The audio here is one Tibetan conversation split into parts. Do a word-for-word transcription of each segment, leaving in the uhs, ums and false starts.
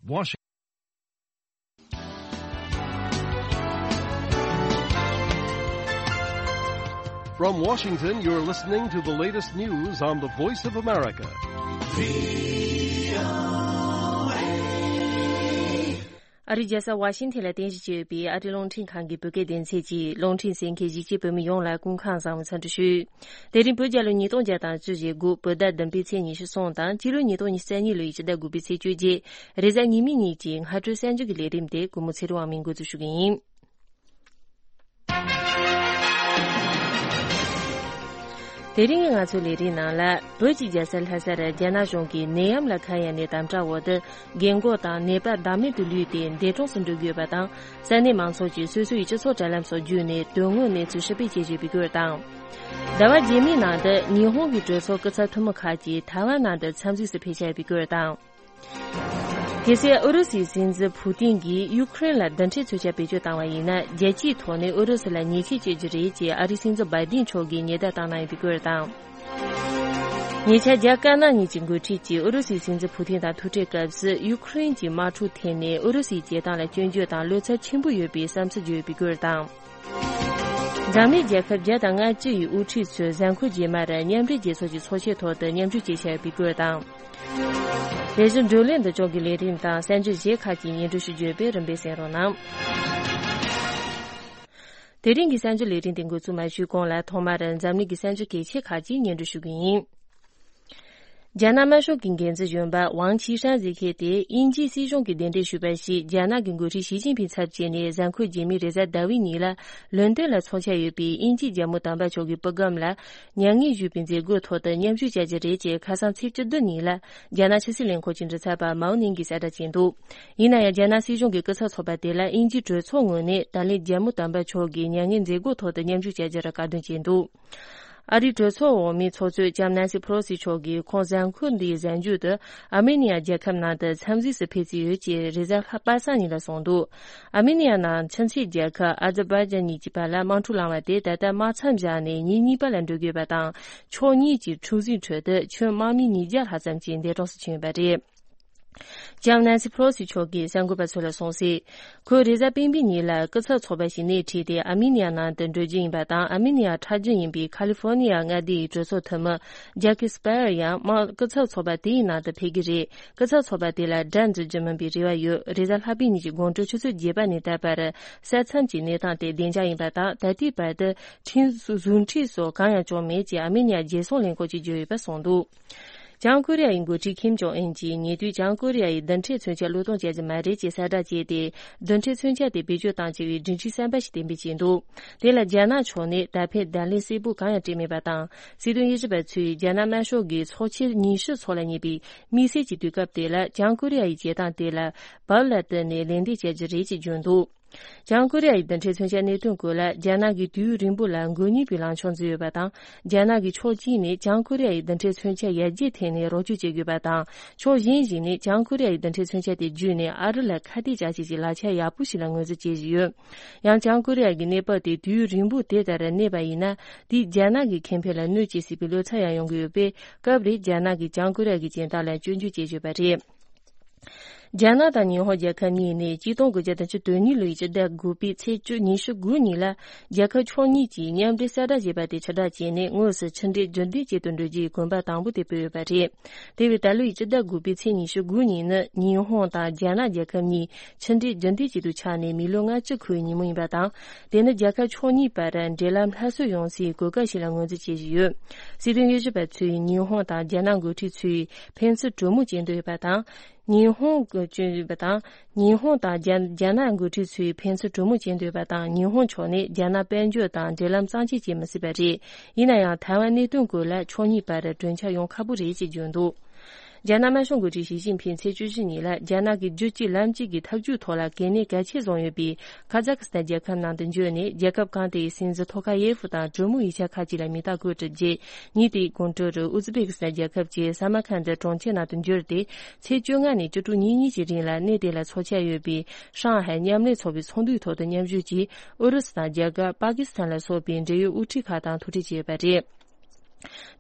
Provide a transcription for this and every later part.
Washington. From Washington, you're listening to the latest news on the Voice of America. ཨ་རིའི་རྒྱལ་ས་ཝ་ཤིང་ཐན་ལ་རྟེན་གཞི་བྱས་ཡོད་པའི་ཨ་རིའི་རླུང་འཕྲིན་ཁང་གི་བོད་སྐད་སྡེ་ཚན་གྱི་རླུང་འཕྲིན་གསན་མཁན་གཞིས་བྱེས་བོད་མི་ཡོངས་ལ་སྐུ་ཁམས་བཟང་བའི་འཚམས་འདྲི་ཞུ། དེ་རིང་བོད་རྒྱལ་ལོ་ཉིས་སྟོང་བརྒྱ་དང་བཅུ་ཞེ་དགུ་བོད་ཟླ་བདུན་པའི་ཚེས་ཉི་ཤུ་གསུམ་དང་སྤྱི་ལོ་ཉིས་སྟོང་ཉི་ཤུ་རྩ་གཉིས་ལོའི་ཕྱི་ཟླ་དགུ་པའི་ཚེས་བཅོ་བརྒྱད་རེས་གཟའ་ཉི་མའི་ཉིན་གྱི་སྔ་དྲོའི་གསར་འགྱུར་གྱི་ལས་རིམ་དེ་གུས་མོ་ཚེ་རིང་དབང་མོས་འགོ་འཛུགས་ཞུ་གི་ཡིན། དེ་རིང་གི་ང་ཚོའི་ལས་རིམ་ནང་ལ། བོད་ཀྱི་རྒྱལ་ས་ལྷ་སར་རྒྱ་ནག་གཞུང་གིས་ནད་ཡམས་ལ་ཁ་གཡར་ནས་དམ་དྲག་འོག་ཏུ་རྒན་འཁོགས་དང་ནད་པ་བདག་མེད་དུ་ལུས་ཏེ་འདས་གྲོངས་སུ་འགྲོ་དགོས་པ་དང་། ས་གནས་མང་ཚོགས་ཀྱིས་སོ་སོའི་སྤྱི་ཚོགས་དྲ་ལམ་སོགས་བརྒྱུད་ནས་དོན་དངོས་གནས་ཚུལ་ཕྱིར་སྤེལ་བྱེད་བཞིན་པའི་སྐོར་དང་། ཟླ་བ་རྗེས་མའི་ནང་དུ་ཉི་ཧོང་གི་གྲོས་ཚོགས་སྐུ་ཚབ་འཐུས་མི་ཁག་ཅིག་ཐའེ་ཝན་ནང་དུ་འཚམས་གཟིགས་སུ་ཕེབས་བཞིན་པའི་སྐོར་དང་། གལ་སྲིད་ཨུ་རུ་སུའི་སྲིད་འཛིན་ཕུ་ཏིན་གྱིས་ཡུ་ཁུ་རེན་ལ་རྡུལ་ཕྲན་མཚོན་ཆ་བེད་སྤྱོད་བཏང་བ་ཡིན་ན། རྒྱལ་སྤྱིའི་ཐོག་ནས་ཨུ་རུ་སུ་ལ་ཉེས་ཆད་གཅོད་རྒྱུ་རེད་ཅེས་ཨ་རིའི་སྲིད་འཛིན་བྷའི་ཌེན་མཆོག་གིས་ཉེན་བརྡ་བཏང་གནང་ཡོད་པའི་སྐོར་དང་། ཉེ་ཆར་རྒྱ་དཀར་ནག་གཉིས་ཀྱི་འགོ་ཁྲིད་ཀྱིས་ཨུ་རུ་སུའི་སྲིད་འཛིན་ཕུ་ཏིན་དང་ཐུག་འཕྲད་སྐབས་སུ། ཡུ་ཁུ་རེན་གྱི་དམག་འཁྲུག་ཐད་ནས་ཨུ་རུ་སུའི་བྱེད་སྟངས་ལ་སྐྱོན་བརྗོད་དང་བློ་འཚབ་ཆེན་པོ་ཡོད་པའི་བསམ་ཚུལ་བརྗོད་ཡོད་པའི་སྐོར་དང་། འཛམ་གླིང་རྒྱལ་ཁབ་བརྒྱ་དང་ལྔ་བཅུ་ཡི་དབུ་ཁྲིད་ཚོས་གཟའ་འཁོར་རྗེས་མར་མཉམ་འབྲེལ་རྒྱལ་ཚོགས་ཀྱི་ཚོགས་ཆེན་ཐོག་ཏུ་མཉམ་ཞུགས་བྱེད་འཆར་ཡོད་པའི་སྐོར་དང་། དེ་བཞིན་བགྲོ་གླེང་འདི་ཕྱོགས་ཀྱི་ལས་རིམ་དང་གསར་འགྱུར་གཞན་ཁག་ཅིག་སྙན་སྒྲོན་ཞུ་རྒྱུ་ཡོད་པས་རིམ་པས་གསན་རོགས་གནང་། དེ་རིང་གི་གསར་འགྱུར་ལས་རིམ་དེ་འགོ་འཛུགས་མ་ཞུས་གོང་ལ། ཐོག་མར་འཛམ་གླིང་གི་གསར་འགྱུར་གལ་ཆེ་ཁག་ཅིག་སྙན་སྒྲོན་ཞུ་གི་ཡིན། རྒྱ་ནག་དམར་ཤོག་གི་འགན་འཛིན་གཞོན་པ་ཝང་ཆི་ཧྲན་ཟེར་མཁན་དེ་དབྱིན་ཇིའི་སྲིད་གཞུང་གིས་གདན་འདྲེན་ཞུས་པ་ཞིག་རྒྱ་ནག་གི་འགོ་ཁྲིད་ཞི་ཅིན་ཕིང་ཚབ་བྱས་ནས་གཟའ་འཁོར་རྗེས་མའི་རེས་གཟའ་ཟླ་བའི་ཉིན་ལ་ལོན་ཏོན་ལ་འཚོགས་འཆར་ཡོད་པའི་དབྱིན་ཇིའི་རྒྱལ་མོ་དམ་པ་མཆོག་གི་པུའུ་སྒམ་ལ་མྱ་ངན་ཞུས་པའི་མཛད་སྒོའི་ཐོག་ཏུ་མཉམ་ཞུགས་བྱ་རྒྱུ་རེད་ཅེས་ཁ་སང་ཚེས་བཅུ་བདུན་ཉིན་ལ་རྒྱ་ནག་ཕྱི་སྲིད་ལས་ཁུངས་ཀྱི་མགྲིན་ཚབ་པ་མའོ་ནིང་གིས་གསལ་བསྒྲགས་བྱས་འདུག་ཡིན་ན་ཡང་། རྒྱ་ནག་སྲིད་གཞུང་གི་སྐུ་ཚབ་ཚོགས་པ་དེ་ལ་དབྱིན་ཇིའི་གྲོས་ཚོགས་ངོས་ནས་ད་ལན་རྒྱལ་མོ་དམ་པ་མཆོག་གི་མྱ་ངན་མཛད་སྒོའི་ཐོག་ཏུ་མཉམ་ཞུགས་བྱ་རྒྱུར་བཀག་སྡོམ་བྱས་འདུག་ཨ་རིའི་གྲོས་ཚོགས་འོག་མའི་ཚོགས་གཙོས་ལྕམ་ནན་སི་ཕེ་ལོ་སི་མཆོག་གིས་ཁོང་གཟའ་འཁོར་འདིའི་གཟའ་མཇུག་ཏུ་ཨར་མེ་ནི་ཡ་རྒྱལ་ཁབ་ནང་དུ་འཚམས་གཟིགས་སུ་ཕེབས་རྩིས་ཡོད་ཅེས་རེས་གཟའ་ལྷག་པ་སངས་ཉིན་ལ་གསུངས་འདུག་ཨར་མེ་ནི་ཡ་ནང་ཁྱིམ་མཚེས་རྒྱལ་ཁབ་ཨ་ཛར་བྷའི་ཇན་གཉིས་ཀྱི་བར་ལ་དམག་འཁྲུག་ལངས་པ་དེ་ད་ལྟ་དམག་མཚམས་བཞག་ནས་ཉིན་གཉིས་པ་ལ་འགྲོ་དགོས་པ་དང་། ཕྱོགས་གཉིས་ཀྱི་འཁྲུག་འཛིང་ཁྲོད་དུ་ཁྱོན་དམག་མི་ཉིས་བརྒྱ་ལྷག་ཙམ་ཞིག་འདས་གྲོངས་སུ་ཕྱིན་ཡོད་པ་རེད། ལྕམ་ནན་སི་ཕེ་ལོ་སི་མཆོག་གིས་གསར་འགོད་པ་ཚོ་ལ་གསུངས་གསལ། ཁོས་རེས་གཟའ་སྤེན་པའི་ཉིན་ལ་སྐུ་ཚབ་ཚོགས་པ་ཞིག་སྣེ་ཁྲིད་དེ་ཨར་མེ་ནི་ཡ་ནང་དུ་འགྲོ་རྒྱུ་ཡིན་པ་དང་། ཨར་མེ་ནི་ཡ་ཁྲག་རྒྱུན་ཡིན་པའི་ཁ་ལི་ཧྥོ་ནི་ཡ་མངའ་སྡེའི་གྲོས་ཚོགས་འཐུས་མི་ཇ་ཀི་སི་པ་ཡར་ཡང་དམག་སྐུ་ཚབ་ཚོགས་པ་དེའི་ནང་དུ་ཕེབས་ཀྱི་རེད། སྐུ་ཚབ་ཚོགས་པ་དེ་ལ་དགྲ་འཛིན་རྒྱུ་མིན་པའི་རེ་བ་ཡོད། རེས་གཟའ་ལྷག་པའི་ཉིན་གྱི་དགོང་དྲོ་ཆུ་ཚོད་བརྒྱད་པ་ནས་ད་བར་ས་མཚམས་ཀྱི་གནས་སྟངས་དེ་བདེ་འཇགས་ཡིན་པ་དང་། ད་ལྟའི་བར་དུ་ཁྲིམས་བཟུང་ཁྲིམས་སོགས་གང་ཡང་བྱུང་མེད་ཅེས་ཨར་མེ་ནི་ཡ་རྒྱལ་སྲུང་ལས་ཁུངས་ཀྱིས་བརྗོད་ཡོད་པ་གསུངས་འདུག་བྱང་ཀོ་རི་ཡའི་འགོ་ཁྲིད་ཁིམ་ཇོང་ཨུན་གྱིས་ཉེ་དུས་བྱང་ཀོ་རི་ཡའི་རྡུལ་ཕྲན་མཚོན་ཆ་བློས་གཏོང་བྱ་རྒྱུ་མ་རེད་ཅེས་གསལ་བསྒྲགས་བྱས་ཏེ། རྡུལ་ཕྲན་མཚོན་ཆ་དེ་བེད་སྤྱོད་གཏང་བྱས་པའི་སྒྲིག་གཞི་གསར་པ་ཞིག་གཏན་འབེབས་བྱས་འདུག་དེ་ལ་རྒྱ་ནག་ཕྱོགས་ནས་ད་ཕན་བརྡ་ལན་གསལ་པོ་གང་ཡང་སྤྲད་མེད་པ་དང་། སྲིད་དོན་དབྱེ་ཞིབ་པ་ཚོས་རྒྱ་ནག་དམར་ཤོག་གིས་ཚོགས་ཆེན་ཉི་ཤུ་འཚོགས་ལ་ཉེ་བའི་དམིགས་བསལ་གྱི་དུས་སྐབས་དེ་ལ་བྱང་ཀོ་རི་ཡ་ཡི་བྱེད་སྟངས་དེ་ལ་བབ་ལ་བསྟུན་ནས་ལན་འདེབས་བྱ་རྒྱུ་རེད་ཅེས་བརྗོད་འདུག་བྱང་ཀོ་རི་ཡ་ཡི་རྡུལ་ཕྲན་མཚོན་ཆའི་གནད་དོན་སྐོར་ལ་རྒྱ་ནག་གིས་དུས་ཡུན་རིང་པོ་ལ་མགོ་གཉིས་པའི་ལངས་ཕྱོགས་འཛིན་ཡོད་པ་དང་། རྒྱ་ནག་གིས་ཕྱོགས་གཅིག་ནས་བྱང་ཀོ་རི་ཡ་ཡི་རྡུལ་ཕྲན་མཚོན་ཆ་ཡར་རྒྱས་ཐད་ནས་རོགས་སྐྱོར་བྱེད་དགོས་པ་དང་། ཕྱོགས་གཞན་ཞིག་ནས་བྱང་ཀོ་རི་ཡ་ཡི་རྡུལ་ཕྲན་མཚོན་ཆ་དེ་བརྒྱུད་ནས་ཨ་རི་ལ་ཁ་གཏད་བཅག་བྱེད་ཀྱི་ལག་ཆ་ཡག་པོ་ཞིག་ལ་ངོས་འཛིན་བྱེད་བཞིན་ཡོད། ཡང་། བྱང་ཀོ་རི་ཡ་གི་གནས་བབ་དེ་དུས་ཡུན་རིང་པོ་དེ་ལྟར་གནས་པ་ཡིན་ན། དེས་རྒྱ་ནག་གི་ཁེ་ཕན་ལ་གནོད་སྐྱེལ་སྲིད་པའི་བློ་འཚབ་ཡང་ཡོང་གི་ཡོད་པས། སྐབས་རེ་རྒྱ་ནག་གིས་བྱང་ཀོ་རི་ཡ་གི་བྱེད་སྟངས་ལ་སྐྱོན་བརྗོད་བྱེད་བཞིན་པ་རེད། རྒྱ་ནག་དང་ཉི་ཧོང་རྒྱལ་ཁབ་གཉིས་ནས་ཆིག་སྟོང་དགུ་བརྒྱ་དང་བཅུ་དོན་གཉིས་ལོའི་ཕྱི་ཟླ་དགུ་པའི་ཚེས་བཅུ་ཉི་ཤུ་དགུ་ཉིན་ལ་རྒྱལ་ཁབ་ཕྱོགས་གཉིས་ཀྱིས་མཉམ་འབྲེལ་གསལ་བསྒྲགས་བྱས་པ་དེ་ཕྱིར་བསྒྲགས་བྱས་ནས། དངོས་སུ་ཕྱི་འབྲེལ་རྒྱུན་ལྡན་བྱེད་དུ་འགྲོ་རྒྱུའི་གོམ་པ་དང་པོ་དེ་སྤོས་ཡོད་པ་རེད། དེ་བས་ད་ལོའི་ཕྱི་ཟླ་དགུ་པའི་ཚེས་ཉི་ཤུ་དགུ་ཉིན་ནི་ཉི་ཧོང་དང་རྒྱ་ནག་རྒྱལ་ཁབ་གཉིས་ཕྱི་འབྲེལ་རྒྱུན་ལྡན་བྱེད་དུ་ཆགས་ནས་མི་ལོ་ལྔ་བཅུ་འཁོར་བའི་ཉིན་མོ་ཡིན་པ་དང་། དེ་ནི་རྒྱལ་ཁབ་ཕྱོགས་གཉིས་བར་འབྲེལ་ལམ་སླར་གསོ་ཡོང་སའི་གོ་སྐབས་ཤིག་ལ་ངོས་འཛིན་བྱེད་བཞིན་ཡོད། སྲིད་དོན་དབྱེ་ཞིབ་པ་ཚོས་ཉི་ཧོང་དང་རྒྱ་ནག་འགོ་ཁྲིད་ཚོས་ཕན་ཚུན་གྲོས་མོལ་བྱེད་འདོད་ཡོད་པ་དང་། ཉི་ཧོང་གི་བྱེད་འདོད་ཡོད་པ་དང་། ཉི་ཧོང་དང་རྒྱ་རྒྱ་ནག་འགོ་ཁྲིད་ཚོས་ཕན་ཚུན་གྲོས་མོལ་བྱེད་འདོད་ཡོད་པ་དང་། ཉི་ཧོང་ཕྱོགས་ནས་རྒྱ་ནག་དཔལ་འབྱོར་དང་འབྲེལ་ལམ་གཙང་བཅད་བྱེད་མི་སྲིད་པ་རེད། ཡིན་ན་ཡང་། ཐའེ་ཝན་གནད་དོན་སྐོར་ལ་ཕྱོགས་གཉིས་བར་གྲོས་འཆར་ཡོང་ཁག་པོ་རེད་ཅེས་བརྗོད་འདུག་རྒྱ་ནག་དམར་ཤོག་འགོ་ཁྲིད་ཞི་ཅིན་ཕིང་ཚེས་བཅུ་བཞི་ཉིན་ལ་རྒྱ་ནག་གི་རྒྱུད་གཅིག་ལམ་གཅིག་གི་ཐབས་ཇུས་ཐོག་ལ་གལ་གནད་གལ་ཆེ་བཟུང་ཡོད་པའི་ཁ་ཛ་ཁི་སི་ཐན་རྒྱལ་ཁབ་ནང་དུ་འབྱོར་ནས། རྒྱལ་ཁབ་གང་དེའི་སྲིད་འཛིན་ཐོ་ཁ་ཡེ་ཧྥུ་དང་གྲོས་མོལ་ཡིག་ཆ་ཁག་ཅིག་ལ་མིང་རྟགས་བཀོད་གྲུབ་རྗེས། ཉིན་དེའི་དགོང་དྲོ་རུ་ཨུ་ཛི་བེ་ཀི་སི་ཐན་རྒྱལ་ཁབ་ཀྱི་ས་མར་ཁན་དི་གྲོང་ཁྱེར་ནང་དུ་འབྱོར་ཏེ། ཚེས་བཅོ་ལྔ་ནས་བཅུ་དྲུག་ཉིན་གཉིས་ཀྱི་རིང་ལ་གནས་དེ་ལ་འཚོགས་འཆར་ཡོད་པའི་ཧྲང་ཧའེ་མཉམ་ལས་ཚོགས་པའི་ཚོགས་འདུའི་ཐོག་ཏུ་མཉམ་ཞུགས་ཀྱིས། ཨུ་རུ་སུ་དང་རྒྱ་གར། པ་ཀི་སི་ཐན་ལ་སོགས་པའི་འབྲེལ་ཡོད་དབུ་ཁྲིད་ཁག་དང་ཐུག་འཕྲད་བྱས་ཡོད་པ་རེད།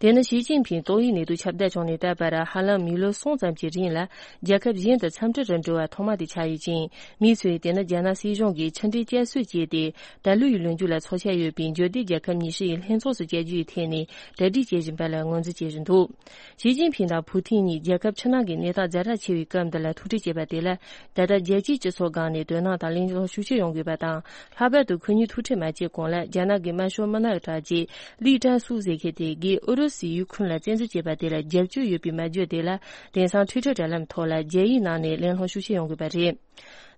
དེ་ནི་ཞི་ཅིན་ཕིང་ཏོག་དབྱིབས་ནད་དུག་ཁྱབ་གདལ་བྱུང་ནས་ད་བར་ཧ་ལམ་མི་ལོ་གསུམ་ཙམ་གྱི་རིང་ལ་རྒྱལ་ཁབ་གཞན་དུ་འཚམས་འདྲི་རུ་འགྲོ་བ་ཐོག་མ་དེ་ཆགས་ཡོད་ཅིང་། མི་ཚོས་དེ་ནི་རྒྱ་ནག་སྲིད་གཞུང་གིས་ཕྱི་འབྲེལ་བསྐྱར་གསོ་བྱས་ཏེ། ད་ལོའི་ལོ་མཇུག་ལ་འཚོགས་འཆར་ཡོད་པའི་འབྱོར་ལྡན་རྒྱལ་ཁབ་ཉི་ཤུ་ཡི་ལྷན་ཚོགས་སུ་བཅར་རྒྱུའི་ཐད་ནས་གྲ་སྒྲིག་བྱེད་བཞིན་པ་ལ་ངོས་འཛིན་བྱེད་བཞིན་འདུག་ཞི་ཅིན་ཕིང་དང་ཕུའུ་ཐིན་གཉིས་རྒྱལ་ཁབ་ཕྱི་ནང་གི་གནས་སྟངས་ཛ་དྲག་ཆེ་བའི་སྐབས་འདི་ལ་ཐུག་འཕྲད་བྱས་པ་དེ་ལ། ད་ལྟ་རྒྱལ་སྤྱིའི་སྤྱི་ཚོགས་སྒང་ནས་དོ་སྣང་དང་གླེང་སློང་ཤུགས་ཆེ་ཡོང་དགོས་པ་དང་། ལྷག་པར་དུ་ཁོ་གཉིས་ཐུག་འཕྲད་མ་བྱས་གོང་ལ་རྒྱ་ནག་གི་དམར་ཤོག་དམར་ནག་གི་དྲ་རྒྱའི་ལི་ཀྲན་སུའུ་ཟེར་མཁན་དེ་གིས་ཨུ་རུ་སུས་ཡུ་ཁུན་ལ་བཙན་འཛུལ་བྱས་པ་དེ་ལ་རྒྱབ་སྐྱོར་ཡོད་པའི་སྨྲ་བརྗོད་དེ་ལ། དེང་སང་ཊུའི་ཊར་དྲ་ལམ་ཐོག་ལ་རྒྱ་ཡིག་ནང་ནས་གླེང་སློང་ཤུགས་ཆེ་ཡོང་དགོས་པ་རེད།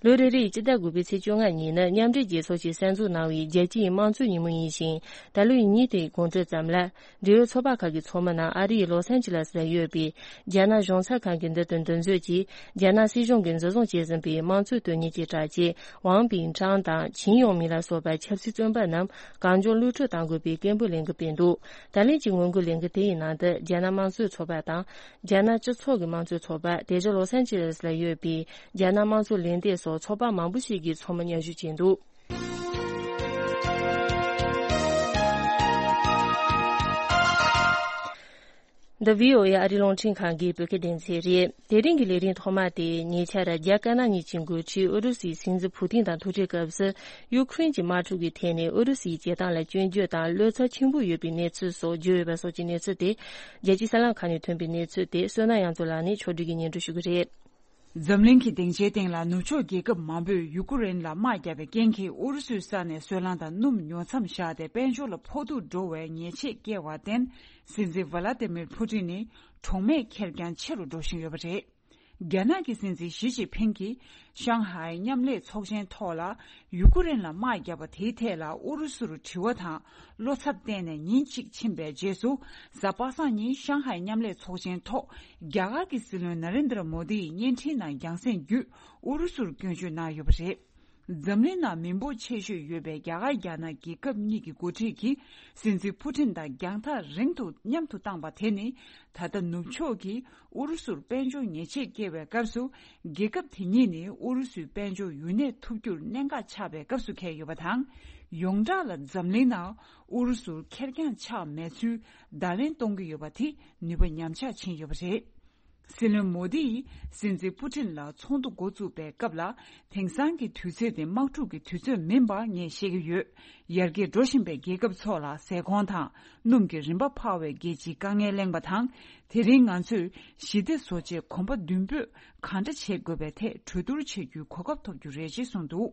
ལོ་རེ་རེའི་སྤྱི་ཟླ་དགུ་པའི་ཚེས་བཅོ་ལྔ་ཉིན་ནི་མཉམ་འབྲེལ་རྒྱལ་ཚོགས་ཀྱིས་གསར་འཛུགས་གནང་བའི་རྒྱལ་སྤྱིའི་དམངས་གཙོའི་ཉིན་མོ་ཡིན་ཞིང་། ད་ལོའི་ཉིན་དེའི་དགོང་དྲོ་ཙམ་ལ། འབྲེལ་ཡོད་ཚོགས་པ་ཁག་གི་ཚོགས་མི་རྣམས་ཨ་རིའི་ལོ་སན་ཅི་ལེ་སི་ལ་ཡོད་པའི་རྒྱ་ནག་གཞུང་ཚབ་ཁང་གི་མདུན་དུ་འདུ་འཛོམས་ཀྱིས། རྒྱ་ནག་སྲིད་གཞུང་གིས་འཛིན་བཟུང་བྱས་ཟིན་པའི་དམངས་གཙོའི་དོན་གཉེར་གྱི་དྲ་རྒྱའི་ཝང་པིན་ཀྲང་དང་ཆིན་ཡོང་མིན་ལ་སོགས་པ་ཆབ་སྲིད་བཙོན་པ་རྣམས་གང་མགྱོགས་གློད་གྲོལ་གཏང་དགོས་པའི་སྐད་འབོད་ལས་འགུལ་སྤེལ་འདུག་ད་ལན་གྱི་ངོ་རྒོལ་ལས་འགུལ་དེ་ཡི་ནང་དུ་རྒྱ་ནག་དམངས་གཙོའི་ཚོགས་པ་དང་། རྒྱ་ནག་སྤྱི་ཚོགས་ཀྱི་དམངས་གཙོའི་ཚོགས་པ། དེ་བཞིན་ལོ་སན་ཅི་ལེ་སི་ལ་ཡོད་པའི་རྒྱ་ནག་དམངས་གཙོ་ལས་སྡེ་སོགས་ཚོགས་པ་མང་པོ་ཞིག་གིས་ཚོགས་མི་མཉམ་ཞུགས་བྱས་འདུག་འདི་བྷི་ཨོ་ཨེ་ཨ་རིའི་རླུང་འཕྲིན་ཁང་གི་བོད་སྐད་སྡེ་ཚན་རེད། དེ་རིང་གི་ལས་རིམ་ཐོག་མ་དེ་ཉེ་ཆར་རྒྱ་དཀར་ནག་གཉིས་ཀྱི་འགོ་ཁྲིད་ཨུ་རུ་སུའི་སྲིད་འཛིན་ཕུ་ཐིན་དང་ཐུག་འཕྲད་སྐབས་སུ། ཡུ་ཁུ་རེན་གྱི་དམག་འཁྲུག་གི་ཐད་ནས་ཨུ་རུ་སུའི་བྱེད་སྟངས་ལ་སྐྱོན་བརྗོད་དང་བློ་འཚབ་ཆེན་པོ་ཡོད་པའི་གནས་ཚུལ་སོགས་བརྗོད་ཡོད་པ་སོགས་ཀྱི་གནས་ཚུལ་དེ། རྒྱལ་སྤྱིའི་གསར་ལམ་ཁག་ནས་ཐོན་པའི་གནས་ཚུལ་དེ་བསོད་ནམས་དབྱངས་མཚོ་ལགས་ནས་ཕྱོགས་བསྒྲིགས་ཀྱིས་སྙན་སྒྲོན་ཞུ་གི་རེད། འཛམ་གླིང་གི་སྡིངས་ཆའི་སྟེང་ལ་ནུབ་ཕྱོགས་རྒྱལ་ཁབ་མང་པོས་ཡུ་ཀུ་རེན་ལ་དམག་བརྒྱབ་པའི་རྐྱེན་གྱིས་ཨུ་རུ་སུའི་ས་ནས་སོལ་རླངས་དང་སྣུམ་ཉོ་མཚམས་བཞག་སྟེ་དཔལ་འབྱོར་ལ་ཕོག་ཐུག་འགྲོ་བའི་ཉེས་ཆད་བཀལ་བར་བརྟེན། སྲིད་འཛིན་ཝ་ལ་ཏི་མིར་ཕུ་ཏིན་ནི་གྲོགས་མེད་ཁེར་རྐྱང་ཆེ་རུ་འགྲོ་བཞིན་ཡོད་པ་རེད། རྒྱ་ནག་གི་སྲིད་འཛིན་ཞི་ཅིན་ཕིང་གིས་ཤང་ཧའེ་མཉམ་ལས་ཚོགས་ཆེན་ཐོག་ལ་ཡུ་ཀུ་རེན་ལ་དམག་བརྒྱབ་པ་དེའི་ཐད་ལ་ཨུ་རུ་སུར་དྲི་བ་དང་བློ་འཚབ་བསྟན་ནས་ཉིན་གཅིག་ཕྱིན་པའི་རྗེས་སུ། གཟའ་པ་སངས་ཉིན་ཤང་ཧའེ་མཉམ་ལས་ཚོགས་ཆེན་ཐོག་རྒྱ་གར་གྱི་སྲིད་བློན་ན་རེན་དྲ་མོ་དི་ཡི་བརྙན་འཕྲིན་ནང་རྒྱང་སྲིང་བརྒྱུད་ཨུ་རུ་སུར་སྐྱོན་བརྗོད་གནང་ཡོད་པ་རེད། འཛམ་གླིང་ནང་མི་འབོར་ཆེ་ཤོས་ཡོད་པའི་རྒྱ་གར་རྒྱ་ནག་རྒྱལ་ཁབ་གཉིས་ཀྱི་འགོ་ཁྲིད་ཀྱིས་སྲིད་འཛིན་ཕུ་ཏིན་དང་རྒྱང་ཐག་རིང་དུ་མཉམ་དུ་བཏང་པ་དེ་ནི། ད་ལྟ་ནུབ་ཕྱོགས་ཀྱིས་ཨུ་རུ་སུར་དཔལ་འབྱོར་ཉེས་ཆད་བཀལ་བའི་སྐབས་སུ། རྒྱལ་ཁབ་དེ་གཉིས་ནི་ཨུ་རུ་སུའི་དཔལ་འབྱོར་ཡུན་གནས་ཐུབ་རྒྱུར་གནད་འགག་ཆགས་པའི་སྐབས་སུ་འཁེལ་ཡོད་པ་དང་། ཡོངས་གྲགས་ལ་འཛམ་གླིང་ནང་ཨུ་རུ་སུར་ཁེར་རྐྱང་ཆགས་མེད་ཚུལ་བརྡ་ལན་གཏོང་གི་ཡོད་པ་དེ་ནུས་པ་ཉམས་ཆག་ཕྱིན་ཡོད་པ་རེད། སྲིད་བློན་མོ་དི་ཡིས་སྲིད་འཛིན་པུ་ཏིན་ལ་ཚོགས་འདུ་འགོ་བཙུགས་པའི་སྐབས་ལ། དེང་སང་གི་དུས་ཚོད་དེ་དམག་འཁྲུག་གི་དུས་ཚོད་མིན་པ་ངས་ཤེས་ཀྱི་ཡོད། ཡར་རྒྱས་འགྲོ་བཞིན་པའི་རྒྱལ་ཁབ་ཚོ་ལ་ཟས་གོང་དང་སྣུམ་གྱི་རིན་པ་འཕར་བའི་རྒྱལ་སྤྱིའི་དཀའ་ངལ་གླེང་བ་དང་། དེ་རིང་ང་ཚོས་ཞི་བདེ་བཟོ་ཆེད་གོམ་པ་མདུན་སྤོས་གང་འདྲ་བྱེད་དགོས་པའི་ཐད་གྲོས་བསྡུར་བྱེད་རྒྱུའི་གོ་སྐབས་ཐོབ་རྒྱུ་རེད་ཅེས་གསུངས་འདུག་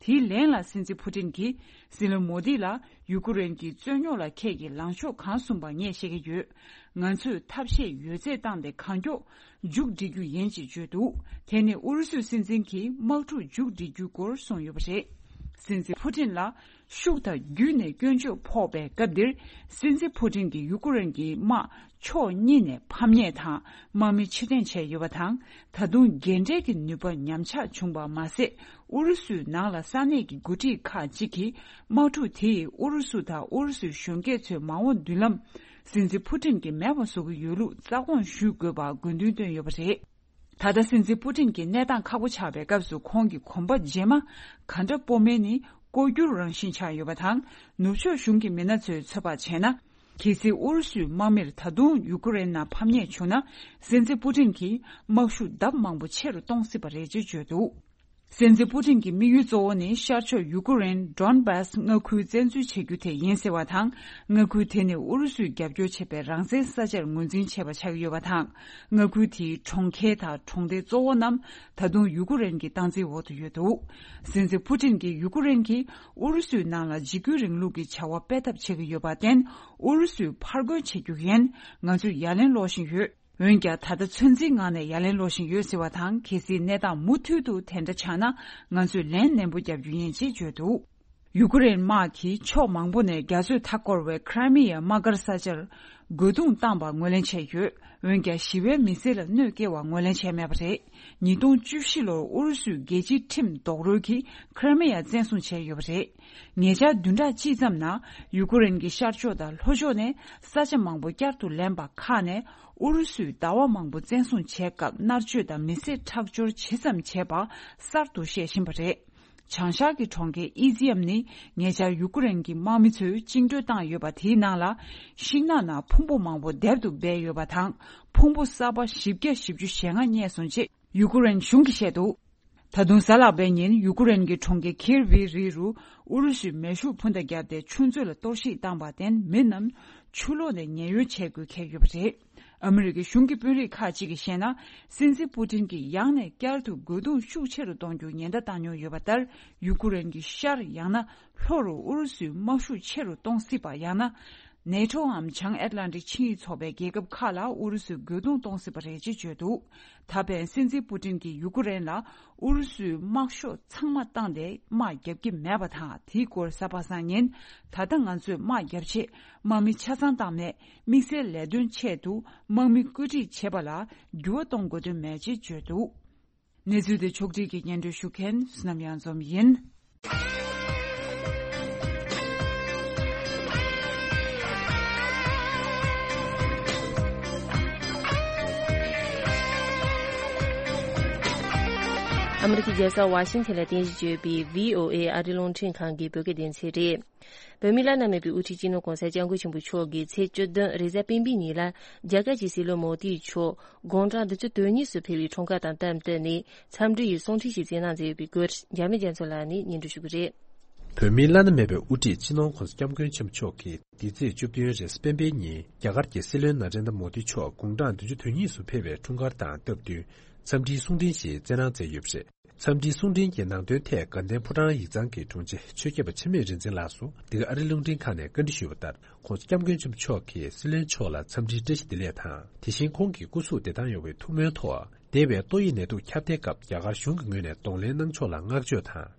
དེའི་ལན་ལ་སྲིད་འཛིན་ཕུ་ཏིན་གྱིས་སྲིད་བློན་མོ་དི་ལ་ཡུ་ཀུ་རེན་གྱི་རྩོད་རྙོག་ལ་ཁྱེད་ཀྱིས་ལངས་ཕྱོགས་གང་བཟུང་པ་ངས་ཤེས་ཀྱི་ཡོད། ང་ཚོས་ཐབས་ཤེས་ཡོད་ཚད་བཏང་སྟེ་གང་མགྱོགས་མཇུག་སྒྲིལ་རྒྱུ་ཡིན་ཅེས་བརྗོད་འདུག་དེ་ནི་ཨུ་རུ་སུའི་སྲིད་འཛིན་གྱིས་དམག་འཁྲུག་མཇུག་སྒྲིལ་རྒྱུའི་སྐོར་གསུངས་ཡོད་པ་རེད། སྲིད་འཛིན་ཕུ་ཏིན་ལ་ཤུགས་དང་བརྒྱུད་ནས་སྐྱོན་བརྗོད་ཕོག་པའི་སྐབས་འདིར། སྲིད་འཛིན་ཕུ་ཏིན་གྱིས་ཡུ་ཀུ་རེན་གྱི་དམག་ཕྱོགས་གཉིས་ནས་ཕམ་ཉེས་དང་དམག་མི་ཕྱིར་འཐེན་བྱས་ཡོད་པ་དང་། ད་དུང་རྒན་གྲས་ཀྱི་ནུས་པ་ཉམས་ཆག་བྱུང་བ་མ་ཟད། ཨུ་རུ་སུའི་ནང་ལ་ས་གནས་ཀྱི་འགོ་ཁྲིད་ཁག་ཅིག་གིས་དམག་འཁྲུག་དེས་ཨུ་རུ་སུ་དང་ཨུ་རུ་སུའི་གཞོན་སྐྱེས་ཚོའི་མ་འོངས་མདུན་ལམ། སྲིད་འཛིན་ཕུ་ཏིན་གྱིས་མེད་པ་བཟོ་གི་ཡོད་ལུགས་རྩ་དགོངས་ཞུ་དགོས་པར་དགོས་འདུན་བཏོན་ཡོད་པ་རེད། ད་ལྟ་སྲིད་འཛིན་པུ་ཏིན་གྱི་གནས་སྟངས་ཁག་པོ་ཆགས་པའི་སྐབས་སུ་ཁོང་གིས་གོམ་པ་རྗེས་མ་ག་འདྲ་སྤོ་མིན་ནི་ལྐོག་གྱུར་རང་བཞིན་ཆགས་ཡོད་པ་དང་། ནུབ་ཕྱོགས་གཞུང་གི་མི་སྣ་ཚོས་ཚོད་དཔག་བྱས་ན། གལ་སྲིད་ཨུ་རུ་སུའི་དམག་མིར་ད་དུང་ཡུ་ཀེ་རེན་ནང་ཕམ་ཉེས་བྱུང་ན། སྲིད་འཛིན་པུ་ཏིན་གྱིས་དམག་ཤུགས་ལྡབ་མང་པོ་ཆེ་རུ་གཏོང་སྲིད་པ་རེད་ཅེས་བརྗོད་འདུག་སྲིད་འཛིན་པུ་ཏིན་གྱི་དམིགས་ཡུལ་གཙོ་བོ་ནི་ཤར་ཕྱོགས་ཡུ་ཀེ་རེན་ཌོན་བྷཱས་མངའ་ཁུལ་བཙན་འཛུལ་བྱེད་རྒྱུ་དེ་ཡིན་ཟེར་བ་དང་། མངའ་ཁུལ་དེ་ནི་ཨུ་རུ་སུས་རྒྱབ་སྐྱོར་བྱེད་པའི་རང་བཙན་ས་ཆར་ངོས་འཛིན་བྱས་པ་ཆགས་ཀྱི་ཡོད་པ་དང་། མངའ་ཁུལ་དེའི་གྲོང་ཁྱེར་དང་གྲོང་སྡེ་གཙོ་བོ་རྣམས་ད་དུང་ཡུ་ཀེ་རེན་གྱི་སྟངས་འཛིན་འོག་ཏུ་ཡོད་འདུག་སྲིད་འཛིན་པུ་ཏིན་གྱིས་ཡུ་ཀེ་རེན་གྱིས་ཨུ་རུ་སུའི་ནང་ལ་འཇིགས་སྐུལ་རིང་ལུགས་ཀྱི་བྱ་བ་སྤེལ་ཐབས་བྱེད་ཀྱི་ཡོད་པར་བརྟེན། ཨུ་རུ་སུས་ཕར་རྒོལ་བྱེད་རྒྱུ་ཡིན། ང་ཚོས་ཡ་ལན་སློག་བཞིན་ཡོད། འོན་ཀྱང་། ད་ལྟ་ཚོད་འཛིན་ངང་ནས་ཡ་ལན་སློག་བཞིན་ཡོད་ཟེར་བ་དང་། གལ་སྲིད་གནས་སྟངས་མུ་མཐུད་དུ་དེ་འདྲ་ཆགས་ན། ང་ཚོས་ལན་ནན་པོ་རྒྱག་རྒྱུ་ཡིན་ཅེས་བརྗོད་འདུག་ཡུ་ཀེ་རེན་དམག་གིས་ཕྱོགས་མང་པོ་ནས་རྒྱ་མཚོས་མཐའ་བསྐོར་བའི་ཁི་རི་མི་ཡ་དམག་སྒར་ས་ཆར་རྒོལ་རྡུང་བཏང་པ་ངོས་ལེན་བྱས་ཡོད། འོན་ཀྱང་། ཞི་བའི་མི་སེར་ལ་གནོད་སྐྱེལ་བ་ངོས་ལེན་བྱས་མེད་པ་རེད། ཉིས་སྟོང་བཅུ་བཞི་ལོར་ཨུ་རུ་སུའི་རྒྱལ་སྤྱིའི་ཁྲིམས་རྡོག་རོལ་གྱིས་ཁི་རི་མི་ཡ་བཙན་བཟུང་བྱས་ཡོད་པ་རེད། ཉེ་ཆར་བདུན་ཕྲག་གཅིག་ཙམ་ནང་། ཡུ་ཀེ་རེན་གྱི་ཤར་ཕྱོགས་དང་ལྷོ་ཕྱོགས་ནས་ས་ཆ་མང་པོ་བསྐྱར་དུ་ལེན་པ་ཁག་ནས། ཨུ་རུ་སུས་ཟླ་བ་མང་པོ་བཙན་བཟུང་བྱས་སྐབས། མནར་གཅོད་དང་མི་སེར་ཁྲག་སྦྱོར་ཇི་ཙམ་བྱས་པ་གསར་དུ་བཤད་བཞིན་པ་རེད། བྱང་ཤར་གྱི་གྲོང་ཁྱེར་ཨི་ཛི་ཨམ་ནི་ཉེ་ཆར་ཡུ་ཀུ་རེན་གྱི་དམག་མི་ཚོས་བཅིངས་འགྲོལ་བཏང་ཡོད་པ་དེའི་ནང་ལ། ཤིང་ནགས་ནང་ཕུང་པོ་མང་པོ་སྡེབ་ཏུ་སྦས་ཡོད་པ་དང་། ཕུང་པོ་གསར་པ་བཞི་བརྒྱ་བཞི་བཅུ་ཞེ་ལྔ་རྙེད་སོང་ཅེས་ཡུ་ཀུ་རེན་གཞུང་གིས་བཤད་འདུག་ད་དུང་གཟའ་ལྷག་པའི་ཉིན་ཡུ་ཀུ་རེན་གྱི་གྲོང་ཁྱེར་ཁིར་བྷི་རི་རུ་ཨུ་རུ་སུས་མེ་ཤུགས་འཕུར་མདའ་བརྒྱབ་སྟེ་ཆུ་མཛོད་ལ་གཏོར་བཤིག་བཏང་བར་བརྟེན་མི་རྣམས་ཆུ་ལོག་ནས་ཉེན་གཡོལ་བྱེད་དགོས་འཁེལ་ཡོད་པ་རེད། ཨ་མི་རི་ཀའི་གཞུང་གི་དཔོན་རིགས་ཁག་ཅིག་གིས་བཤད་ན། སྲིད་འཛིན་པུ་ཏིན་གྱིས་ཡང་ནས་བསྐྱར་དུ་རྒོལ་རྡུང་ཤུགས་ཆེ་རུ་གཏོང་རྒྱུ་ཉེན་བརྡ་བཏང་མྱོང་ཡོད་པ་ལྟར། ཡུ་ཀུ་རེན་གྱི་ཤར་ཡང་ན་ལྷོ་རུ་ཨུ་རུ་སུས་དམག་ཤུགས་ཆེ་རུ་གཏོང་སྲིད་པ། ཡང་ན་ནེ་ཊོའམ་བྱང་ཨེཊ་ལན་ཊིག་ཆིངས་ཡིག་ཚོགས་པའི་རྒྱལ་ཁབ་ཁག་ལ་ཨུ་རུ་སུས་རྒོལ་རྡུང་གཏོང་སྲིད་པ་རེད་ཅེས་བརྗོད་འདུག་ད་ཕན་སྲིད་འཛིན་པུ་ཏིན་གྱིས་ཡུ་ཀུ་རེན་ལ་ཨུ་རུ་སུའི་དམག་ཤོག་ཚང་མ་བཏང་སྟེ་དམག་རྒྱབ་ཀྱི་མེད་པ་དང་། དེའི་སྐོར་གཟའ་པ་སངས་ཉིན། ད་ལྟ་ང་ཚོས་དམག་རྒྱབ་ཆེད་དམག་མི་ཆ་ཚང་བཏང་མེད། དམིགས་བསལ་ལས་དོན་ཆེད་དུ་དམག་མི་བཀོད་སྒྲིག་བྱེད་པ་ལ་འགྱུར་བ་གཏོང་དགོས་དོན་མེད་ཅེས་བརྗོད་འདུག་གནས་ཚུལ་དེ་ཕྱོགས་སྒྲིག་གིས་སྙན་སྒྲོན་ཞུ་མཁན་བསོད་ནམས་གཡང་འཛོམས་ཡིན། ཨ་མི་རི་ཀའི་རྒྱལ་ས་ཝ་ཤིང་ཐན་ལ་རྟེན་གཞི་བྱས་ཡོད་པའི་བྷི་ཨོ་ཨེ་ཨ་རིའི་རླུང་འཕྲིན་ཁང་གི་བོད་སྐད་སྡེ་ཚན་རེད། བོད་མིའི་བླ་ན་མེད་པའི་དབུ་ཁྲིད་སྤྱི་ནོར་༸གོང་ས་༸སྐྱབས་མགོན་ཆེན་པོ་མཆོག་གིས་ཚེས་བཅུ་བདུན་རེས་གཟའ་སྤེན་པའི་ཉིན་ལ་རྒྱ་གར་གྱི་སྲིད་བློན་མོ་དི་མཆོག་དགུང་གྲངས་བདུན་ཅུ་དོན་གཉིས་སུ་ཕེབས་པའི་འཁྲུངས་སྐར་དང་སྟབས་བསྟུན་ནས་འཚམས་འདྲི་ཡི་གསུང་འཕྲིན་ཞིག་སྩལ་གནང་མཛད་ཡོད་པའི་སྐོར་འཇར་མན་རྒྱ་མཚོ་ལགས་ནས་སྙན་སྒྲོན་ཞུ་གི་རེད། བོད་མིའི་བླ་ན་མེད་པའི་དབུ་ཁྲིད་སྤྱི་ནོར་༸གོང་ས་༸སྐྱབས་མགོན་ཆེན་པོ་མཆོག་གིས་འདི་ཚེས་བཅུ་བདུན་རེས་གཟའ་སྤེན་པའི་ཉིན་རྒྱ་གར་གྱི་སྲིད་བློན་ན་རེན་དྲ་མོ་དི་མཆོག་དགུང་གྲངས་བདུན་ཅུ་དོན་གཉིས་སུ་ཕེབས་པའི་འཁྲུངས་སྐར་དང་སྟབས་བསྟུན་འཚམས་འདྲིའི་གསུང་འཕྲིན་ཞིག་སྩལ་གནང་མཛད་ཡོད་པ་རེད། འཚམས་འདྲིའི་གསུང་འཕྲིན་གྱི་ནང་དོན་ཐད་དགའ་ལྡན་ཕོ་བྲང་ཡིག་ཚང་གི་དྲུང་ཆེ་ཆོས་སྐྱབས་པ་འཆི་མེད་རིག་འཛིན་ལགས་སུ་འདི་ག་ཨ་རིའི་རླུང་འཕྲིན་ཁང་ནས་བཀའ་འདྲི་ཞུས་པ་ལྟར། ༸གོང་ས་༸སྐྱབས་མགོན་ཆེན་པོ་མཆོག་གིས་སྲིད་བློན་མཆོག་ལ་འཚམས་འདྲིའི་བཀྲ་ཤིས་བདེ་ལེགས་དང་། དེ་བཞིན་ཁོང་གི་སྐུ་གཟུགས་བདེ་ཐང་ཡོང་བའི་ཐུགས་སྨོན་ཐོག་འདས་པའི་ཏོག་དབྱིབས་ནད་དུག་ཁྱབ་གདལ་སྐབས་རྒྱ་གར་གཞུང་གི་ངོས་ནས་གདོང་ལེན་གནང་ཕྱོགས་ལ་བསྔགས་བརྗོད་དང་།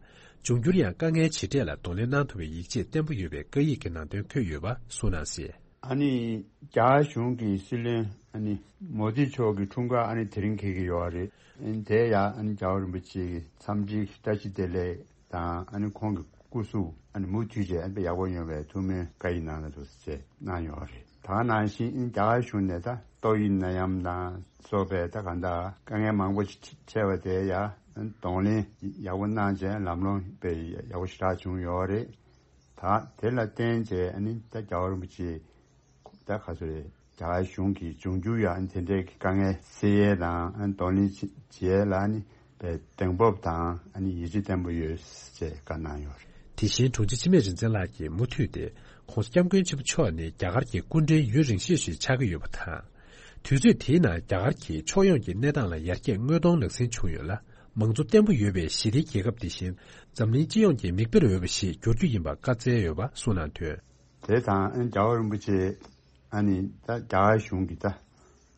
འབྱུང་འགྱུར་ཡང་དཀའ་ངལ་ཇི་འཕྲད་ལ་གདོང་ལེན་གནང་ཐུབ་པའི་ཡིད་ཆེས་བརྟན་པོ་ཡོད་པའི་བཀའ་ཡིག་གི་ནང་དོན་འཁོད་ཡོད་པ་གསུངས་གནང་གསལ། ཨ་ནི་རྒྱ་གར་གཞུང་གི་སྲིད་བློན་ཨ་ནི་མོ་དི་མཆོག་གི་འཁྲུངས་སྐར་ཨ་ནི་དེ་རིང་འཁེལ་གྱི་ཡོད་རེད། ཨ་ནི་དེ་ཡང་ཨ་ནི་རྒྱལ་བ་རིན་པོ་ཆེ་གི་འཚམས་འདྲིའི་བཀྲ་ཤིས་བདེ་ལེགས་དང་། ཨ་ནི་ཁོང་གི་སྐུ་གཟུགས་ཨ་ནི་མུ་མཐུད་བྱས་ཨ་ནི་དཔེ་ཡག་པོ་ཡོང་བའི་ཐུགས་སྨོན་བཀའ་ཡིག་ནང་ལ་འདུག་ཟེར་གནང་ཡོད་རེད། ད་ག་ནང་བཞིན་ཨ་ནི་རྒྱ་གར་གཞུང་ནས་ད་ཏོག་དབྱིབས་ནད་ཡམས་དང་སོགས་པའི་ད་གང་ལྟར་དཀའ་ངལ་མང་པོ་ཞིག་འཕྲད་པ་དེ་ཡང་གདོང་ལེན་ཡག་པོ་གནང་བྱས་ལམ་ལྷོང་དཔེ་ཡག་པོ་ཞེ་དྲག་བྱུང་ཡོད་རེད། ད་དེ་ལ་བརྟེན་བྱས་ཨ་ནི་ད་རྒྱལ་བ་རིན་པོ་ཆེ་ད་ག་ཚོད་རེད། རྒྱ་གར་གཞུང་གིས་འབྱུང་འགྱུར་ཡང་དེ་འདྲའི་དཀའ་ངལ་སེལ་ཡས་དང་གདོང་ལེན་བྱེད་ཡས་ལ་ནི་དཔེ་གདེང་སྤོབས་དང་ཨ་ནི་ཡིད་ཆེས་བརྟན་པོ་ཡོད་ཅེས་བཀའ་གནང་ཡོད་རེད། དེ་བཞིན་དྲུང་ཆེ་འཆི་མེད་རིག་འཛིན་ལགས་ཀྱིས་མུ་མཐུད་དེ་༸གོང་ས་༸སྐྱབས་མགོན་ཆེན་པོ་མཆོག་ནི་རྒྱ་གར་གྱི་སྐུ་ཕྲེང་ཡུན་རིང་ཤོས་ཤིག་ཆགས་ཀྱི་ཡོད་པ་དང་། དུས་ཚོད་དེའི་ནང་རྒྱ་གར་གྱི་ཕྱོགས་ཡོངས་ཀྱི་གནས་སྟངས་ལ་ཡར་རྒྱས་དངོས་གཏོང་ལག་ཟིན་བྱུང་ཡོད་ལ། མང་གཙོ་བརྟན་པོ་ཡོད་པའི་ཞི་བདེའི་རྒྱལ་ཁབ་དེ་བཞིན་འཛམ་གླིང་སྤྱི་ཡོངས་ཀྱི་མིག་དཔེར་འོས་པ་ཞིག་འགྱུར་རྒྱུ་ཡིན་པ་བཀའ་སྩལ་ཡོད་པ་གསུངས་གནང་དོན། དེ་དང་རྒྱལ་བ་རིན་པོ་ཆེ་ཨ་ནི་ད་རྒྱ་གར་གཞུང་གི་ད་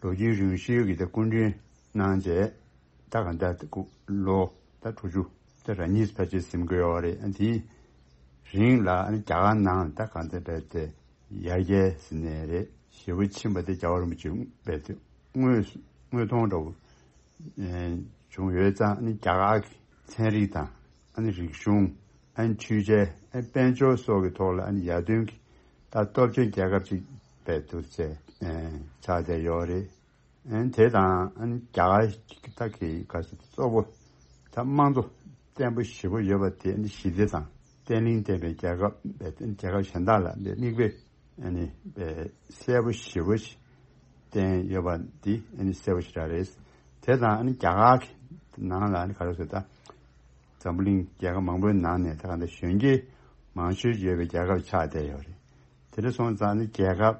ལོ་རྒྱུས་རིང་ཤོས་ཀྱི་ད་སྐུ་མགྲོན་གནང་རྗེས་ད་གང་ལྟར་ལོ་ད་དྲུག་ཅུ་ད་ར་གཉིས་ཕལ་ཆེར་ཟིན་གྱི་ཡོད་རེད། ཨ་དེའི་རིང་ལ་ཨ་ནི་རྒྱ་གར་ནང་ད་གང་ལྟར་རྦད་དེ་ཡར་རྒྱས་ཟེར་ནའི་རེད། ཞེ་པོ་ཕྱིན་པ་དེ་རྒྱལ་བ་རིན་པོ་ཆེ་རྦད་དེ་དངོས་དངོས་མཐོང་འདྲ་བོ་བྱུང་ཡོད་ཙང་། ཨ་ནི་རྒྱ་གར་གྱི་ཚན་རིག་དང་ཨ་ནི་རིག་གཞུང་། ཨ་ནི་འཕྲུལ་ཆས། ཨ་ནི་དཔལ་འབྱོར་སོགས་ཀྱི་ཐོག་ལ་ཨ་ནི་ཡར་ཐོན་གྱི་ད་སྟོབས་ཆེན་རྒྱལ་ཁབ་ཅིག་རྦད་དེ་ཆགས་བསྡད་ཡོད་རེད། ཨ་ནི་དེ་དང་ཨ་ནི་རྒྱ་གར་གྱི་ད་གི་ག་ཚོད་གཙོ་བོ་ད་དམངས་གཙོ་བརྟན་པོ་ཞེ་པོ་ཡོད་པ་དེ་ཨ་ནི་ཞི་བདེ་དང་བརྟན་ལྷིང་ལྡན་པའི་རྒྱལ་ཁབ་རྦད་དེ་རྒྱལ་ཁབ་གཞན་དག་ལ་མིག་དཔེ་ཨ་ནི་དཔེ་གསལ་པོ་ཞེ་པོ་ཞིག་བསྟན་ཡོད་པ་འདི་ཨ་ནི་གསལ་པོ་ཞེ་དྲག་རེད། དེ་དང་ཨ་ནི་རྒྱ་གར་གྱི་ནང་ལ་ཨ་ནི་ག་རེ་ཟེར་ད། འཛམ་བུ་གླིང་རྒྱལ་ཁབ་མང་པོའི་ནང་ནས་ད་ག་འདྲ་གཞོན་སྐྱེས་མང་ཤོས་ཡོད་པའི་རྒྱལ་ཁབ་ཆགས་བསྡད་ཡོད་རེད། དེ་འདྲ་སོང་ཙང་ཨ་ནི་རྒྱལ་ཁབ་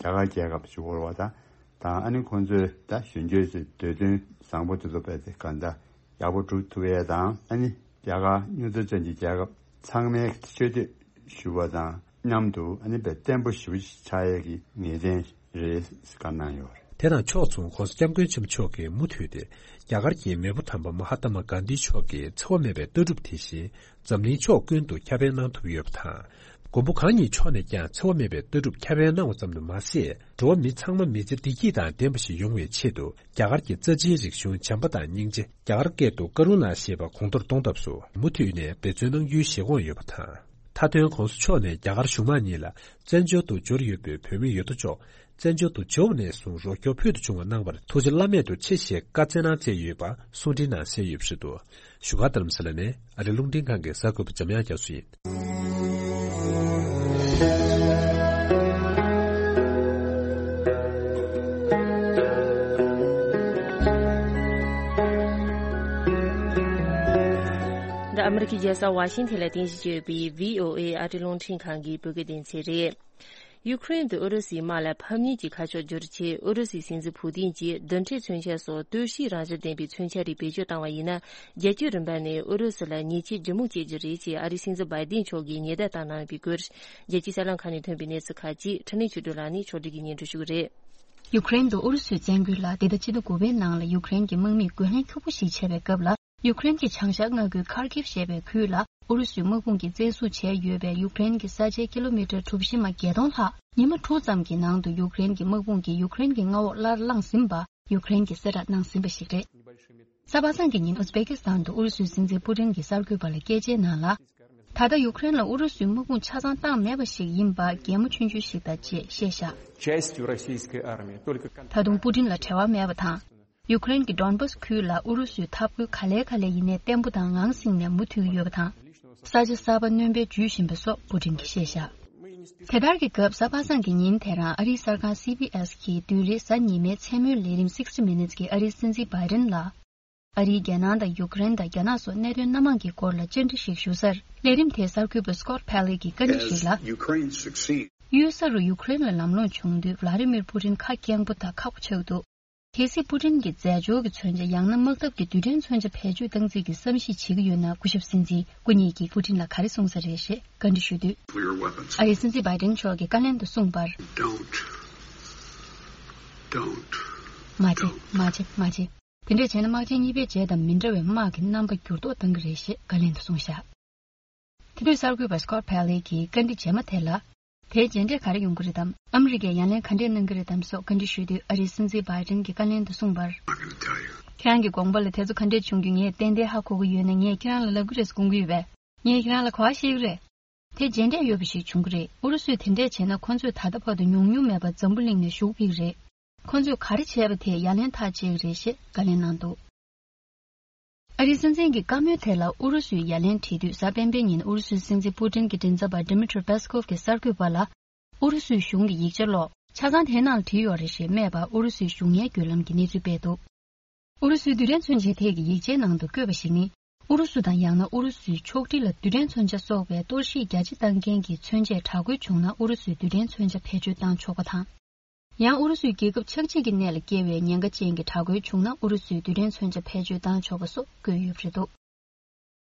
རྒྱ་གར་རྒྱལ་ཁབ་ཞུ་དགོས་རེད་པ། ད་དང་ཨ་ནི་ཁོང་ཚོས་ད་གཞོན་སྐྱེས་ཚོའི་འདོད་དོན་བཟང་པོ་དེ་ཚོ་རྦད་དེ་ག་འདྲ་ཡག་པོ་སྒྲུབ་ཐུབ་ཡས་དང་། ཨ་ནི་རྒྱ་གར་སྨྱོ་རྫས་ཅན་གྱི་རྒྱལ་ཁབ་ཚང་མའི་ཆེ་བསྟོད་ཞུ་བ་དང་མཉམ་དུ་ཨ་ནི་དཔེ་བརྟན་པོ་ཞེ་པོ་ཞིག་ཆགས་ཡས་ཀྱི་ངེས་གཏན་རེད་བཀའ་གནང་ཡོད་རེད། དེ་དང་ཕྱོགས་མཚུངས་༸གོང་ས་༸སྐྱབས་མགོན་ཆེན་པོ་མཆོག་གིས་མུ་མཐུད་དེ་རྒྱ་གར་གྱི་མེས་པོ་དམ་པ་མ་ཧཱ་ཏ་མ་གྷན་དྷི་མཆོག་གི་འཚེ་བ་མེད་པའི་ལྟ་གྲུབ་དེ་བཞིན་འཛམ་གླིང་ཕྱོགས་ཀུན་ཏུ་ཁྱབ་སྤེལ་གནང་ཐུབ་ཡོད་པ་དང་། མགོན་པོ་གང་ཉིད་མཆོག་ནས་ཀྱང་འཚེ་བ་མེད་པའི་ལྟ་གྲུབ་ཁྱབ་སྤེལ་གནང་བ་ཙམ་དུ་མ་ཟད། འགྲོ་བ་མི་ཚང་མ་མི་ཚེ་བདེ་སྐྱིད་དང་ལྡན་པ་ཞིག་ཡོང་བའི་ཆེད་དུ་རྒྱ་གར་གྱི་རྩ་ཆེའི་རིག་གཞུང་བྱམས་པ་དང་སྙིང་རྗེ། རྒྱ་གར་སྐད་དུ་ཀ་རུ་ཎ་ཞེས་པ་གོང་མཐོར་གཏོང་ཐབས་སུ་མུ་མཐུད་ནས་འབད་བརྩོན་གནང་རྒྱུའི་བཞེད་དགོངས་ཡོད་པ་དང་། མཐའ་དོན་༸གོང་ས་མཆོག་ནས་རྒྱ་གར་གཞུང་མང་གཉིས་ལ་བཙན་བྱོལ་དུ་འབྱོར་ཡོད་པའི་བོད་མི་ཡོད་དོ་ཅོག་བཙན་བྱོལ་དུ་འབྱོར་བ་ནས་བཟུང་རོགས་སྐྱོར་ཕུལ་དུ་བྱུང་བ་གནང་བར་ཐུགས་རྗེ་བླ་མེད་དུ་ཆེ་ཞེས་བཀའ་སྩལ་གནང་མཛད་ཡོད་པ་གསུང་འཕྲིན་ནང་གསལ་ཡོད་པ་རེད་འདུག་བཞུགས་སྒར་རྡ་རམ་ས་ལ་ནས་ཨ་རི་རླུང་འཕྲིན་ཁང་གི་གསར་འགོད་པ་འཇམ་དབྱངས་རྒྱ་མཚོ་ཡིན། འདི་ཨ་མི་རི་ཀའི་རྒྱལ་ས་ཝ་ཤིང་ཐན་ལ་རྟེན་གཞི་བྱས་ཡོད་པའི་བྷི་ཨོ་ཨེ་ཨ་རིའི་རླུང་འཕྲིན་ཁང་གི་བོད་སྐད་སྡེ་ཚན་རེད། ཡུ་ཁུ་རེན་དུ་ཨུ་རུ་སུའི་དམག་ལ་ཕམ་ཉེས་ཀྱི་ཁ་ཕྱོགས་བསྒྱུར་ཆེད་ཨུ་རུ་སུའི་སྲིད་འཛིན་ཕུ་ཏིན་གྱིས་རྡུལ་ཕྲན་མཚོན་ཆ་སོགས་གཏོར་བཤིག་རང་བཞིན་ལྡན་པའི་མཚོན་ཆ་རིགས་བེད་སྤྱོད་བཏང་བ་ཡིན་ན། རྒྱལ་སྤྱིའི་རིམ་པ་ནས་ཨུ་རུ་སུ་ལ་ཉེས་ཆད་ལྗིད་མོ་བཅད་རྒྱུ་རེད་ཅེས་ཨ་རིའི་སྲིད་འཛིན་བྷའི་ཏིན་མཆོག་གིས་ཉེན་བརྡ་བཏང་གནང་ཡོད་པའི་སྐོར། རྒྱལ་སྤྱིའི་གསར་ལམ་ཁག་ནས་ཐོན་པའི་གནས་ཚུལ་ཁག་ཅིག་ཕྲིན་ལས་ཆོས་སྒྲོན་ལགས་ནས་ཕྱོགས་སྒྲིག་གིས་སྙན་སྒྲོན་ཞུ་གི་རེད། ཡུ་ཁུ་རེན་དུ་ཨུ་རུ་སུའི་བཙན་རྒོལ་ལ་འདི་ཟླ་སྤྱི་ཟླ་དགུ་པའི་ནང་ལ་ཡུ་ཁུ་རེན་གྱི་དམག་མིས་རྒོལ་ལན་ཁྱོག་པོ་ཞིག་བྱས་པའི་སྐབས་ལ། ཡུ་ཁུ་རེན་གྱི་བྱང་ཤར་མངའ་ཁུལ་ཁར་ཀིབ་ཞེས་པའི་ཁུལ་ལ་ཨུ་རུ་སུའི་དམག་དཔུང་གིས་བཙན་བཟུང་བྱས་ཡོད་པའི་ཡུ་ཁུ་རེན་གྱི་ས་ཆའི་ཀི་ལོ་མི་ཊར་གྲུ་བཞི་མ་བརྒྱད་སྟོང་ལྷག་ཉི་མ་དྲུག་ཙམ་གྱི་ནང་དུ་ཡུ་ཁུ་རེན་གྱི་དམག་དཔུང་གིས་ཡུ་ཁུ་རེན་གྱི་མངའ་འོག་སླར་བླངས་ཟིན་པ་ཡུ་ཁུ་རེན་གྱིས་གསལ་བསྒྲགས་གནང་ཟིན་པ་ཞིག་རེད། གཟའ་པ་སངས་ཀྱི་ཉིན་ཨུ་ཛི་བེ་ཀི་སི་ཐན་དུ་ཨུ་རུ་སུའི་སྲིད་འཛིན་པུ་ཏིན་གྱིས་གསར་འགོད་པ་ལ་སྐད་ཆའི་ནང་ལ། ད་ལྟ་ཡུ་ཁུ་རེན་ལ་ཨུ་རུ་སུའི་དམག་དཔུང་ཆ་ཚང་བཏང་མེད་པ་ཞིག་ཡིན་པ་གད་མོ་ཆུང་ཆུང་ཞིག་དང་བཅས་བཤད་བཞག Частью российской армии только контроль. ད་དུང་པུ་ཏིན་ལ་བྲེལ་བ་མེད་པ་དང་། ཡུ་ཁུ་རེན་གྱི་ཌོན་བྷ་སི་ཁུལ་ལ་ཨུ་རུ་སུའི་འཐབ་རྒོལ་ག་ལེ་ག་ལེ་ཡིན་ནའི་བརྟན་པོ་དང་ངང་སིང་ནས་མུ་མཐུད་ཡོད་པ་དང་། ས་ཆ་གསར་པ་སྣོན་པའི་ཇུས་བཞིན་པ་སོགས་པུ་ཏིན་གྱིས་བཤད་བཞག་དེ་ལྟར་གྱི་སྐབས་གཟའ་པ་སངས་ཀྱི་ཉིན་དེ་རང་ཨ་རིའི་གསར་ཁང་སི་བྷི་ཨེ་སི་གིས་བདུན་རེའི་གཟའ་ཉི་མའི་མཚན་མོའི་ལས་རིམ་སིག་སི་ཊི་མི་ནི་ཊི་སི་གི་ཨ་རིའི་སྲིད་འཛིན་བྷའི་ཏིན་ལ། ཨ་རིའི་རྒྱལ་ནང་དང་ཡུ་ཀེ་རེན་དང་རྒྱ་ནག་སོགས་གནད་དོན་སྣ་མང་གི་སྐོར་ལ་བཅར་འདྲི་ཞིག་ཞུ་སར། ལས་རིམ་དེའི་གསར་འགོད་པ་སི་ཀོཊ་ཕེ་ལི་གིས་བཀའ་འདྲི་ཞིག་ལ། As Ukraine succeeds. གཡུལ་ས་རུ་ཡུ་ཀེ་རེན་ལ་ལམ་ལྷོང་བྱུང་དུས་ཝ་ལ་ཏི་མིར་པུ་ཏིན་ཁ་སྐྱེངས་པོ་དང་ཁག་པོ་ཆགས་འདུག་གལ་སྲིད་པུ་ཏིན་གྱིས་རྫས་སྦྱོར་གྱི་མཚོན་ཆ་ཡང་ན་དམག་འཐབ་ཀྱི་རྡུལ་ཕྲན་མཚོན་ཆ་བེད་སྤྱོད་བཏང་རྩིས་ཀྱི་བསམ་གཞིག་བྱེད་ཀྱི་ཡོད་ན། སྐུ་ཞབས་སྲིད་འཛིན་སྐུ་ཉིད་ཀྱིས་པུ་ཏིན་ལ་ག་རེ་གསུངས་ས་རེད་ཞེས་བཀའ་འདྲི་ཞུས་དུས། Nuclear weapons. ཨ་རིའི་སྲིད་འཛིན་བྷའི་ཏིན་མཆོག་གིས་བཀའ་ལན་དུ་གསུངས་པར། Don't. Don't. མ་བྱེད། མ་བྱེད། མ་བྱེད། དེ་འདྲས་བྱས་ན་དམག་ཆེན་གཉིས་པའི་རྗེས་དང་མི་འདྲ་བའི་དམག་གི་རྣམ་པ་འགྱུར་ལྡོག་བཏང་གི་རེད་ཞེས་བཀའ་ལན་དུ་གསུངས་བཞག་དེ་དུས་གསར་འགོད་པ་སི་ཀོཊ་ཕེ་ལི་གིས་བཀའ་འདྲི་རྗེས་མ་དེ་ལ། དེའི་རྗེས་འབྲས་ག་རེ་ཡོང་གི་རེད་དམ། ཨ་མི་རི་ཀས་ཡ་ལན་ག་འདྲས་གནང་གི་རེད་དམ་སོགས་བཀའ་འདྲི་ཞུས་དུས། ཨ་རིའི་སྲིད་འཛིན་བྷའི་ཏིན་གྱིས་བཀའ་ལན་དུ་གསུངས་པར། I can tell you. ཁྱེད་རང་གི་དགོངས་པ་ལ་དེ་ཚོ་ག་འདྲས་བྱུང་རྒྱུ་ངས་ཏན་ཏན་ཧ་གོ་གི་ཡོད་ན། ངས་ཁྱེད་རང་ལ་ལབ་གི་རེད་ཟེར་དགོངས་ཀྱི་ཡོད་པས། ངས་ཁྱེད་རང་ལ་ག་པར་བཤད་ཀྱི་རེད། དེ་རྗེས་འབྲས་ཡོད་པ་ཞིག་བྱུང་གི་རེད། ཨུ་རུ་སུས་དེ་འདྲས་བྱས་ན་ཁོ་ཚོས་ད་ལྟ་བར་དུ་ཉུང་ཉུང་མེད་པར་འཛམ་བུ་གླིང་ནས་ཞུགས་ཕེབས་ཀྱི་རེད། ཁོ་ཚོས་ག་རེ་བྱས་པ་དེ་ཡ་ལན་ཐག་བཅད་ཀྱི་རེད་ཞེས་བཀའ་ལན་གནང་འདུག་ཨ་རིའི་སྲིད་འཛིན་གྱི་བཀའ་མོལ་དེ་ལ་ཨུ་རུ་སུས་ཡ་ལན་དྲིས་དུས། གཟའ་སྤེན་པའི་ཉིན་ཨུ་རུ་སུའི་སྲིད་འཛིན་པུ་ཏིན་གྱི་མགྲིན་ཚབ་པ་ཌི་མི་ཊི་རི་པེ་སི་ཀོབ་ཀྱིས་གསར་འགོད་པ་ལ། ཨུ་རུ་སུའི་གཞུང་གི་ཡིག་ཆ་ཀློག་ཆ་ཚང་དེའི་ནང་ལ་བྲིས་ཡོད་རེད་ཞེས་སྨྲས་པར། ཨུ་རུ་སུའི་གཞུང་ངའི་བརྒྱུད་ལམ་གྱིས་གནས་ཚུལ་སྤེལ་འདུག་ཨུ་རུ་སུའི་རྡུལ་ཕྲན་མཚོན་ཆའི་ཐད་ཀྱི་ཡིག་ཆའི་ནང་དུ་བཀོད་པ་ཞིག་ནི། ཨུ་རུ་སུ་དང་ཡང་ན་ཨུ་རུ་སུའི་ཕྱོགས་སྒྲིག་ལ་རྡུལ་ཕྲན་མཚོན་ཆ་སོགས་པའི་གཏོར་བཤིག་རྒྱ་ཆེ་བཏང་མཁན་གྱི་མཚོན་ཆས་དྲག་རྒོལ་བྱུང་ན། ཨུ་རུ་སུས་རྡུལ་ཕྲན་མཚོན་ཆ་བེད་སྤྱོད་བཏང་ཆོག་པ་དང་། ཡང་ཨུ་རུ་སུའི་རྒྱལ་ཁབ་ཆགས་འཇིག་གི་གནས་ལ་སྐྱེལ་བའི་ཉེན་ཁ་ཅན་གྱི་དྲག་རྒོལ་བྱུང་ན། ཨུ་རུ་སུས་རྡུལ་ཕྲན་མཚོན་ཆ་བེད་སྤྱོད་བཏང་ཆོག་པ་སོགས་བཀོད་ཡོད་པ་རེད་འདུག་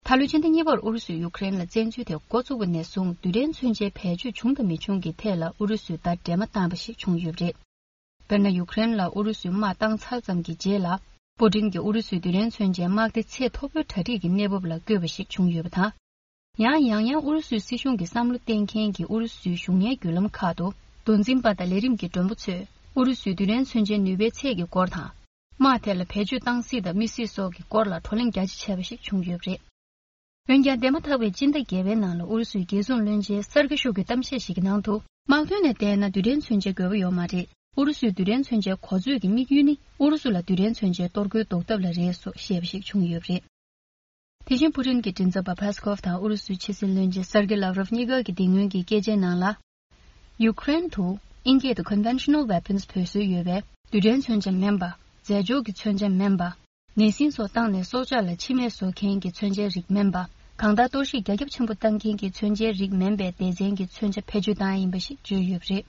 ད་ལོའི་ཕྱི་ཟླ་གཉིས་པར་ཨུ་རུ་སུས་ཡུ་ཀེ་རེན་ལ་བཙན་འཛུལ་དེ་འགོ་བཙུགས་པ་ནས་བཟུང་། རྡུལ་ཕྲན་མཚོན་ཆའི་བེད་སྤྱོད་བྱུང་དང་མི་བྱུང་གི་ཐད་ལ་ཨུ་རུ་སུས་ཟླ་སྒྲོལ་མ་བཏང་བ་ཞིག་བྱུང་ཡོད་པ་རེད། དཔེར་ན། ཡུ་ཀེ་རེན་ལ་ཨུ་རུ་སུས་དམག་བཏང་ཚར་ཙམ་གྱི་རྗེས་ལ། པུ་ཏིན་གྱིས་ཨུ་རུ་སུའི་རྡུལ་ཕྲན་མཚོན་ཆའི་དམག་སྡེ་ཚད་མཐོ་པོའི་གྲ་སྒྲིག་གི་གནས་བབ་ལ་བཀོད་པ་ཞིག་བྱུང་ཡོད་པ་དང་། ཡང་ཡང་ཡང་ཨུ་རུ་སུའི་སྲིད་གཞུང་གི་བསམ་བློ་གཏད་མཁན་གྱི་ཨུ་རུ་སུའི་གཞུང་ངའི་བརྒྱུད་ལམ་ཁག་ཏུ། མདོ་འཛིན་པ་དང་ལས་རིམ་གྱི་མགྲོན་པོ་ཚོས་ཨུ་རུ་སུའི་རྡུལ་ཕྲན་མཚོན་ཆའི་ནུས་པའི་ཚད་ཀྱི་སྐོར་དང་། དམག་ཐད་ལ་བེད་སྤྱོད་བཏང་སྲིད་དང་མི་སྲིད་སོགས་ཀྱི་སྐོར་ལ་བགྲོ་གླེང་རྒྱ་ཆེ་བྱས་པ་ཞིག་བྱུང་ཡོད་པ་རེད། འོན་ཀྱང་། འདས་མ་ཐག་པའི་སྤྱི་ཟླ་བརྒྱད་པའི་ནང་ལ་ཨུ་རུ་སུའི་རྒྱལ་སྲུང་བློན་ཆེན་སར་གྷེ་ཤོ་གིས་གཏམ་བཤད་ཞིག་གི་ནང་དུ། དམག་དོན་ནས་བལྟས་ན་རྡུལ་ཕྲན་མཚོན་ཆའི་དགོས་པ་ཡོད་མ་རེད། ཨུ་རུ་སུའི་རྡུལ་ཕྲན་མཚོན་ཆའི་གོ་ཚོད་ཀྱི་དམིགས་ཡུལ་ནི། ཨུ་རུ་སུ་ལ་རྡུལ་ཕྲན་མཚོན་ཆའི་གཏོར་རྒོལ་ཟློག་ཐབས་ལ་རེད་སོགས་བཤད་པ་ཞིག་བྱུང་ཡོད་པ་རེད། དེ་བཞིན་པུ་ཏིན་གྱི་མགྲིན་ཚབ་པ་ཕེ་སི་ཀོབ་དང་ཨུ་རུ་སུའི་ཕྱི་སྲིད་བློན་ཆེན་སར་གྷེ་ལབ་རོབ་གཉིས་ཀ་གིས་དེ་སྔོན་གྱི་སྐད་ཆའི་ནང་ལ། ཡུ་ཀེ་རེན་དུ་དབྱིན་སྐད་དུ་Conventional Weapons བོད་སྲོལ་ཡོད་པའི་རྡུལ་ཕྲན་མཚོན་ཆ་མིན་པ། རྫས་སྦྱོར་གྱི་མཚོན་ཆ་མིན་པ། ནད་སྲིན་སོགས་བཏང་ནས་སྲོག་ཆགས་ལ་འཆི་རྨས་བཟོ་མཁན་གྱི་མཚོན་ཆའི་རིགས་མིན་པ། གང་ལྟར་གཏོར་བཤིག་རྒྱ་ཁྱབ་ཆེན་པོ་བཏང་མཁན་གྱི་མཚོན་ཆའི་རིགས་མིན་པའི་སྡེ་ཚན་གྱི་མཚོན་ཆ་བེད་སྤྱོད་བཏང་ཡ་ཡིན་པ་ཞིག་བརྗོད་ཡོད་པ་རེད།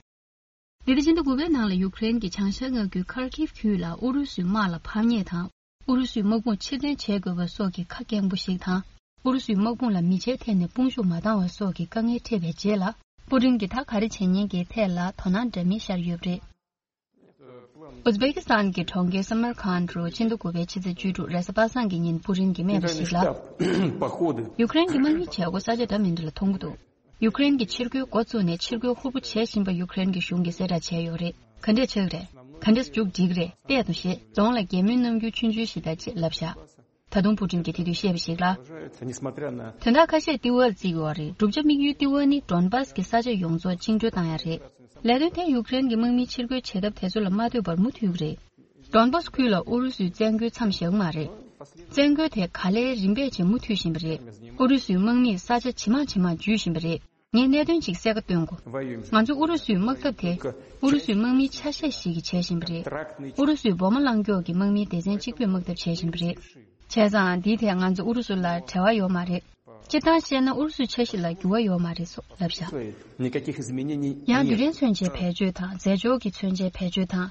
འདི་ཟླ་སྤྱི་ཟླ་དགུ་པའི་ནང་ལ་ཡུ་ཀེ་རེན་གྱི་བྱང་ཤར་མངའ་ཁུལ་ཁར་ཀིབ་ཁུལ་ལ་ཨུ་རུ་སུའི་དམག་ལ་ཕམ་ཉེས་དང་། ཨུ་རུ་སུའི་དམག་དཔུང་ཕྱིར་འཐེན་བྱེད་དགོས་པ་སོགས་ཀྱི་ཁ་སྐྱེངས་པོ་ཞིག་དང་། ཨུ་རུ་སུའི་དམག་དཔུང་ལ་མི་ཆའི་ཐད་ནས་དཔུང་ཤུགས་མ་འདང་བ་སོགས་ཀྱི་དཀའ་ངལ་འཕྲད་པའི་རྗེས་ལ། པུ་ཏིན་གྱིས་ད་ག་རེ་བྱེད་ཉེན་གྱི་ཐད་ལ་དོ་སྣང་འདྲ་མིན་ཤར་ཡོད་པ་རེད། ཨུ་ཛི་བེ་ཀི་སི་ཐན་གྱི་གྲོང་ཁྱེར་སམ་མར་ཁཱན་དུ་ཕྱི་ཟླ་དགུ་པའི་ཕྱི་ཚེས་བཅུ་དྲུག་རེས་གཟའ་པ་སངས་ཀྱི་ཉིན་པུ་ཏིན་གྱིས་སྨྲས་པ་ཞིག་ལ། ཡུ་ཀེ་རེན་གྱི་དམག་མིའི་བྱེད་སྒོ་ས་ཆ་འདྲ་མི་འདྲ་ལ་མཐོང་གི་འདུག་ཡུ་ཀེ་རེན་གྱིས་ཕྱིར་རྒོལ་འགོ་བཙུགས་ནས་ཕྱིར་རྒོལ་ཧུར་པོ་བྱེད་བཞིན་པ་ཡུ་ཀེ་རེན་གྱི་གཞུང་གིས་གསལ་བསྒྲགས་བྱས་ཡོད་རེད། ག་འདྲས་ཆགས་ཀྱི་རེད། ག་འདྲས་མཇུག་སྒྲིལ་གྱི་རེད། བལྟས་དང་ཞེས་རྫོང་ལ་གད་མོའི་རྣམ་འགྱུར་ཆུང་ཆུང་ཞིག་དང་བཅས་ལབ་བཞག་ད་དུང་པུ་ཏིན་གྱིས་དེ་དུས་བཤད་པ་ཞིག་ལ། Несмотря на དོན་དག་ཁ་ཤས་ལྟེ་བ་ལ་བརྩི་ཡོད་རེད། བསྒྲུབ་བྱ་དམིགས་ཡུལ་ལྟེ་བ་ནི་ཌོན་བཱས་ཀྱི་ས་ཆ་ཡོངས་རྫོགས་བཅིངས་འགྲོལ་བཏང་ཡ་རེད། ལས་དོན་དེ་ཡུཀ་རེན་གྱི་དམག་མིའི་ཕྱིར་རྒོལ་བྱེད་ཐབས་དེ་ཚོ་ལ་མ་ལྟོས་པར་མུ་མཐུད་ཀྱི་རེད། ཌོན་བཱས་ཁུལ་ལ་ཨུ་རུ་སུའི་བཙན་རྒོལ་མཚམས་བཞག་གི་མ་རེད། བཙན་རྒོལ་དེ་ག་ལེར་རིམ་པས་བྱས་མུ་མཐུད་བཞིན་པ་རེད། ཨུ་རུ་སུའི་དམག་མིས་ས་ཆ་ཇེ་མང་ཇེ་མང་འཇུས་བཞིན་པ་རེད། ངས་གནད་དོན་ཅིག་གསལ་ཁ་སྟོན་དགོས། ང་ཚོ་ཨུ་རུ་སུའི་དམག་འཐབ་དེ་ཨུ་རུ་སུའི་དམག་མིའི་ཆ་ཤས་ཤིག་གིས་བྱེད་བཞིན་པ་རེད། ཨུ་རུ་སུའི་འོ་མ་རླངས་སྐྱོག་གི་དམག་མིའི་སྡེ་ཚན་གཅིག་པུས་དམག་འཐབ་བྱེད་བཞིན་པ་རེད། བྱས་ཙང་འདིའི་ཐད་ང་ཚོ་ཨུ་རུ་སུ་ལ་འབྲེལ་བ་ཡོད་མ་རེད། སྤྱིར་བཏང་བཤད་ན་ཨུ་རུ་སུའི་འཆར་གཞི་ལ་འགྱུར་བ་ཡོད་མ་རེད་སོགས་ལབ་བཞག Никаких изменений ཡང་རྡུལ་нет. ཕྲན་མཚོན་ཆའི་བེད་སྤྱོད་དང་རྫས་སྦྱོར་གྱི་མཚོན་ཆའི་བེད་སྤྱོད་དང་།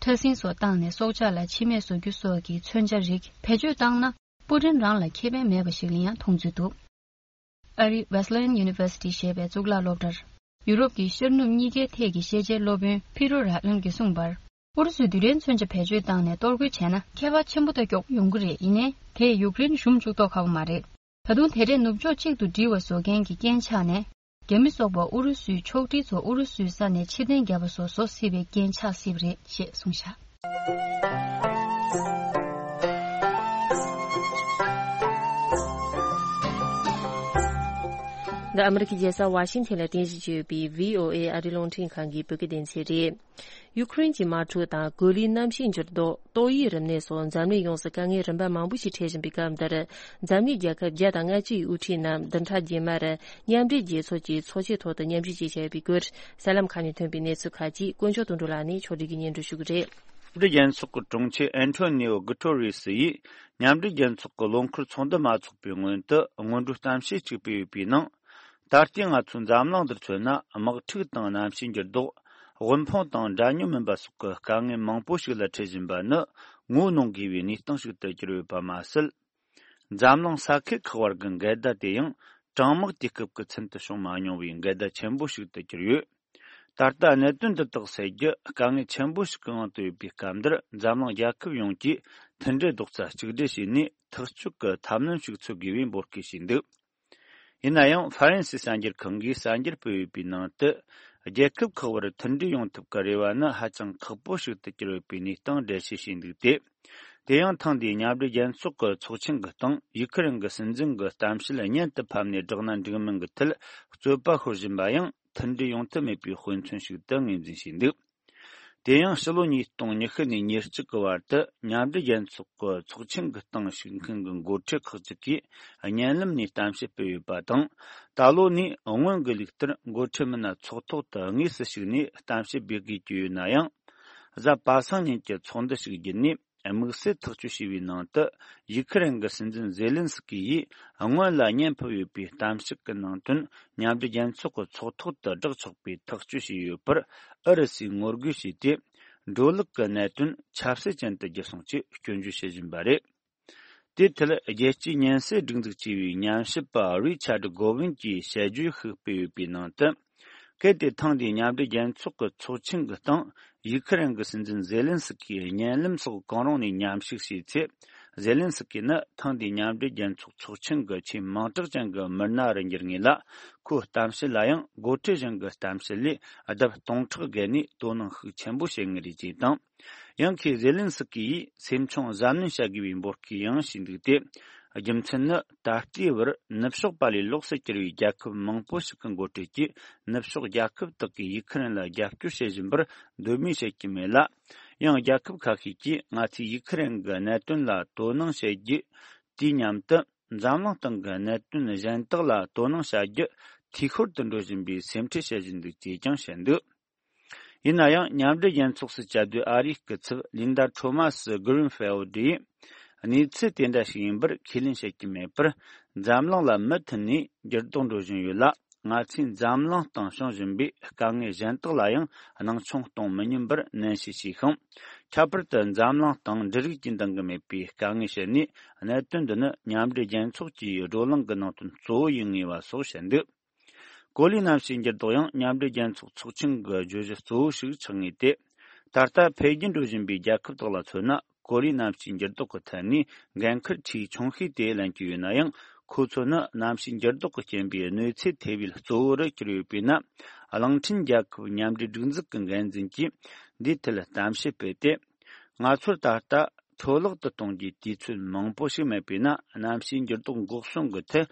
ཕྲ་སྲིན་སོགས་བཏང་ནས་སྲོག་ཆགས་ལ་འཆི་རྨས་བཟོ་རྒྱུ་སོགས་ཀྱི་མཚོན་ཆ་རིགས་བེད་སྤྱོད་བཏང་ན་པུ་ཏིན་རང་ལ་ཁེ་ཕན་མེད་པ་ཞིག་ལ་ཡང་མཐོང་ཚུལ་འདུག་ཨ་རིའི་Wesleyan University ཞེས་པའི་གཙུག་ལག་སློབ་གྲྭར་ཡུ་རོབ་ཀྱི་ཤར་ནུབ་གཉིས་ཀའི་ཐད་ཀྱི་ཤེས་བྱའི་སློབ་དཔོན་ཕི་རོ་ར་ཨན་གྱིས་གསུངས་པར། ཨུ་རུ་སུས་རྡུལ་ཕྲན་མཚོན་ཆ་བེད་སྤྱོད་བཏང་ནས་གཏོར་རྒོལ་བྱས་ན་ཁྱད་པར་ཆེན་པོ་ཏོག་ཙམ་ཡོང་གི་རེད། ཡིན་ནའི་དེས་ཡུཀ་རེན་ཞུམ་བཅུག་མདོག་ཁ་པོ་མ་རེད། ད་དུང་དེ་འདྲས་ནུབ་ཕྱོགས་གཅིག་ཏུ་སྒྲིལ་བ་བཟོ་མཁན་གྱི་རྐྱེན་ཆགས་ནས། རྒྱ་མི་སོགས་པ་ཨུ་རུ་སུའི་ཕྱོགས་སྒྲིག་ཚོ་ཨུ་རུ་སུའི་ས་ནས་ཕྱིར་འཐེན་བརྒྱབ་པ་སོགས་བཟོ་སྲིད་པའི་རྐྱེན་ཆགས་སྲིད་པ་རེད་ཅེས་གསུངས་བཞག་འདི་ཨ་མི་རི་ཀའི་རྒྱལ་ས་ཝ་ཤིང་ཐན་ལ་རྟེན་གཞི་བྱས་ཡོད་པའི་བྷི་ཨོ་ཨེ་ཨ་རིའི་རླུང་འཕྲིན་ཁང་གི་བོད་སྐད་སྡེ་ཚན་རེད། ཡུ་ཁུ་རེན་གྱི་དམག་འཁྲུག་དང་གོ་ལའི་གནམ་གཤིས་འགྱུར་ལྡོག་ཏོག་དབྱིབས་རིམས་ནད་སོགས་འཛམ་གླིང་ཡོངས་སུ་དཀའ་ངལ་རིམ་པ་མང་པོ་ཞིག་འཕྲད་བཞིན་པའི་སྐབས་འདིར། འཛམ་གླིང་རྒྱལ་ཁབ་བརྒྱ་དང་ལྔ་བཅུ་ཡི་དབུ་ཁྲིད་རྣམས་བདུན་ཕྲག་རྗེས་མར་མཉམ་འབྲེལ་རྒྱལ་ཚོགས་ཀྱི་ཚོགས་ཆེན་ཐོག་ཏུ་མཉམ་ཞུགས་བྱས་བཞག་ཡོད་པའི་སྐོར། གསར་ལམ་ཁག་ནས་ཐོན་པའི་གནས་ཚུལ་ཁག་ཅིག་དཀོན་མཆོག་དོན་གྲུབ་ལགས་ནས་ཕྱོགས་སྒྲིག་གིས་སྙན་སྒྲོན་ཞུ་གི་རེད། མཉམ་འབྲེལ་རྒྱལ་ཚོགས་ཀྱི་དྲུང་ཆེ་ཨན་ཐོ་ནི་ཨོ་གུ་ཐོ་རེ་སི་ཡིས། མཉམ་འབྲེལ་རྒྱལ་ཚོགས་ཀྱི་ལོ་འཁོར་ཚོགས་འདུ་མ་ཚོགས་པའི་སྔོན་དུ་སྔོན་འགྲོའི་གཏམ་བཤད་ཅིག་སྤེལ་ཡོད་པའི་ནང་། ད་ལྟའི་ང་ཚོའི་འཛམ་གླིང་འདིར་མཚོན་ན། དམག་འཁྲུག་དང་གནམ་གཤིས་འགྱུར་ལྡོག་དབུལ་ཕོངས་དང་འདྲ་མཉམ་མིན་པ་སོགས་ཀྱི་དཀའ་ངལ་མང་པོ་ཞིག་ལ་འཕྲད་བཞིན་པ་ནི། ངོ་གནོང་དགོས་པའི་གནས་སྟངས་ཤིག་ཏུ་གྱུར་ཡོད་པ་མ་ཟད། འཛམ་གླིང་ས་ཁུལ་ཁག་བར་གྱི་འགལ་ཟླ་དེ་ཡང་། གྲང་དམག་དུས་སྐབས་ཀྱི་ཚུན་དུ་བྱུང་མ་མྱོང་བའི་འགལ་ཟླ་ཆེན་པོ་ཞིག་ཏུ་གྱུར་ཡོད། ད་ལྟ་གནད་དོན་འདི་དག་སེལ་རྒྱུ་དཀའ་ངལ་ཆེན་པོ་ཞིག་གི་དབང་དུ་ཡོད་པའི་སྐབས་འདིར། འཛམ་གླིང་རྒྱལ་ཁབ་ཡོངས་ཀྱིས་མཐུན་སྒྲིལ་རྡོག་རྩ་གཅིག་སྒྲིལ་བྱས་ནས། ཐག་གཅོད་ཀྱི་ཐབས་ལམ་ཞིག་འཚོལ་དགོས་པའི་འབོད་སྐུལ་བྱས་འདུག་ཡིན་ན་ཡང་། ཧྥ་རན་སིའི་གསར་འགྱུར་ཁང་གིས་གསར་འགྱུར་སྤེལ་ཡོད་པའི་ནང་དུ། རྒྱལ་ཁབ་ཁག་བར་མཐུན་སྒྲིལ་ཡོང་ཐབས་ཀྱི་རེ་བ་ནི་ཧ་ཅང་ཁག་པོ་ཞིག་ཏུ་གྱུར་ཡོད་པའི་གནས་སྟངས་འགྲེལ་བཤད་བྱས་འདུག་སྟེ། དེ་ཡང་ཐེངས་འདིའི་མཉམ་འབྲེལ་རྒྱལ་ཚོགས་ཀྱི་ཚོགས་ཆེན་གྱི་སྟེང་། ཡུ་ཁུ་རེན་གྱི་སྲིད་འཛིན་གྱི་གཏམ་བཤད་སྙན་དུ་ཕབ་ནས་བསྒྲགས་ན་འགྲིག་མིན་གྱི་ཐད་རྩོད་པ་ཤོར་བཞིན་པ་ཡང་། མཐུན་སྒྲིལ་ཡོང་ཐབས་མེད་པའི་དཔེ་མཚོན་ཞིག་ཏུ་ངོས་འཛིན་བྱས་འདུག་དེ་ཡང་ཕྱི་ལོ་ཉིས་སྟོང་ཉི་ཤུ་ནས་ཉེར་གཅིག་གི་བར་དུ། མཉམ་འབྲེལ་རྒྱལ་ཚོགས་ཀྱི་ཚོགས་ཆེན་གྱི་སྟེང་ཞུགས་མཁན་གྱི་འགོ་ཁྲིད་ཁག་ཅིག་གིས་བརྙན་ལམ་ནས་གཏམ་བཤད་སྤེལ་ཡོད་པ་དང་། ད་ལོ་ནས་སྔོན་གྱི་ལུགས་ལྟར་འགོ་ཁྲིད་མི་སྣ་ཚོགས་ཐོག་ཏུ་དངོས་སུ་ཞུགས་ནས་གཏམ་བཤད་སྤེལ་དགོས་ཀྱི་ཡོད་ན་ཡང་། གཟའ་པ་སངས་ཉིན་གྱི་ཚོགས་འདུ་ཞིག་བརྒྱུད་ནས། དམིགས་བསལ་ཐག་གཅོད་བྱས་པའི་ནང་དུ། ཡུ་ཁུ་རེན་གྱི་སྲིད་འཛིན་ཛེ་ལིན་སི་ཀི་ཡིས་སྔོན་ལ་བརྙན་ཕབ་ཡོད་པའི་གཏམ་བཤད་ཀྱི་ནང་དོན། མཉམ་འབྲེལ་རྒྱལ་ཚོགས་ཀྱི་ཚོགས་ཐོག་ཏུ་བསྒྲགས་ཆོག་པའི་ཐག་གཅོད་བྱས་ཡོད་པར། ཨུ་རུ་སུས་ངོ་རྒོལ་བྱས་ཏེ། འགྲོ་ལུགས་ཀྱི་གནད་དོན་ཆབ་སྲིད་ཅན་དུ་བསྒྱུར་སོང་ཅེས་སྐྱོན་བརྗོད་བྱེད་བཞིན་པ་རེད། དེའི་ཐད། རྒྱལ་སྤྱིའི་ཉེན་སེལ་སྒྲིག་འཛུགས་ཅེས་པའི་ཉམས་ཞིབ་པ་རི་ཆར་གོ་ཝིན་གྱིས་དཔྱད་བརྗོད་ཤིག་སྤེལ་ཡོད་པའི་ནང་དུ། གལ་ཏེ་ཐེངས་འདིའི་མཉམ་འབྲེལ་རྒྱལ་ཚོགས་ཀྱི་ཚོགས་ཆེན་གྱི་སྟེང་། ཡུ་ཁུ་རེན་གྱི་སྲིད་འཛིན་ཛེ་ལིན་སི་ཀིས་བརྙན་ལམ་སོགས་གང་རུང་ནས་མཉམ་ཞུགས་བྱས་ཚེ། ཛེ་ལིན་སི་ཀི་ནི་ཐེངས་འདིའི་མཉམ་འབྲེལ་རྒྱལ་ཚོགས་ཚོགས་ཆེན་གྱི་ཆེས་མིང་གྲགས་ཅན་གྱི་མི་སྣ་རུ་འགྱུར་ངེས་ལ། ཁོའི་གཏམ་བཤད་ལ་ཡང་འགོ་ཁྲིད་གཞན་གྱི་གཏམ་བཤད་ལས་ལྡབ་སྟོང་ཕྲག་བརྒལ་ནས་དོ་སྣང་ཤུགས་ཆེན་པོ་བྱེད་ངེས་རེད་ཅེས་དང་། ཡང་ཁོས་ཛེ་ལིན་སི་ཀི་ཡིས་སེམས་ཆུང་གཟབ་ནན་བྱ་དགོས་པའི་འབོད་སྐུལ་ཡང་བྱས་འདུག་སྟེ། རྒྱུ་མཚན་ནི། ད་ལྟའི་བར་ནུབ་ཕྱོགས་པ་ལས་ལོགས་སུ་གྱུར་བའི་རྒྱལ་ཁབ་མང་པོ་ཞིག་གི་འགོ་ཁྲིད་ཀྱིས། ནུབ་ཕྱོགས་རྒྱལ་ཁབ་དག་གིས་ཡུ་ཁུ་རེན་ལ་རྒྱབ་སྐྱོར་བྱེད་བཞིན་པར་འདོད་མོས་བྱེད་ཀྱི་མེད་ལ། ཡང་རྒྱལ་ཁབ་ཁ་ཤས་ཀྱིས་ང་ཚོས་ཡུ་ཁུ་རེན་གྱི་གནད་དོན་ལ་དོ་སྣང་བྱེད་རྒྱུ་དུས་མཉམ་དུ། འཛམ་གླིང་སྟེང་གི་གནད་དོན་གཞན་དག་ལ་དོ་སྣང་བྱ་རྒྱུ་འཐུས་ཤོར་དུ་འགྲོ་བཞིན་པའི་སེམས་ཁྲལ་བྱེད་བཞིན་འདུག་ཅེས་ཀྱང་བཤད་འདུག་ཡིན་ན་ཡང་། མཉམ་འབྲེལ་རྒྱལ་ཚོགས་སུ་བཅའ་སྡོད་ཨ་རིའི་སྐུ་ཚབ་ལིན་ཌ་ཁྲོ་མ་སི་གྷི་རིན་ཕེལ་ཌི་ཡིས། གནས་ཚུལ་དེ་འདྲ་ཞིག་ཡིན་པར་ཁས་ལེན་བྱེད་ཀྱི་མེད་པར། འཛམ་གླིང་ལ་མུ་མཐུད་ནས་འགྱུར་ལྡོག་འགྲོ་བཞིན་ཡོད་ལ། ང་ཚོས་འཛམ་གླིང་སྟེང་བྱུང་བཞིན་པའི་དཀའ་ངལ་གཞན་དག་ལ་ཡང་སྣང་ཆུང་གཏོང་མི་ཉན་པར་ནན་བཤད་བྱས་ཤིང་། ཁྱད་པར་དུ་འཛམ་གླིང་སྟེང་འབྲུ་རིགས་ཀྱི་འདང་གི་མེད་པའི་དཀའ་ངལ་བཤད་ནས། གནད་དོན་འདི་ནི་མཉམ་འབྲེལ་རྒྱལ་ཚོགས་ཀྱི་བགྲོ་གླེང་གི་ནང་དོན་གཙོ་བོ་ཡིན་ངེས་པ་སོགས་བཤད་འདུག་གོ་ལའི་གནམ་གཤིས་འགྱུར་ལྡོག་ཡང་མཉམ་འབྲེལ་རྒྱལ་ཚོགས་ཚོགས་ཆེན་གྱི་བརྗོད་གཞི་གཙོ་བོ་ཞིག་ཆགས་ངེས་ཏེ། ད་ལྟ་འཕེལ་རྒྱས་འགྲོ་བཞིན་པའི་རྒྱལ་ཁབ་དག་ལ་མཚོན་ན། གོ་ལའི་གནམ་གཤིས་འགྱུར་ལྡོག་གི་ཐད་ནས་འགན་འཁུར་ཆེས་ཆུང་ཤོས་དེ་ལེན་གྱི་ཡོད་ན་ཡང་། ཁོ་ཚོ་ནི་གནམ་གཤིས་འགྱུར་ལྡོག་གི་རྐྱེན་པས་གནོད་འཚེ་ཐེབས་པའི་གཙོ་བོ་རུ་གྱུར་ཡོད་པས་ན། གླིང་ཕྲན་རྒྱལ་ཁབ་མཉམ་འབྲེལ་སྒྲིག་འཛུགས་ཀྱི་འགན་འཛིན་གྱིས་འདིའི་ཐད་གཏམ་བཤད་སྤེལ་ཏེ། ང་ཚོར་ད་ལྟ་ འཕྲོ་བརླག་ཏུ་གཏོང་རྒྱུའི་དུས་ཚོད་མང་པོ་ཞིག་མེད་པས་ན། གནམ་གཤིས་འགྱུར་ལྡོག་འགོག་སྲུང་གི་ཐད་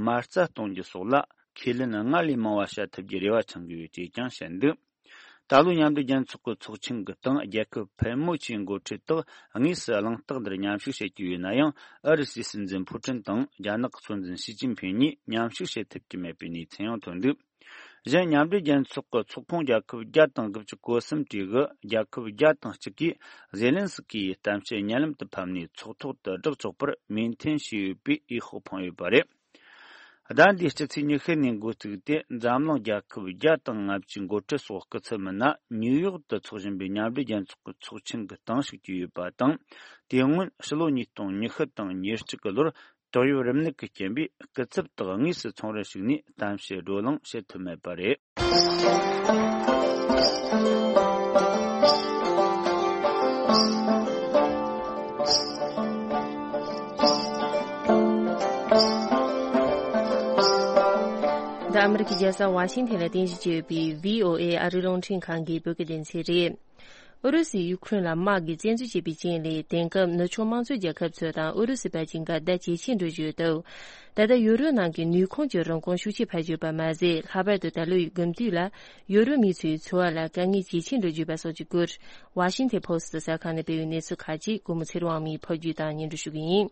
མ་རྩ་གཏོང་རྒྱུ་སོགས་ལ་ཁས་ལེན་སྔར་ལས་མང་བ་བྱ་ཐུབ་རྒྱུའི་རེ་བ་འཆང་དགོས་ཡོད་ཅེས་ཀྱང་བཤད་འདུག་ད་ལོའི་མཉམ་འབྲེལ་རྒྱལ་ཚོགས་ཀྱི་ཚོགས་ཆེན་གྱི་སྟེང་རྒྱལ་ཁབ་ཕལ་མོ་ཆེའི་འགོ་ཁྲིད་དག་དངོས་སུ་གླེང་སྟེགས་འདིར་མཉམ་ཞུགས་བྱེད་ཀྱི་ཡོད་ན་ཡང་། ཨུ་རུ་སུའི་སྲིད་འཛིན་ཕུ་ཀྲིན་དང་རྒྱ་ནག་གི་སྲོལ་འཛིན་ཞི་ཅིན་ཕིང་གཉིས་མཉམ་ཞུགས་བྱེད་ཐུབ་ཀྱི་མེད་པའི་གནས་ཚུལ་ཡང་ཐོན་འདུག་གཞན། མཉམ་འབྲེལ་རྒྱལ་ཚོགས་ཀྱི་ཚོགས་ཁོངས་རྒྱལ་ཁབ་བརྒྱ་དང་དགུ་བཅུ་གོ་གསུམ་གྲས་ཀྱི་རྒྱལ་ཁབ་བརྒྱ་དང་གཅིག་གིས་ཟེ་ལན་སི་ཀི་ཡི་གཏམ་བཤད་བརྙན་ལམ་དུ་ཕབ་ནས་ཚོགས་ཐོག་ཏུ་བསྒྲགས་ཆོག་པར་མོས་མཐུན་བྱས་ཡོད་པའི་འོས་ཤོག་འཕངས་ཡོད་པ་རེད། ཟླ་འདིའི་སྤྱི་ཚེས་ཉི་ཤུ་ནས་འགོ་བཙུགས་ཏེ། འཛམ་གླིང་རྒྱལ་ཁབ་བརྒྱ་དང་ལྔ་བཅུའི་འགོ་ཁྲིད་སོགས་སྐུ་ཚབ་མི་སྣ་ནིའུ་ཡོག་ཏུ་འཚོགས་བཞིན་པའི་མཉམ་འབྲེལ་རྒྱལ་ཚོགས་ཀྱི་ཚོགས་ཆེན་གྱི་སྟེང་ཞུགས་ཀྱི་ཡོད་པ་དང་། དེ་སྔོན་ཕྱི་ལོ་ཉིས་སྟོང་ཉི་ཤུ་དང་ཉེར་གཅིག་གི་ལོར། ཏོག་དབྱིབས་རིམས་ནད་ཀྱི་རྐྱེན་པས་སྐུ་ཚབ་དག་དངོས་སུ་ཚོང་རར་ཞུགས་ནས་གཏམ་བཤད་བགྲོ་གླེང་བྱེད་ཐུབ་མེད་པ་རེད། འདི་ཨ་མི་རི་ཀའི་རྒྱལ་ས་ཝ་ཤིང་ཐན་ལ་རྟེན་གཞི་བྱས་ཡོད་པའི་བྷི་ཨོ་ཨེ་ཨ་རིའི་རླུང་འཕྲིན་ཁང་གི་བོད་སྐད་སྡེ་ཚན་རེད། ཨུ་རུ་སུས་ཡུ་ཁུ་རེན་ལ་དམག་གིས་བཙན་འཛུལ་བྱས་པའི་རྐྱེན་ལས། དེང་སྐབས་ནུབ་ཕྱོགས་དམངས་གཙོའི་རྒྱལ་ཁབ་ཚོ་དང་ཨུ་རུ་སུའི་བར་གྱི་འགལ་ཟླ་ཇེ་ཆེར་འགྲོ་བཞིན་ཡོད་སྟབས། ད་ལྟ་ཡུ་རོབ་ནང་གི་ནུས་ཁུངས་ཀྱི་རིན་གོང་ཤུགས་ཆེ་འཕར་བཞིན་ཡོད་པ་མ་ཟད། ལྷག་པར་དུ་ད་ལོའི་དགུན་དུས་ལ་ཡུ་རོབ་མི་ཚོའི་འཚོ་བ་ལ་དཀའ་ངལ་ཇེ་ཆེར་འགྲོ་བཞིན་ཡོད་པ་སོགས་ཀྱི་སྐོར། ཝ་ཤིང་ཐན་པོ་སི་ཊི་གསར་ཁང་ནས་སྤེལ་བའི་གནས་ཚུལ་ཁག་ཅིག་གོང་མ་ཚེ་རིང་དབང་མོས་ཕབ་སྒྱུར་དང་སྙན་སྒྲོན་ཞུ་གི་ཡིན།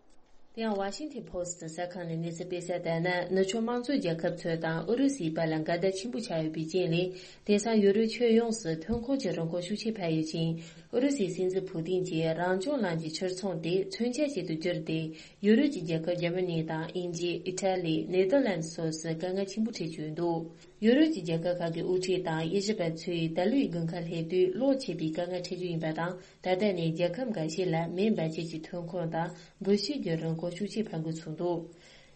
དེ་ཡང་ཝ་ཤིང་ཐན་པོ་སི་ཊི་གསར་ཁང་ནས་གནས་ཚུལ་སྤེལ་གསལ་ལྟར་ན། ནུབ་ཕྱོགས་དམངས་གཙོའི་རྒྱལ་ཁབ་ཚོ་དང་ཨུ་རུ་སུའི་བར་ལ་འགལ་ཟླ་ཆེན་པོ་ཆགས་ཡོད་པའི་རྐྱེན་ལས། དེང་སང་ཡུ་རོབ་ཁྱོན་ཡོངས་སུ་ཐོན་ཁུངས་ཀྱི་རིན་གོང་ཤུགས་ཆེ་འཕར་ཡོད་ཅིང་། ཨུ་རུ་སུའི་སྲིད་འཛིན་ཕུ་ཏིན་གྱིས་རང་སྐྱོང་ལམ་གྱི་ཕྱིར་ཚོང་དེ་མཚོན་ཆ་ཞིག་ཏུ་བསྒྱུར་ཏེ། ཡུ་རོབ་ཀྱི་རྒྱལ་ཁབ་འཇར་མ་ནི་དང་དབྱིན་ཇི། ཨི་ཊ་ལི། ནེ་དར་ལན་སོགས་སུ་དཀའ་ངལ་ཆེན་པོ་འཕྲད་ཀྱི་ཡོད་འདུག་ཡུ་རོབ་ཀྱི་རྒྱལ་ཁབ་ཁག་གི་དབུ་ཁྲིད་དང་དབྱེ་ཞིབ་པ་ཚོས་ད་ལོའི་དགུན་ཁ་སླེབས་དུས་གློག་ཆད་པའི་དཀའ་ངལ་འཕྲད་རྒྱུ་ཡིན་པ་དང་། ད་ལྟ་ནས་རྒྱལ་ཁབ་འགའ་ཤས་ལ་མེ་འབར་ཆས་ཀྱི་ཐོན་ཁུངས་དང་འབུད་ཤིང་གི་རིན་གོང་ཤུགས་ཆེ་འཕར་འགྲོ་ཚུགས་འདུག་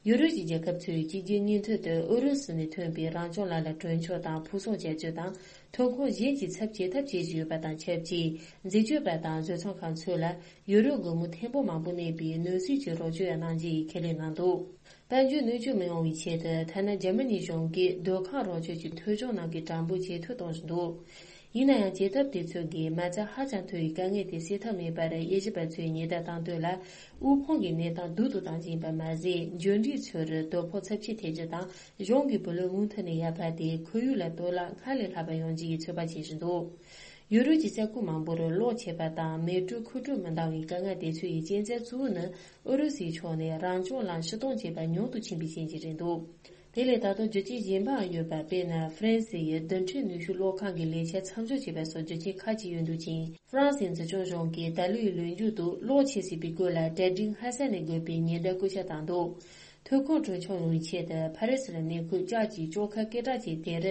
ཡུ་རོབ་ཀྱི་རྒྱལ་ཁབ་ཚོས་གཅིག་གྱུར་ཉིན་ཐོ་དུ་ཨུ་རུ་སུ་ནས་ཐོན་པའི་རང་སྐྱོང་ལམ་ལ་གྲོན་ཆུང་དང་ཕུགས་གསོག་བྱ་སྤྱོད་དང་། ཐོན་ཁུངས་གཞན་གྱི་ཚབ་བྱེད་ཐབས་བྱེད་བཞིན་ཡོད་པ་དང་ཆབས་ཅིག་འཛད་སྤྱོད་པ་དང་བཟོ་ཚོང་ཁང་ཚོ་ལ་ཡུ་རོབ་སྒོར་མོ་ཐེར་འབུམ་མང་པོ་གནས་པའི་ནོར་སྲིད་ཀྱི་རོགས་སྐྱོར་ཡང་གནང་རྒྱུ་ཡི་ཁས་ལེན་གནང་འདུག་དཔལ་འབྱོར་གནོད་སྐྱོན་མི་ཡོང་བའི་ཆེད་དུ། ཐ་ན་འཇར་མ་ནི་གཞུང་གིས་སྡོད་ཁང་རོགས་སྐྱོར་གྱི་ཐོལ་བྱུང་ནང་གི་གྲངས་འབོར་ཇེ་མཐོར་གཏོང་བཞིན་འདུག་ཡིན་ན་ཡང་། བྱེད་ཐབས་དེ་ཚོ་གིས་མ་རྩ་ཧ་ཅང་མཐོ་བའི་དཀའ་ངལ་དེ་སེལ་ཐབས་མེད་པར། དབྱེ་ཞིབ་པ་ཚོས་ཉེན་བརྡ་བཏང་དོན་ལ། དབུལ་ཕོངས་ཀྱི་གནས་སྟངས་སྡུག་ཏུ་བཏང་བཞིན་པ་མ་ཟད། འབྱོར་འབྲིང་ཚོར་དོ་ཕོག་ཚབས་ཆེ་ཐེབས་རྒྱུ་དང་། གཞུང་གི་བུ་ལོན་མུ་མཐུད་ནས་ཡར་འཕར་ཏེ། ཁོར་ཡུག་ལ་གཏོར་བརླག་སྔར་ལས་ལྷག་པ་ཡོང་རྒྱུ་ཡི་ཚོད་དཔག་བྱེད་བཞིན་འདུག་ཡུ་རོབ་ཀྱི་ས་ཁུལ་མང་པོར་གློག་ཆད་པ་དང་། མེ་དྲོད་ཁུག་དྲོད་མི་འདང་བའི་དཀའ་ངལ་དེ་ཚོ་ཡི་རྐྱེན་རྩ་གཙོ་བོ་ནི། ཨུ་རུ་སུའི་ཕྱོགས་ནས་རང་སྐྱོང་ལམ་ཕྱིར་གཏོང་བྱས་པ་ཉུང་དུ་ཕྱིན་པའི་རྐྱེན་གྱིས་རེད་འདུག་དེ་ལས་ད་དུང་རྒྱུ་རྐྱེན་གཞན་པའང་ཡོད་པ། དཔེར་ན། ཧྥ་རན་སི་ཡི་རྡུལ་ཕྲན་ནུས་ཤུགས་གློག་ཁང་གི་ལས་འཆར་མཚམས་འཇོག་བྱས་པ་སོགས་རྒྱུ་རྐྱེན་ཁག་ཅིག་ཡོད་འདུག་ཅིང་། ཧྥ་རན་སིའི་འཛིན་སྐྱོང་གཞུང་གིས་ད་ལོའི་ལོ་མཇུག་ཏུ་གློག་ཆད་སྲིད་པའི་སྐོར་ལ་གྲ་སྒྲིག་སྔ་ས་ནས་དགོས་པའི་ཉེན་བརྡ་བཀོད་ཁྱབ་བཏང་འདུག་ཐོན་ཁུངས་གྲོན་ཆུང་ཡོང་བའི་ཆེད་དུ། ཕ་རི་སིར་གནས་འཁོད་ལྕགས་ཀྱི་བཅོ་ཁ་སྐད་གྲགས་ཅན་དེར།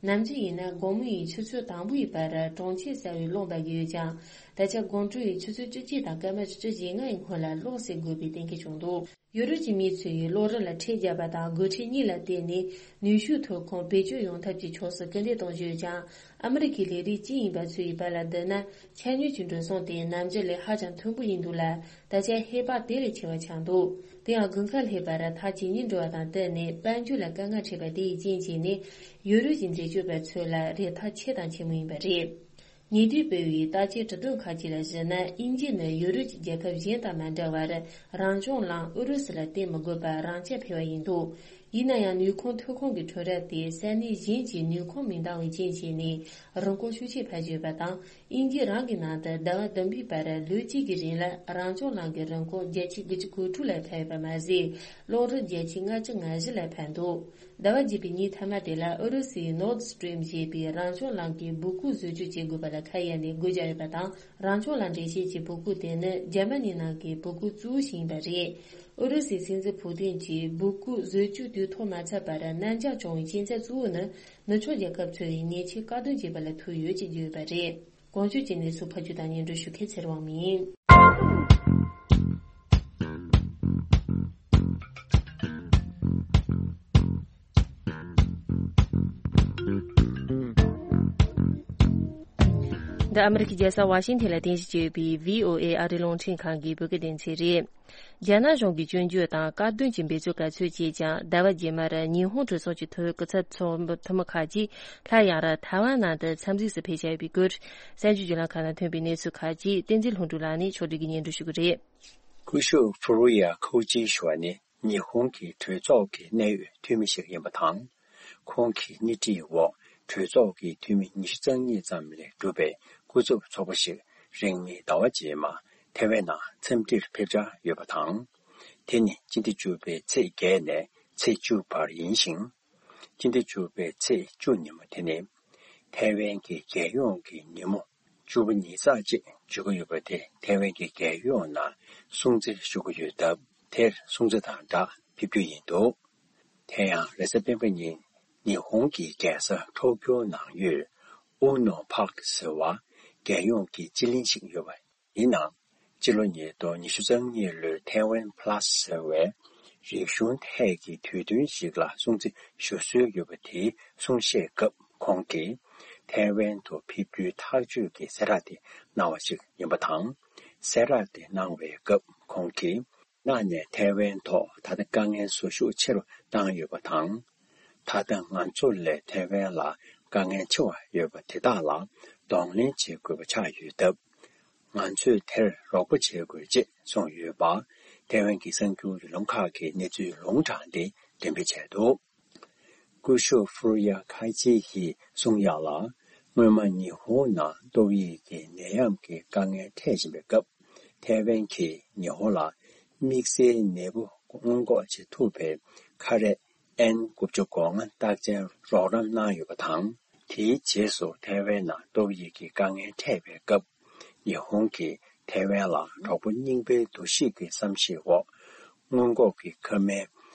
ནམ་རྒྱུན་ཡིན་ན་དགོང་མོ་ཡི་ཆུ་ཚོད་དང་པོ་ཡི་བར་གྲོང་ཁྱེར་གསར་བའི་གློག་འབར་གྱི་ཡོད་ཀྱང་། ད་ཆ་དགོང་དྲོ་ཡི་ཆུ་ཚོད་བཅུ་གཅིག་དང་སྐར་མ་བཅུ་བཞི་ལྔ་ཡི་སྔོན་ལ་གློག་སེལ་དགོས་པའི་གཏན་འཁེལ་བྱུང་འདུག་ཡུ་རོབ་ཀྱི་མི་ཚོས་གློག་རིན་ལ་ཁྲལ་བརྒྱབ་པ་དང་། སྒོ་ཁྲལ་གཉིས་ལ་བརྟེན་ནས་ནུས་ཤུགས་ཐོན་ཁུངས་བེད་སྤྱོད་ཡོང་ཐབས་ཀྱི་ཕྱོགས་སུ་སྐུལ་འདེད་གཏོང་བཞིན་ཡོད་ཀྱང་། ཨ་མི་རི་ཀའི་ལས་རིགས་སྤྱི་ཡིན་པ་ཚོ་ཡི་བར་ལ་བསྡུར་ན། ཆ་སྙོམས་ཀྱི་འགྲོ་སོང་དེ་ནམ་རྒྱུན་ལས་ཧ་ཅང་མཐོན་པོ་ཡིན་འདུག་ལ། ད་ཆ་ཧེ་བག་དེ་ལས་ཆེ་བ་ཆགས་འདུག་དེ་ཡང་དགུན་ཁ་སླེབས་པར་ཐག་ཇེ་ཉེ་འགྲོ་བ་དང་བསྟུན་ནས། དཔལ་འབྱོར་ལ་དཀའ་ངལ་འཕྲད་པ་དེ་ཡི་རྐྱེན་བྱས་ནས། ཡུ་རོབ་ཀྱི་འཛད་སྤྱོད་པ་ཚོ་ལ་རེ་ཐག་ཆེ་དང་ཆེན་མོ་ཡིན་པ་རེད། ཉེ་དུས་སྤེལ་བའི་བརྟག་དཔྱད་དྲི་དོན་ཁག་ཅིག་ལ་གཞིགས་ན། དབྱིན་ཇི་ནི་ཡུ་རོབ་ཀྱི་རྒྱལ་ཁབ་གཞན་དང་མ་འདྲ་བར། རང་སྐྱོང་ལམ་ཨུ་རུ་སུ་ལ་བརྟེན་མི་དགོས་པར་རང་རྐྱ་འཕེར་བ་ཡིན་འདུག་ཡིན་ན་ཡང་། ནུས་ཁུངས་ཐོན་ཁུངས་ཀྱི་ཁྲོམ་ར་དེ་ས་གནས་གཞན་གྱི་ནུས་ཁུངས་མི་འདང་བའི་རྐྱེན་བྱས་ནས། རིན་གོང་ཤུགས་ཆེ་འཕར་བཞིན་ཡོད་པ་དང་། དབྱིན་ཇི་རང་གི་ནང་དུ་ཟླ་བ་བདུན་པའི་བར་ལོ་གཅིག་གི་རིང་ལ་རང་སྐྱོང་ལམ་གྱི་རིན་གོང་བརྒྱ་ཆ་དགུ་བཅུ་གོ་དྲུག་ལ་འཕར་ཡོད་པ་མ་ཟད། གློག་རིན་བརྒྱ་ཆ་ལྔ་བཅུ་ང་བཞི་ལ་འཕར་འདུག་ཟླ་བ་བརྒྱད་པའི་ཉིན་མཐའ་མ་དེ་ལ་ཨུ་རུ་སུའི་Nord Stream ཞེས་པའི་རང་སྐྱོང་ལམ་གྱི་སྦུག་གུ་བཟོ་བཅོས་བྱེད་དགོས་པ་ལ་ཁ་གཡར་ནས་སྒོ་བརྒྱབ་ཡོད་པ་དང་། རང་སྐྱོང་ལམ་འགྲེལ་བཤད་ཀྱི་སྦུག་གུ་དེ་ནི་འཇར་མ་ནི་ནང་གི་སྦུག་གུ་གཙོ་བོ་ཞིག་ཡིན་པ་རེད། ཨུ་རུ་སུའི་སྲིད་འཛིན་ཕུ་ཏིན་གྱིས་སྦུག་གུ་བཟོ་བཅོས་དུས་ཐོག་མ་ཚར་བར་གནད་འགག་བྱུང་བའི་རྐྱེན་རྩ་གཙོ་བོ་ནི། ནུབ་ཕྱོགས་རྒྱལ་ཁབ་ཚོ་ཡིས་ཉེས་ཆད་བཀག་སྡོམ་བྱས་པ་ལ་ཐུག་ཡོད་ཅེས་བརྗོད་ཡོད་པ་རེད། གོང་ཞུས་ཀྱི་གནས་ཚུལ་ཕབ་སྒྱུར་དང་སྙན་སྒྲོན་ཞུ་མཁན་ཚེ་རིང་དབང་མོ་ཡིན། འདི་ཨ་མི་རི་ཀའི་རྒྱལ་ས་ཝ་ཤིང་ཐན་ལ་རྟེན་གཞི་བྱས་ཡོད་པའི་བྷི་ཨོ་ཨེ་ཨ་རིའི་རླུང་འཕྲིན་ཁང་གི་བོད་སྐད་སྡེ་ཚན་རེད། རྒྱ་ནག་གཞུང་གིས་སྐྱོན་བརྗོད་དང་དཀར་འདོན་གྱི་འབད་རྩོལ་ག་ཚོད་བྱས་ཀྱང་ཟླ་བ་རྗེས་མར་ཉི་ཧོང་གྲོས་ཚོགས་ཀྱི་ཐོག་སྐུ་ཚབ་ཚོགས་འཐུས་མི་ཁག་ཅིག་སླར་ཡང་ར་ཐའེ་ཝན་ནང་དུ་འཚམས་གཟིགས་སུ་ཕེབས་བཞག་ཡོད་པའི་སྐོར་གསར་འགྱུར་བརྒྱུད་ལམ་ཁག་ནང་ཐོན་པའི་གནས་ཚུལ་ཁག་ཅིག་བསྟན་འཛིན་ལྷུན་གྲུབ་ལགས་ནས་ཕྱོགས་སྒྲིག་གིས་སྙན་སྒྲོན་ཞུ་གི་རེད། སྐུ་ཞབས་ཧྥུ་རུ་ཡ་ཁའུ་ཅི་ཞུ་བ་ནི་ཉི་ཧོང་གི་གྲོས་ཚོགས་ཀྱི་གནད་ཡོད་འཐུས་མི་ཞིག་ཡིན་པ་དང་། ཁོང་གི་སྣེ་ཁྲིད་འོག་གྲོས་ཚོགས་ཀྱི་འཐུས་མི་ཉི་ཤུ་རྩ་གཉིས་ཙམ་ལས་གྲུབ་པའི་སྐུ་ཚབ་ཚོགས་པ་ཞིག་རིང་མིན་ཟླ་བ་རྗེས་མ་ཐའེ་ཝན་ནང་འཚམས་འདྲིར་ཕེབས་འཆར་ཡོད་པ་དང་། དེ་ནི་སྤྱི་ཟླ་བཅུ་པའི་ཚེས་བརྒྱད་ནས་ཚེས་བཅུ་བར་ཡིན་ཞིང་། སྤྱི་ཟླ་བཅུ་པའི་ཚེས་བཅུ་ཉིན་མོ་དེ་ནི་ཐའེ་ཝན་གྱི་རྒྱལ་ཡོངས་ཀྱི་ཉིན་མོ་བཅུ་པ་ཉིན་གསར་ཅེས་བརྗོད་ཀྱི་ཡོད་པ་དེ་ཐའེ་ཝན་གྱི་རྒྱལ་ཡོངས་ནང་སྲུང་བརྩི་ཞུ་གི་ཡོད་སྟབས། དེར་སྲུང་བརྩི་དང་སྦྲགས་ཕེབས་རྒྱུ་ཡིན་འདུག་དེ་ཡང་རེས་གཟའ་སྤེན་པ་ཉིན་ཉི་ཧོང་གི་རྒྱལ་ས་ཊོ་ཀྱོ་ནང་ཡོད་ཨུ་ནོ་པཱརྐ་ཟེར་བར་རྒྱལ་ཡོངས་ཀྱི་སྤྱི་གླིང་ཞིག་ཡོད་པ་ཡིན་ནའང་། སྤྱི་ལོ་ཉིས་སྟོང་ཉི་ཤུ་རྩ་གཉིས་ལོའི་ཐའེ་ཝན་ཕ་ལ་སི་ཟེར་བའི་རིག་གཞུང་ཐད་ཀྱི་དུས་སྟོན་ཞིག་ལ་སྲུང་བརྩི་ཞུ་སྲོལ་ཡོད་པ་དེའི་གསུང་བཤད་སྐབས་ཁོང་གིས། ཐའེ་ཝན་དུ་ཕེབས་རྒྱུའི་ཐག་གཅོད་ཀྱི་གསལ་བསྒྲགས་དེ་གནང་བ་ཞིག་ཡིན་པ་དང་། གསལ་བསྒྲགས་དེ་གནང་བའི་སྐབས་ཁོང་གིས། ནག་ནས་ཐའེ་ཝན་ཐོག་ད་ལྟ་དཀའ་ངལ་བཟོ་ཤུགས་ཆེ་རུ་བཏང་ཡོད་པ་དང་། ད་ལྟ་ང་ཚོ་ལས་ཐའེ་ཝན་ལ་དཀའ་ངལ་ཆེ་བ་ཡོད་པ་དེ་དག་ལ་གདོང་ལེན་བྱེད་དགོས་པ་ཆགས་ཡོད་སྟབས། ང་ཚོས་དེར་རོགས་པ་བྱེད་དགོས་ཅེས་གསུངས་ཡོད་པ། ཐའེ་ཝན་གྱི་གསར་འགྱུར་བརྒྱུད་ལམ་ཁག་གིས་གནས་ཚུལ་ལུང་དྲངས་ཏེ་འགྲེམས་སྤེལ་བྱས་འདུག་སྐུ་ཞབས་ཧྥུ་རུ་ཡ་ཁ་ཆེ་ཡིས་གསུངས་ཡག་ལ། སྔོན་མ་ཉི་ཧོང་ནང་ཏོག་དབྱིབས་ཀྱི་ནད་ཡམས་ཀྱི་དཀའ་ངལ་འཕྲད་བཞིན་པའི་སྐབས། ཐའེ་ཝན་གྱིས་ཉི་ཧོང་ལ་དམིགས་བསལ་ནད་འབུ་སྔོན་འགོག་བྱེད་ཐུབ་པའི་ཁ་རས་ཨེན་དགུ་བཅུ་གོ་ལྔ་རྟགས་ཅན་རོགས་རམ་གནང་ཡོད་པ་དང་། དེའི་རྗེས་སུ་ཐའེ་ཝན་ནང་ཏོག་དབྱིབས་ཀྱི་དཀའ་ངལ་འཕྲད་པའི་སྐབས། ཉི་ཧོང་གིས་ཐའེ་ཝན་ལ་གྲོགས་པོ་རྙིང་པའི་འདུ་ཤེས་ཀྱི་བསམ་ཤེས་འོག་སྔོན་འགོག་གི་ཁབ་སྨན་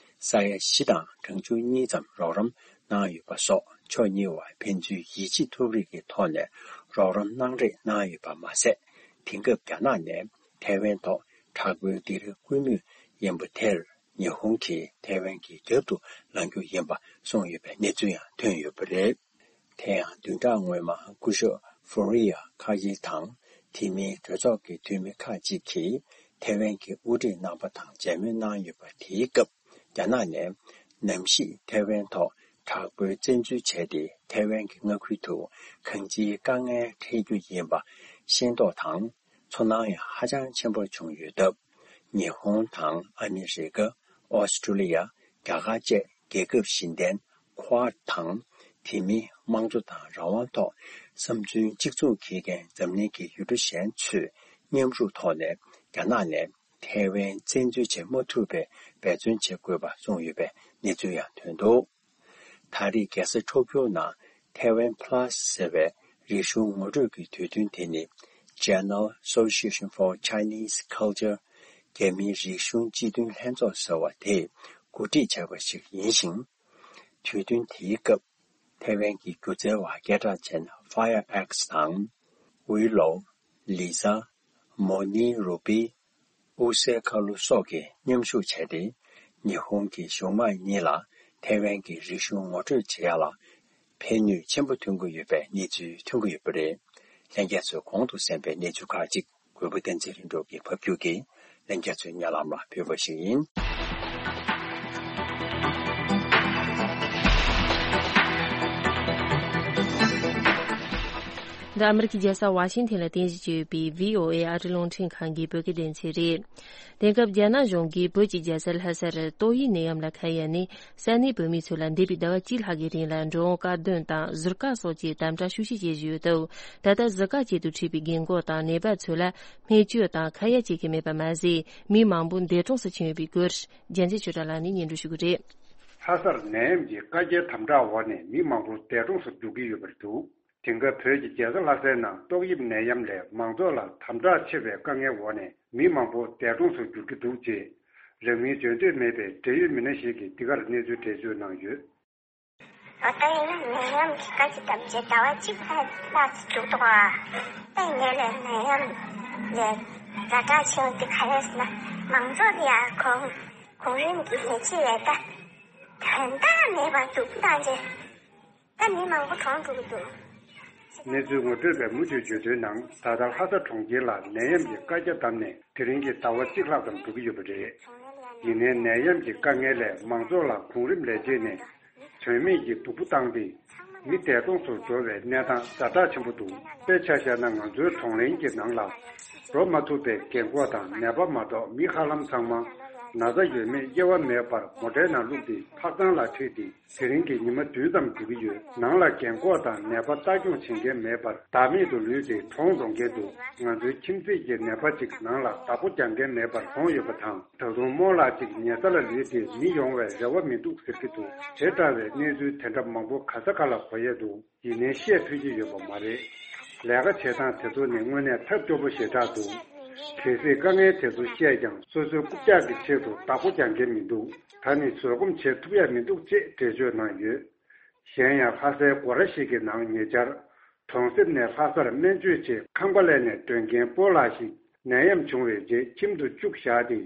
ས་ཡ་བཞི་དང་གྲངས་ཆུང་གཉིས་ཙམ་རོགས་རམ་གནང་ཡོད་པ་སོགས། ཕྱོགས་གཉིས་བར་ཕན་ཚུན་ཡིད་ཆེས་ཐོབ་རིགས་ཀྱི་ཐོག་ནས་རོགས་རམ་གནང་རེས་གནང་ཡོད་པ་མ་ཟད། དེང་སྐབས་རྒྱ་ནག་ནས་ཐའེ་ཝན་ཐོག་དྲག་པོའི་སྡིགས་ར་སྐུལ་མུས་ཡིན་པ་དེར། ཉི་ཧོང་གིས་ཐའེ་ཝན་གྱི་རྒྱབ་ཏུ་ལངས་རྒྱུ་ཡིན་པ་གསུངས་ཡོད་པའི་གནས་ཚུལ་ཡང་ཐོན་ཡོད་པ་རེད། དེ་ཡང་བདུན་ཕྲག་སྔོན་མ་སྐུ་ཞབས་ཧྥུ་རི་ཡ་ཁ་ཡི་དང་། དེ་མིན་གྲོས་ཚོགས་ཀྱི་འཐུས་མི་ཁག་ཅིག་གིས་ཐའེ་ཝན་གྱི་དབུ་ཁྲིད་རྣམ་པ་དང་མཇལ་མོལ་གནང་ཡོད་པ། དེའི་སྐབས་རྒྱ་ནག་ནས་ནམ་ཞིག་ཐའེ་ཝན་ཐོག་དྲག་པོའི་བཙན་འཛུལ་བྱས་ཏེ། ཐའེ་ཝན་གྱི་མངའ་ཁུལ་དུ་གང་ཅིའི་དཀའ་ངལ་འཕྲད་རྒྱུ་ཡིན་པ་ཤེས་རྟོགས་དང་། ཚོར་སྣང་ཡང་ཧ་ཅང་ཆེན་པོ་བྱུང་ཡོད་སྟབས། ཉི་ཧོང་དང་ཨ་མི་རི་ཀ། ཨོ་སི་ཀྲུ་ལི་ཡ། རྒྱ་གར་བཅས་རྒྱལ་ཁབ་གཞན་ལྡན་ཁོ་ཝཱཌ་དང་། དེ་མིན་དམངས་གཙོ་དང་རང་དབང་ཐོག་བསམ་ཚུལ་གཅིག་མཚུངས་འཁྱེར་མཁན་འཛམ་གླིང་གི་ཡུལ་གྲུ་གཞན་ཚོས་མཉམ་རུབ་ཐོག་ནས་རྒྱ་ནག་ནས་ཐའེ་ཝན་བཙན་འཛུལ་བྱེད་མ་ཐུབ་པའི་འབད་བརྩོན་བྱེད་དགོས་པ་གསུངས་ཡོད་པའི་གནས་ཚུལ་ཡང་ཐོན་འདུག་ད་རེས་རྒྱལ་ས་ཊོ་ཀྱོ་ནང་ཐའེ་ཝན་ཕ་ལ་སི་ཟེར་བའི་རིག་གཞུང་ངོ་སྤྲོད་ཀྱི་དུས་སྟོན་དེ་ནི། Channel Association for Chinese Culture། རྒྱ་མིའི་རིག་གཞུང་སྤྱི་མཐུན་ལྷན་ཚོགས་ཟེར་བ་དེས་གོ་སྒྲིག་བྱས་པ་ཞིག་ཡིན་ཞིང་། དུས་སྟོན་དེའི་སྐབས་ཐའེ་ཝན་གྱི་སྒྱུ་རྩལ་བ་སྐད་གྲགས་ཅན་Fire X་དང་། ཝུའུ་ལོ། ལི་ཟ། མོ་ནི་རུ་པི། ཨུ་སེ་ཁ་ལུ་སོགས་ཀྱིས་མཉམ་ཞུགས་བྱས་ཏེ། ཉི་ཧོང་གི་གཞུང་དམངས་གཉིས་ལ་ཐའེ་ཝན་གྱི་རིག་གཞུང་ངོ་སྤྲོད་བྱེད་ཡག་ལ་ཕན་ནུས་ཆེན་པོ་ཐོན་གྱི་ཡོད་པའི་གནས་ཚུལ་ཐོན་གྱི་ཡོད་པ་རེད། ལྷན་རྒྱས་ཚོས་གོང་དུ་གསན་པའི་གནས་ཚུལ་ཁག་ཅིག་གུས་པ་བསྟན་འཛིན་ལྷུན་གྲུབ་ཀྱིས་ཕབ་སྒྱུར་གྱིས་ལྷན་རྒྱས་ཚོའི་སྙན་ལམ་ལ་ཕུལ་བ་ཞིག་ཡིན། འདི་ཨ་མི་རི་ཀའི་རྒྱལ་ས་ཝ་ཤིང་ཐན་ལ་རྟེན་གཞི་བྱས་ཡོད་པའི་བྷི་ཨོ་ཨེ་ཨ་རིའི་རླུང་འཕྲིན་ཁང་གི་བོད་སྐད་སྡེ་ཚན་རེད། དེང་སྐབས་རྒྱ་ནག་གཞུང་གིས་བོད་ཀྱི་རྒྱལ་ས་ལྷ་སར་ཏོག་དབྱིབས་ནད་ཡམས་ལ་ཁ་གཡར་ནས་ས་གནས་བོད་མི་ཚོ་ལ་འདས་པའི་ཟླ་བ་གཅིག་ལྷག་གི་རིང་ལ་འགྲོ་འོང་དཀར་འདོན་དང་ཟུར་བཀག་སོགས་ཀྱི་དམ་དྲག་ཤུགས་ཆེ་བྱེད་བཞིན་ཡོད་སྟབས། ད་ལྟ་ཟུར་བཀག་ཅན་དུ་ཁྲིད་པའི་རྒན་རྒོན་དང་ནད་པ་ཚོ་ལ་སྨན་བཅོས་དང་ཁ་གཡར་བྱེད་མཁན་མེད་པ་མ་ཟད། མི་མང་པོ་འདས་གྲོངས་སུ་ཕྱིན་ཡོད་པའི་སྐོར་རྒྱལ་མཚན་ཆོས་གྲགས་ལགས་ནས་སྙན་སྒྲོན་ཞུ་གི་རེད། ལྷ་སར་ནད་ཡམས་ཀྱི་བཀའ་རྒྱའི་དམ་དྲག་འོག་ནས་མི་མང་པོ་འདས་གྲོངས་སུ་འགྲོ་གི་ཡོད་པ་རེད་འདུག་དེང་སྐབས་བོད་ཀྱི་རྒྱལ་ས་ལྷ་སའི་ནང་ཏོག་དབྱིབས་ནད་ཡམས་ལས་མང་ཚོགས་ལ་དམ་དྲག་ཆེ་བའི་དཀའ་ངལ་འོག་ནས་མི་མང་པོ་འདས་གྲོངས་སུ་འགྱུར་གྱི་འདུག་ཅེས། རང་མིང་བརྗོད་འདོད་མེད་པའི་འབྲེལ་ཡོད་མི་སྣ་ཞིག་གིས་འདི་གར་གནས་ཚུལ་འགྲེལ་བརྗོད་གནང་ཡོད། ད་ལྟ་ཡིན་ན་ནད་ཡམས་ཀྱི་བཀའ་ལྕི་དམ་བཅའ་ཟླ་བ་གཅིག་ལྷག་ཙམ་འགྲོ་གི་འདུག་ག་ད་ཡིན་ནའི་ལས་ནད་ཡམས་ལས་ཛ་དྲག་ཆེ་བ་འདི་ག་རེ་ཟེར་ན། མང་ཚོགས་ལ་ཡང་གོང་གོང་རིམ་གྱི་ལས་བྱེད་ལས་ཀ་དོན་དག་མེད་པར་སྡུག་བཏང་རྗེས། ད་མི་མང་པོ་གྲོངས་འགྲོ་གི་འདུག་གནས་ཚུལ་ངོ་སྤྲོད་པས་མུ་མཐུད་བརྗོད་དོན་ནང་། ད་ལྟ་ལྷ་ས་གྲོང་ཁྱེར་ལ་ནད་ཡམས་ཀྱི་བཀའ་རྒྱ་བསྡམས་ནས་དེ་རིང་གི་ཟླ་བ་གཅིག་ལྷག་ཙམ་འགྲོ་གི་ཡོད་པ་རེད། ཡིན་ནའི་ནད་ཡམས་ཀྱི་དཀའ་ངལ་ལས་མང་ཚོགས་ལ་གོང་རིམ་ལས་བྱེད་ནས་དོན་མེད་ཀྱི་སྡུག་པོ་བཏང་སྟེ། མི་འདས་གྲོངས་སུ་འགྲོ་བའི་གནས་སྟངས་ཛ་དྲག་ཆེན་པོ་འདུག་དཔེ་ཆ་བཞག་ན། ང་ཚོའི་གྲོང་གླིང་གི་ནང་ལ་འགྲོ་མ་ཐུབ་པའི་རྒན་འཁོགས་དང་ནད་པ་མ་གཏོགས་མི་ཧ་ལམ་ཚང་མ་ན་ཚ་ཡོད་མེད་དབྱེ་བ་མེད་པར་མོ་ཊའི་ནང་བླུགས་ཏེ་ཕག་ཚང་ལ་ཁྲིད་དེ། དེ་རིང་གི་ཉི་མ་བདུན་ཙམ་འགྲོ་གི་ཡོད། ནང་ལ་རྒན་འཁོགས་དང་ནད་པ་ལྟ་སྐྱོང་བྱེད་མཁན་མེད་པར་བདག་མེད་དུ་ལུས་ཏེ་གྲོངས་འགྲོ་མཁན་འདུག་ང་ཚོའི་ཁྱིམ་མཚེས་ཀྱི་ནད་པ་གཅིག་ནང་ལ་བདག་པོ་རྒྱག་མཁན་མེད་པར་གྲོངས་ཡོད་པ་དང་། ད་དུང་རྨོ་ལགས་གཅིག་ཉལ་ས་ལ་ལུས་ཏེ་མི་ཡོང་བའི་རེ་བ་མི་འདུག་ཟེར་གྱི་འདུག་དེ་འདྲ་བའི་གནས་ཚུལ་དེ་འདྲ་མང་པོ་ག་ས་ག་ལ་གོ་ཡས་འདུག་ཡིན་ནའི་བཤད་ཕོད་ཀྱི་ཡོད་པ་མ་རེད། ལས་ཀ་བྱེད་སྟངས་དེ་ཚོ་ནི་དངོས་གནས་ཐབས་སྐྱོ་པོ་ཞེ་དྲག་འདུག་གལ་སྲིད་དཀའ་ངལ་དེ་ཚོ་བཤད་ཀྱང་སོ་སོའི་རྐུབ་བཀྱག་གི་ཆེད་དུ་བདག་པོ་རྒྱག་མཁན་མི་འདུག་ད་ནི་བཟོད་སྒོམ་བྱེད་ཐུབ་ཡ་མི་འདུག་ཅེས་འགྲེལ་བརྗོད་གནང་ཡོད། གཞན་ཡང་ལྷ་སའི་སྒོ་ར་ཞིག་གི་ནང་ཉེ་ཆར་གྲོང་གསེབ་ནས་ལྷ་སར་སྨན་བཅོས་ཆེད་ཁང་པ་ལས་ནས་ཐོན་མཁན་སྤོ་ལགས་ཤིག་ནད་ཡམས་བྱུང་བའི་རྗེས་ཁྱིམ་དུ་བཅུག་བཞག་སྟེ་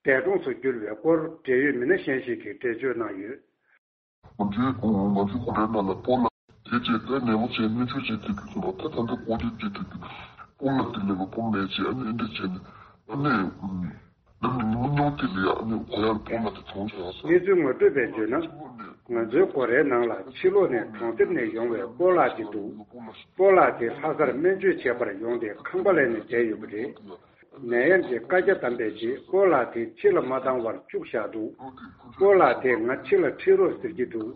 འདས་གྲོངས་སུ་གྱུར་བའི་སྐོར་འབྲེལ་ཡོད་མི་སྣ་གཞན་ཞིག་གིས་འགྲེལ་བརྗོད་གནང་ཡོད། ང་ཚོའི་ང་ཚོའི་སྒོ་རའི་ནང་ལ་སྤོ་ལགས་དེ་རྗེས་ད་ནད་པ་བྱས་སྨན་བཅོས་བྱས་ཐུབ་ཀྱི་འདུག་ད་ད་ལྟ་སྒོ་དེ་བརྒྱུད་ཐུབ་ཀྱི་སྤོ་ལགས་དེ་ལས་ལོ་སྤོ་མེད་ཅེས་ཨ་ནི་འདི་བྱས་ནས་ཨ་ནི་ད་ནི་ཉུང་ཉུང་དེ་ལས་ཨ་ནི་གོ་ཡར་སྤོ་ལགས་དེ་གྲོངས་བྱས་ས། གནས་ཚུལ་ངོ་སྤྲོད་པས་བརྗོད་ན། ང་ཚོའི་སྒོ་རའི་ནང་ལ་ཕྱི་ལོགས་ནས་གྲོང་གསེབ་ནས་ཡོང་བའི་སྤོ་ལགས་དེ་འདུག་སྤོ་ལགས་དེ་ལྷ་སར་སྨན་བཅོས་བྱེད་པར་ཡོང་སྟེ་ཁང་པ་ལས་ནས་བསྡད་ཡོད་པ་རེད། ནད་ཡམས་ཀྱི་བཀའ་རྒྱ་བསྡམས་པའི་རྗེས་སྤོ་ལགས་དེ་ཕྱི་ལ་མ་བཏང་བར་བཅུག་བཞག་འདུག་སྤོ་ལགས་དེ་ང་ཕྱི་ལ་ཁྲིད་རོགས་ཟེར་གྱི་འདུག་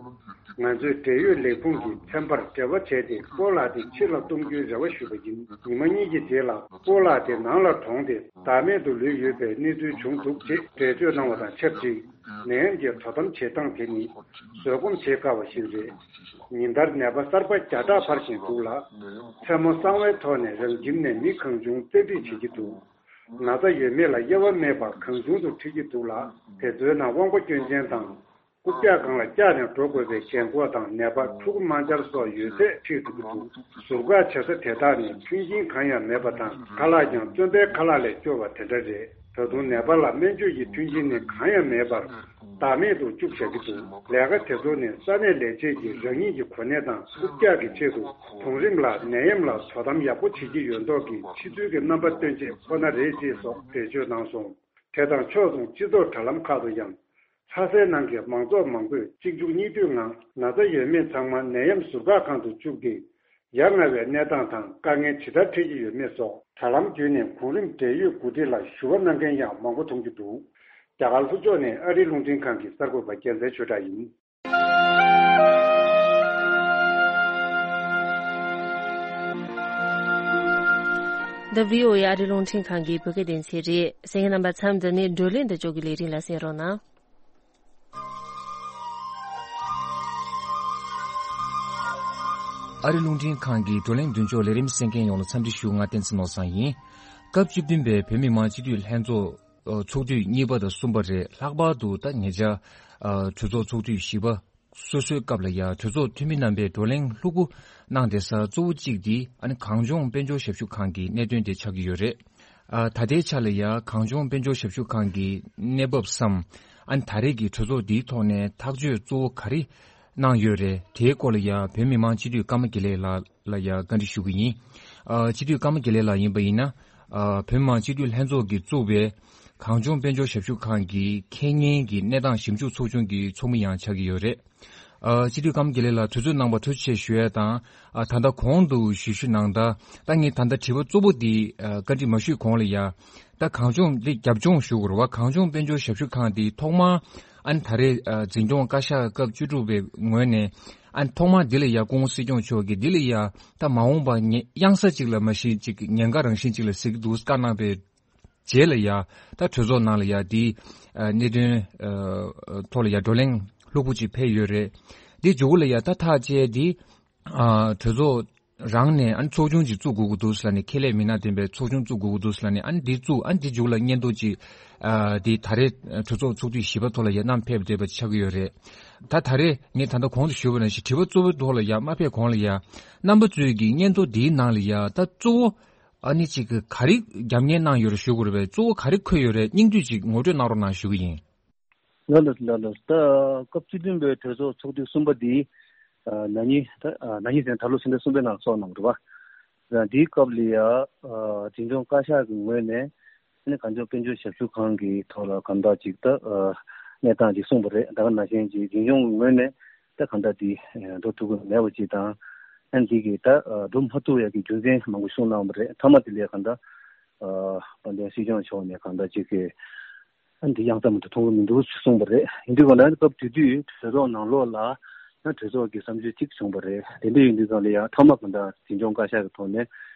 ང་ཚོས་འབྲེལ་ཡོད་ལས་ཁུངས་ཀྱི་ཚན་པར་འབྲེལ་བ་བྱས་ཏེ་སྤོ་ལགས་དེ་ཕྱི་ལ་གཏོང་རྒྱུའི་རེ་བ་ཞུས་པ་ཡིན། ཉི་མ་གཉིས་ཀྱི་རྗེས་ལ་སྤོ་ལགས་དེ་ནང་ལ་གྲོངས་ཏེ་བདག་མེད་དུ་ལུས་ཡོད་པའི་གནས་ཚུལ་བྱུང་འདུག་ཅེས་འགྲེལ་བརྗོད་གནང་བ་དང་ཆབས་ཅིག་ནད་ཡམས་ཀྱི་དོ་དམ་བྱེད་སྟངས་དེ་ནི་བཟོད་སྒོམ་བྱེད་དཀའ་བ་ཞིག་རེད། ཉིན་ལྟར་ནད་པ་གསར་པ་བརྒྱ་ཕྲག་འཕར་བཞིན་འདུག་ལ། མཚན་མོ་གསང་བའི་ཐོག་ནས་རང་ཁྱིམ་ནས་མི་གང་བྱུང་བཙན་ཁྲིད་བྱེད་ཀྱི་འདུག་ན་ཚ་ཡོད་མེད་ལ་དབྱེ་བ་མེད་པར་གང་བྱུང་དུ་ཁྲིད་ཀྱི་འདུག་ལ། དེ་ཚོའི་ནང་དབང་པོ་སྐྱོན་ཅན་དང་རྐུབ་བཀྱག་སྒང་ལ་བཀྱག་ནས་འགྲོ་དགོས་པའི་རྒན་འཁོགས་དང་ནད་པ་ཕྲུ་གུ་དམར་འབྱར་སོགས་ཡོད་ཚད་ཁྲིད་འགྲོ་གི་འདུག་ཟུར་བཀག་བྱེད་ས་དེ་དག་ནི་མཐུན་རྐྱེན་གང་ཡང་མེད་པ་དང་། ཁ་ལག་ཀྱང་བཙོན་པའི་ཁ་ལག་ལས་སྐྱོ་བ་དེ་འདྲ་རེད། ད་དུང་ནད་པ་ལ་སྨན་བཅོས་ཀྱི་མཐུན་རྐྱེན་ནི་གང་ཡང་མེད་པར་བདག་མེད་དུ་བཅུག་བཞག་གི་འདུག་ལས་ཀ་དེ་ཚོ་ནི་ས་གནས་ལས་བྱེད་ཀྱིས་རང་ཉིད་ཀྱི་གོ་གནས་དང་རྐུབ་བཀྱག་གི་ཆེད་དུ་གོང་རིམ་ལ་ནད་ཡམས་ལ་དོ་དམ་ཡག་པོ་བྱེད་ཀྱི་ཡོད་མདོག་གི་ཕྱི་ཚུལ་གྱི་རྣམ་པ་སྟོན་ཆེད་ཁོ་ན་རེད་ཅེས་སོགས་འགྲེལ་བརྗོད་གནང་སོང་། དེ་དང་ཕྱོགས་མཚུངས་སྤྱི་ཚོགས་དྲ་ལམ་ཁག་ཏུ་ཡང་། ལྷ་སའི་ནང་གི་མང་ཚོགས་མང་པོས་གཅིག་མཇུག་གཉིས་མཐུད་ངང་ན་ཚ་ཡོད་མེད་ཚང་མ་ནད་ཡམས་ཟུར་བཀག་ཁང་དུ་བཅུག་སྟེ། ཡ་ང་བའི་གནས་སྟངས་དང་དཀའ་ངལ་ཇི་ལྟར་འཕྲད་ཀྱི་ཡོད་མེད་སོགས་དྲ་ལམ་བརྒྱུད་ནས་གོང་རིམ་འབྲེལ་ཡོད་འགོ་ཁྲིད་ལ་ཞུ་བ་གནང་མཁན་ཡང་མང་པོ་མཐོང་རྒྱུ་འདུག་རྒྱ་གར་ལྷོ་ཕྱོགས་ནས་ཨ་རིའི་རླུང་འཕྲིན་ཁང་གི་གསར་འགོད་པ་རྒྱལ་མཚན་ཆོས་གྲགས་ཡིན། འདི་བྷི་ཨོ་ཨེ་ཨ་རིའི་རླུང་འཕྲིན་ཁང་གི་བོད་སྐད་སྡེ་ཚན་རེད། གསན་མཁན་རྣམ་པ་མཚམས་འདི་ནས་བགྲོ་གླེང་དང་ཅོག་གི་ལས་རིམ་ལ་གསན་རོགས་གནང་། ཨ་རི་རླུང་འཕྲིན་ཁང་གི་བགྲོ་གླེང་མདུན་ཅོག་ལས་རིམ་གསན་མཁན་ཡོངས་ལ་འཚམས་འདྲི་ཞུ། ང་བསྟན་འཛིན་ནོར་བཟང་ཡིན། སྐབས་བཅུ་བདུན་པའི་བོད་མི་མང་སྤྱི་འཐུས་ལྷན་ཚོགས་ཚོགས་དུས་གཉིས་པ་དང་གསུམ་པ་རེད། ལྷག་པར་དུ་ད་ཉེ་ཆར་གྲོས་ཚོགས་ཚོགས་དུས་བཞི་པ་སོ་སོའི་སྐབས་ལ་ཡང་གྲོས་ཚོགས་འཐུས་མི་རྣམ་པས་བགྲོ་གླེང་ལྷུག་པོ་གནང་བསྡད་ས་གཙོ་བོ་གཅིག་འདི་ཨ་ནི་གངས་ལྗོངས་དཔལ་འབྱོར་ཞབས་ཞུ་ཁང་གི་གནད་དོན་དེ་ཆགས་ཀྱི་ཡོད་རེད། ཨ། ད་ལྟའི་ཆ་ལ་ཡ་གངས་ལྗོངས་དཔལ་འབྱོར་ཞབས་ཞུ་ཁང་གི་གནས་བབ་སམ། ཨ་ནི་ད་རེས་ཀྱི་གྲོས་ཚོགས་འདིའི་ཐོག་ནས་ཐག་གཅོད་གཙོ་བོ་ག་རེ་གནང་ཡོད་རེད། དེའི་སྐོར་ལ་ཡ་བོད་མི་མང་སྤྱི་འཐུས་ཀརྨ་དགེ་ལེགས་ལགས་ལ་ཡ་བཀའ་འདྲི་ཞུ་གི་ཡིན། ཨ། སྤྱི་འཐུས་ཀརྨ་དགེ་ལེགས་ལགས་ཡིན་པ་ཡིན་ན། ཨ། བོད་མི་མང་སྤྱི་འཐུས་ལྷན་ཚོགས་ཀྱིས་བཙུགས་པའི་གངས་ལྗོངས་དཔལ་འབྱོར་ཞབས་ཞུ་ཁང་གི་ཁེ་གཉེར་གྱི་གནས་སྟངས་ཞིབ་འཇུག་ཚོགས་ཆུང་གི་ཚོགས་མི་ཡང་ཆགས་ཀྱི་ཡོད་རེད། ཨ། སྤྱི་འཐུས་ཀརྨ་དགེ་ལེགས་ལགས་དུས་ཚོད་གནང་བར་ཐུགས་རྗེ་ཆེ་ཞུ་ཡ་དང་། ཨ། ད་ལྟ་གོང་དུ་ཞུ་ཞུ་གནང་ད། ད་ངས་ད་ལྟ་དྲི་བ་གཙོ་བོ་འདི། ཨ། བཀའ་འདྲི་མ་ཞུས་གོང་ལ་ཡ། ད་གངས་ལྗོངས་འདི་རྒྱབ་ལྗོངས་ཞུ་དགོས་རེད་བ། གངས་ལྗོངས་དཔལ་འབྱོར་ཞབས་ཞུ་ཁང་འདི་ཐོག་མར་ཨ་ནི་ད་རེས། ཨ། འཛིན་སྐྱོང་བཀའ་ཤག་སྐབས་བཅུ་དྲུག་པའི་ངོས་ནས་ཨ་ནི་ཐོག་མར་འདི་ལ་ཡ་སྐུ་ངོ་སྲིད་སྐྱོང་མཆོག་གིས་འདི་ལ་ཡ་ད་མ་འོངས་པ་ཉེ་གཡང་ས་གཅིག་ལ་མ་གཞི་གཅིག་ཉེན་ཁ་རང་བཞིན་གཅིག་ལ་གཟིགས་འདུག་བཀའ་གནང་པའི་རྗེས་ལ་ཡ། ད་གྲོས་ཚོགས་ནང་ལ་ཡ་འདི། ཨ། གནད་དོན། ཨ། ཐོག་ལ་ཡ་བགྲོ་གླེང་ལྷུག་པོ་ཅིག་ཕེབས་ཡོད་རེད། འདི་མཇུག་ལ་ཡ་ད་ཐག་བཅད་འདི། ཨ། གྲོས་ཚོགས་རང་ནས་ཨ་ནི་ཚོགས་ཆུང་ཅིག་བཙུགས་དགོས་ཀྱི་འདུག་ཟེར་ལབ་ནས་ཁེ་ལས་མི་སྣ་འདེམས་པའི་ཚོགས་ཆུང་བཙུགས་དགོས་ཀྱི་འདུག་ཟེར་ལབ་ནས་ཨ་ནི་འདི་བཙུགས། ཨ་ནི་འདི་མཇུག་ལ་སྙན་ཐོ་ཅིག་ཨ། འདི་ད་རེས་གྲོས་ཚོགས་ཚོགས་དུས་བཞི་པ་ཐོག་ལ་ཡ་བསྣམས་ཕེབས་བསྡད་པ་ཆགས་ཀྱི་ཡོད་རེད། ད་ད་རེས་ངས་ད་ལྟ་གོང་དུ་ཞུས་པ་ནང་བཞིན་དྲི་བ་གཙོ་བོའི་ཐོག་ལ་ཡ་མ་ཕེབས་གོང་ལ་ཡ། རྣམ་པ་ཚོས་ཀྱི་སྙན་ཐོ་འདིའི་ནང་ལ་ཡ་ད་གཙོ་བོ། ཨ་ནི་ཅིག་གི་ག་རེ་རྒྱབ་གཉེར་གནང་ཡོད་རེད་ཞུ་དགོས་རེད་པས། གཙོ་བོ་ག་རེ་འཁོད་ཡོད་རེད། སྙིང་བསྡུས་ཅིག་ངོ་སྤྲོད་གནང་རོགས་གནང་ཞུ་གི་ཡིན། ལགས་ལགས་ལགས་ལགས། ད་སྐབས་བཅུ་བདུན་པའི་གྲོས་ཚོགས་ཚོགས་དུས་གསུམ་པ་འདི་ ན་ནིང་ད་ན་ནིང་ཟེར་ན་ད་ལོ་ཕྱི་ཟླ་གསུམ་པའི་ནང་ཚོགས་གནང་རེད་བ། འདིའི་སྐབས་ལ་ཡ་འཛིན་སྐྱོང་བཀའ་ཤག་གི་ངོས་ནས་ཨ་ནི་གངས་ལྗོངས་དཔལ་འབྱོར་ཞབས་ཞུ་ཁང་གི་ཐོག་ལ་གང་འདྲ་ཅིག་ད་གནས་སྟངས་ཅིག་གསུངས་པ་རེད། ད་ག་ནང་བཞིན་ཅིག་འཛིན་སྐྱོང་གི་ངོས་ནས་ད་གང་འདྲ་དེ་འགྲོ་ཐུབ་ཀྱི་མེད་པ་ཅིག་དང་། ཨ་ནི་དེ་གི་ད་འགྲོ་མ་ཐུབ་ཡ་གི་རྒྱུ་མཚན་མང་པོ་གསུངས་གནང་བ་རེད། མཐའ་མ་དེ་ལ་གང་འདྲ་དཔལ་ལྡན་སྲིད་སྐྱོང་མཆོག་ནས་གང་འདྲ་ཅིག་གི་ཨ་ནི་འདི་ཡང་ཙམ་དུ་མཐོང་གི་མི་འདུག་གསུངས་པ་རེད། ཡིན་དུས་གང་ལྟར་སྐབས་དེ་དུས་གྲོས་ཚོགས་ནང་ལོགས་ལ་ཡང་གྲོས་ཚོགས་ཀྱི་བསམ་ཚུལ་གཅིག་བྱུང་བ་རེད། དེ་འདྲ་ཡིན་དུས་གང་ལ་ཡང་མཐའ་མ་གང་ལྟར་འཛིན་སྐྱོང་བཀའ་ཤག་གི་ཐོག་ནས་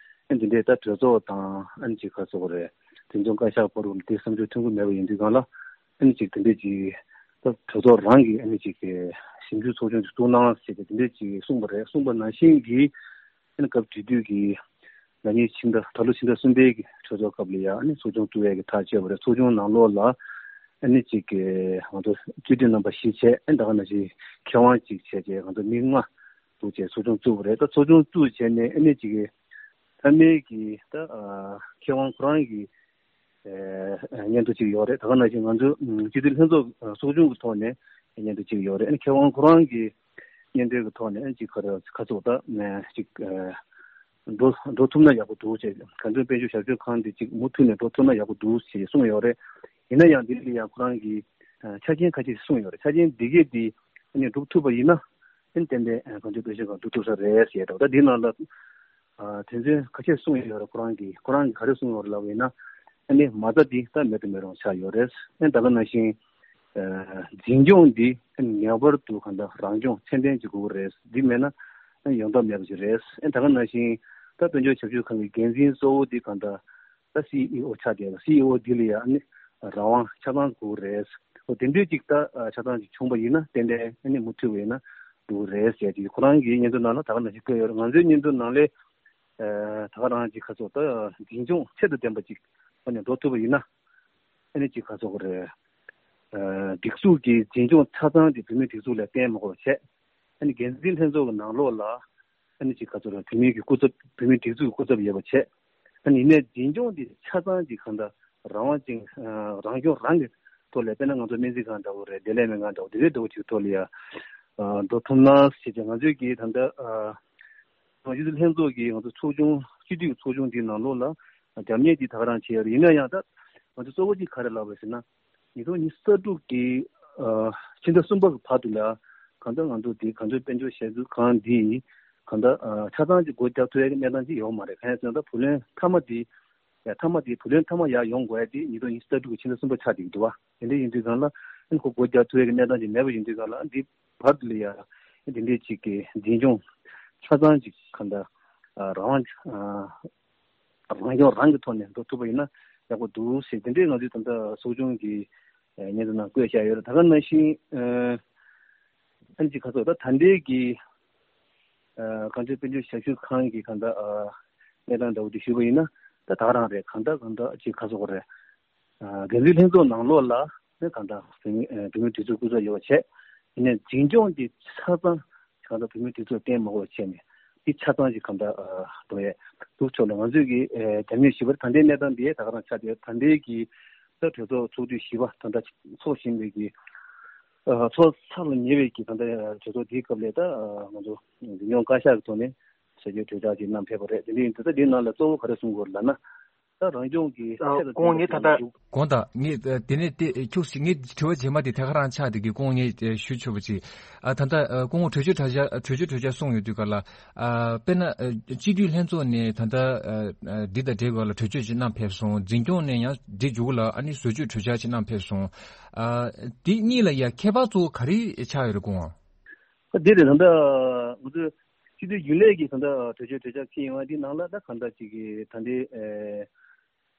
ཨ་ནི་འདི་འདྲའི་ད་གྲོས་ཚོགས་དང་ཨ་ནི་ཅིག་ག་ཚོགས་རེད། འཛིན་སྐྱོང་བཀའ་ཤག་བར་དུ་དེ་བསམ་ཚུལ་མཐུན་གྱི་མེད་པ་ཡིན་དུས་གང་ལ་ཨ་ནི་ཅིག་དེ་འདྲ་ཅིག་ད་གྲོས་ཚོགས་རང་གི་ཨ་ནི་ཅིག་གི་ཞིབ་འཇུག་ཚོགས་ཆུང་ཅིག་བཙུགས་གནང་ཞེས་དེ་འདྲ་ཅིག་གསུངས་པ་རེད། གསུངས་པ་ནང་བཞིན་གྱི་ཨ་ནི་སྐབས་དེ་དུས་ཀྱི་ན་ནིང་ཕྱི་ཟླ་ད་ལོ་ཕྱི་ཟླ་གསུམ་པའི་གི་གྲོས་ཚོགས་སྐབས་ལ་ཡང་ཨ་ནི་ཚོགས་ཆུང་བཙུགས་ཡས་ཀྱི་ཐག་བཅད་པ་རེད། ཚོགས་ཆུང་ནང་ལོགས་ལ་ཨ་ནི་གཅིག་གི་ང་ཚོ་སྤྱི་འཐུས་རྣམ་པ་བཞི་བྱས། ཨ་ནི་ད་ག་ནང་བཞིན་མཁས་དབང་གཅིག་བྱས་བྱས་ང་ཚོ་མི་ལྔ་འདུག་བྱས་ཚོགས་ཆུང་བཙུགས་པ་རེད། ད་ཚོགས་ཆུང་བཙུགས་བྱས་ནས་ཨ་ནི་གཅིག་གི་མཐའ་མའི་གི་ད་མཁས་དབང་ཁོ་རང་གི་སྙན་ཐོ་གཅིག་ཡོད་རེད། ད་ག་ནང་བཞིན་ང་ཚོ་སྤྱི་འཐུས་ལྷན་ཚོགས་ཚོགས་ཆུང་གི་ཐོག་ནས་སྙན་ཐོ་གཅིག་ཡོད་རེད། ཨ་ནི་མཁས་དབང་ཁོ་རང་གི་སྙན་ཐོའི་གི་ཐོག་ནས་ཨ་ནི་གཅིག་ག་རེ་ཁ་ཚོགས་ད་གཅིག་འགྲོ་འགྲོ་ཐུབ་ན་ཡག་པོ་འདུག་ཅེས། གངས་ལྗོངས་དཔལ་འབྱོར་ཞབས་ཞུ་ཁང་འདི་གཅིག་མུ་མཐུད་ནས་འགྲོ་ཐུབ་ན་ཡག་པོ་འདུག་ཅེས་གསུངས་ཡོད་རེད། ཡིན་ན་ཡང་འདི་ལ་ཡང་ཁོ་རང་གིས་ཆ་རྐྱེན་ཁ་ཤས་གསུངས་ཡོད་རེད། ཆ་རྐྱེན་འདི་གས་འདི་ཨ་ནི་འགྲུབ་ཐུབ་པ་ཡིན་ན་ཨ་ནི་ཏན་ཏན་གངས་ལྗོངས་དཔལ་འབྱོར་ཁང་འགྲོ་ཐུབ་ས་རེད་ཟེར་ཡ་འདྲ་བོ། ད་འདིའི་ནང་ལ་དོན་ཚན་ཁ་ཤས་གསུངས་ཡོད་རེད། ཁོ་རང་གིས་ཁོ་རང་གིས་ག་རེ་གསུངས་ཡོད་རེད་ལབ་པ་ཡིན་ན་ཨ་ནི་མ་རྩ་འདི་ད་མེད་དུ་མི་རུང་ཆགས་ཡོད་རེད། ཨ་ནི་ད་ག་ནང་བཞིན་འཛིན་སྐྱོང་འདི་ངེས་པར་དུ་གང་ལྟར་རང་སྐྱོང་ཚད་ལྡན་ཅིག་དགོས་ཀྱི་རེད། འདི་མེད་ན་ཡོང་ཐབས་མེད་པ་ཅིག་རེད། ད་ག་ནང་བཞིན་ད་དཔལ་འབྱོར་ཞབས་ཞུ་ཁང་གི་འགན་འཛིན་གཙོ་བོ་འདི་གང་ལྟར་ད་སི་ཨི་ཨོ་ཆགས་བསྡད་པ། སི་ཨི་ཨོ་འདི་ལ་ཡང་ཨ་ནི་རང་དབང་ཆ་ཚང་དགོས་ཀྱི་རེད། འོ་དེ་འདྲའི་ཅིག་ད་ཆ་ཚང་ཅིག་བྱུང་པ་ཡིན་ན་ཏན་ཏན་ཨ་ནི་མུ་མཐུད་པ་ཡིན་ན་འགྲོ་གི་རེད་ཟེར་ཅིག་ཁོ་རང་གི་སྙན་ཐོ་ནང་ལ་ད་ག་ནང་བཞིན་བཀོད་ཡོད་རེད། ང་ཚོའི་སྙན་ཐོ་ནང་ལས་ད་ག་རང་ཅིག་ཁ་ཚོགས་ད་འཛིན་སྐྱོང་ཚད་དང་ལྡན་པ་ཅིག་ཨ་ནི་འགྲོ་ཐུབ་པ་ཡིན་ན། ཨ་ནི་ཅིག་ག་ཚོད་རེད། ཨ། སྒྲིག་འཛུགས་ཀྱི་འཛིན་སྐྱོང་ཆ་ཚང་དེ་བོད་མིའི་སྒྲིག་འཛུགས་ལ་བརྟེན་མ་དགོས་པ་བྱས། ཨ་ནི་འགན་འཛིན་ལྷན་ཚོགས་ཀྱི་ནང་ལོགས་ལ་ཨ་ནི་ཅིག་ག་ཚོད་རེད། བོད་མིའི་གི་སྐུ་ཚབ། བོད་མིའི་སྒྲིག་འཛུགས་ཀྱི་སྐུ་ཚབ་ཡོད་པ་བྱས། ཨ་ནི་ཡིན་ནའི་འཛིན་སྐྱོང་དེ་ཆ་ཚང་ཅིག་གང་ལྟར་རང་དབང་ཅིག་ཨ། རང་སྐྱོང་རང་གི་ཐོག་ལ། དཔེར་ན་ང་ཚོ་སྨན་རྩིས་ཁང་འདྲ་བོ་རེད། བདེ་ལེགས་སྨན་ཁང་འདྲ་བོ། དེ་འདྲའི་འདྲ་བོ་ཅིག་ཐོག་ལ་ཡ་ཨ། འགྲོ་ཐུབ་ན་ཞེས་བྱས། ང་ཚོའི་གི་ད་ལྟ་ཨ། སྤྱི་འཐུས་ལྷན་ཚོགས་ཀྱི་ང་ཚོ་ཚོགས་ཆུང་། སྤྱི་འཐུས་ཀྱི་ཚོགས་ཆུང་འདིའི་ནང་ལོགས་ལ་རྒྱབ་གཉེར་འདི་ད་ག་རང་བྱས་ཡོད་རེད། ཡིན་ན་ཡང་ད་ང་ཚོ་གཙོ་བོ་གཅིག་ག་རེ་ལབ་པ་ཟེར་ན། ཉིས་སྟོང་ཉི་ཤུ་རྩ་དྲུག་གི་ཨ། ཕྱི་ཟླ་གསུམ་པ་གི་བར་དུ་ལ་གང་ལྟར་ང་ཚོ་འདི་གངས་ལྗོངས་དཔལ་འབྱོར་ཞབས་ཞུ་ཁང་འདི་གང་ལྟར་ཨ། ཆ་ཚང་གཅིག་སྒོ་རྒྱག་ཐུབ་ཡག་གི་གནས་སྟངས་ཅིག་ཡོད་མ་རེད། གང་ཡིན་ཟེར་ན་ད་བུ་ལོན་མཐའ་མ་འདི་ཡ། མཐའ་མ་དེ་བུ་ལོན་མཐའ་མ་ཡར་ཡོང་དགོས་ཡ་དེ་ཉིས་སྟོང་ཉི་ཤུ་རྩ་དྲུག་གི་ཕྱི་ཟླ་གསུམ་པ་ཆགས་བསྡད་ཀྱི་འདུག་བ། དེ་འདྲ་ཡིན་དུས་གང་ལ་ཨ་ནི་ཁོ་སྒོ་རྒྱག་ཐུབ་ཡ་གི་གནས་སྟངས་ཅིག་མེད་པ་ཡིན་དུས་གང་ལ་ཨ་འདི་བར་དུ་ལ་ཡ་དེ་འདྲའི་ཅིག་གི་འཛིན་སྐྱོང་ཆ་ཚང་ཅིག་གང་ལྟར་ཨ་རང་དབང་ཨ་རང་སྐྱོང་རང་གི་ཐོག་ནས་འགྲོ་ཐུབ་པ་ཡིན་ན་ཡག་པོ་འདུག་ཟེར། དེ་འདྲའི་ང་ཚོའི་ད་ལྟ་ཚོགས་ཆུང་གི་སྙན་ཐོ་ནང་བཀོད་བཞག་ཡོད་རེད། ད་ག་ནང་བཞིན་ཨ་ཨ་ནི་ཅིག་ག་ཚོད་ད་ད་ལྟའི་གི་ཨ་གངས་ལྗོངས་དཔལ་འབྱོར་ཞབས་ཞུ་ཁང་གི་གང་ལྟར་ཨ་གནས་སྟངས་འདྲ་བོ་དེ་ཞུས་པ་ཡིན་ན་ད་ད་ག་རང་རེད། གང་ལྟར་གང་ལྟར་ཅིག་ག་ཚོད་རེད། ཨ་འགན་འཛིན་ལྷན་ཚོགས་ནང་ལོགས་ལ་ནི་གང་ལྟར་བོད་མི་ཨ་བོད་མིའི་སྒྲིག་འཛུགས་སྐུ་ཚབ་ཡོད་པ་བྱས། ཡིན་ནའི་འཛིན་སྐྱོང་དེ་ཆ་ཚང་གང་ལྟར་བོད་མིའི་སྒྲིག་འཛུགས་བརྟེན་མ་དགོས་པ་བྱས་ནས་དེ་ཆ་ཚང་ཞིག་གང་ལྟར་ཨ་འགྲོ་ཡས་འདུག་ཆོག་ལ། ང་ཚོས་ཀྱི་ཨ་རྒྱབ་གཉེར་ཞུས་པར་ད་ལྟའི་གནས་སྟངས་འདི་ད་ག་རང་ཆགས་ཏེ། ད་ལྟའི་གི་ད་གྲོས་ཚོགས་ཚོགས་དུས་བཞི་པ་ད་ལྟ་ཚོགས་བཞིན་པའི་གི་ཨ་ཚོགས་ཚར་ལ་ཉེ་བའི་གི་ད་ལྟ་གྲོས་ཚོགས་འདིའི་སྐབས་ལ་ད་ཨ་ང་ཚོ་འཛིན་སྐྱོང་བཀའ་ཤག་གི་ཐོག་ནས་ཟས་བཅད་གྲོས་འཆར་ཅིག་བསྣམས་ཕེབས་པ་རེད། དེ་འདྲ་ཡིན་དུས་ད་འདིའི་ནང་ལ་གཙོ་བོ་ག་རེ་གསུང་དགོས་ལབ་ན། ད་རང་སྐྱོང་གི་ཨ་ཆེད་དུ་སྐུ་ངོ་ངས་ད་ལྟ་དགོངས་དག་ངས་ཨ་དེ་ནས་དེ་ཁྱུག་ཅིག་ངས་དྲི་བ་རྗེས་མ་དེ་ཐད་ཀ་རང་ཆགས་དེ་གི་སྐུ་ངོ་ངས་ཨ་ཞུ་ཆོག་པ་ཅིག་ཨ་ད་ལྟ་ཨ་སྐུ་ངོ་གྲོས་ཆོད་གྲོས་འཆར་གྲོས་ཆོད་གྲོས་འཆར་གསུངས་ཡོད་དུས་ག་ལ། ཨ་དཔེར་ན་ཨ་སྤྱི་འཐུས་ལྷན་ཚོགས་ནས་ད་ལྟ་ཨ་ཨ་འདི་དང་འབྲེལ་བ་ལ་གྲོས་ཆོད་ཅིག་གནང་ཕེབས་སོང་། འཛིན་སྐྱོང་ནས་ཡང་འདི་མཇུག་ལ་ཨ་ནི་བཟོ་བཅོས་གྲོས་འཆར་ཅིག་གནང་ཕེབས་སོང་། ཨ་དེ་གཉིས་ལ་ཡ་ཁྱད་པར་གཙོ་བོ་ག་རེ་ཆགས་ཡོད་རེད་སྐུ་ངོ། འདི་རེད། ད་ལྟ་ང་ཚོས་སྤྱི་འཐུས་རྒྱུན་ལས་ཀྱི་ད་ལྟ་གྲོས་ཆོད་གྲོས་འཆར་ཁྱེར་ཡོང་བ་འདི་ནང་ལ་ད་གང་ལྟར་ཅིག་གི་ད་ལྟའི་ཨེ་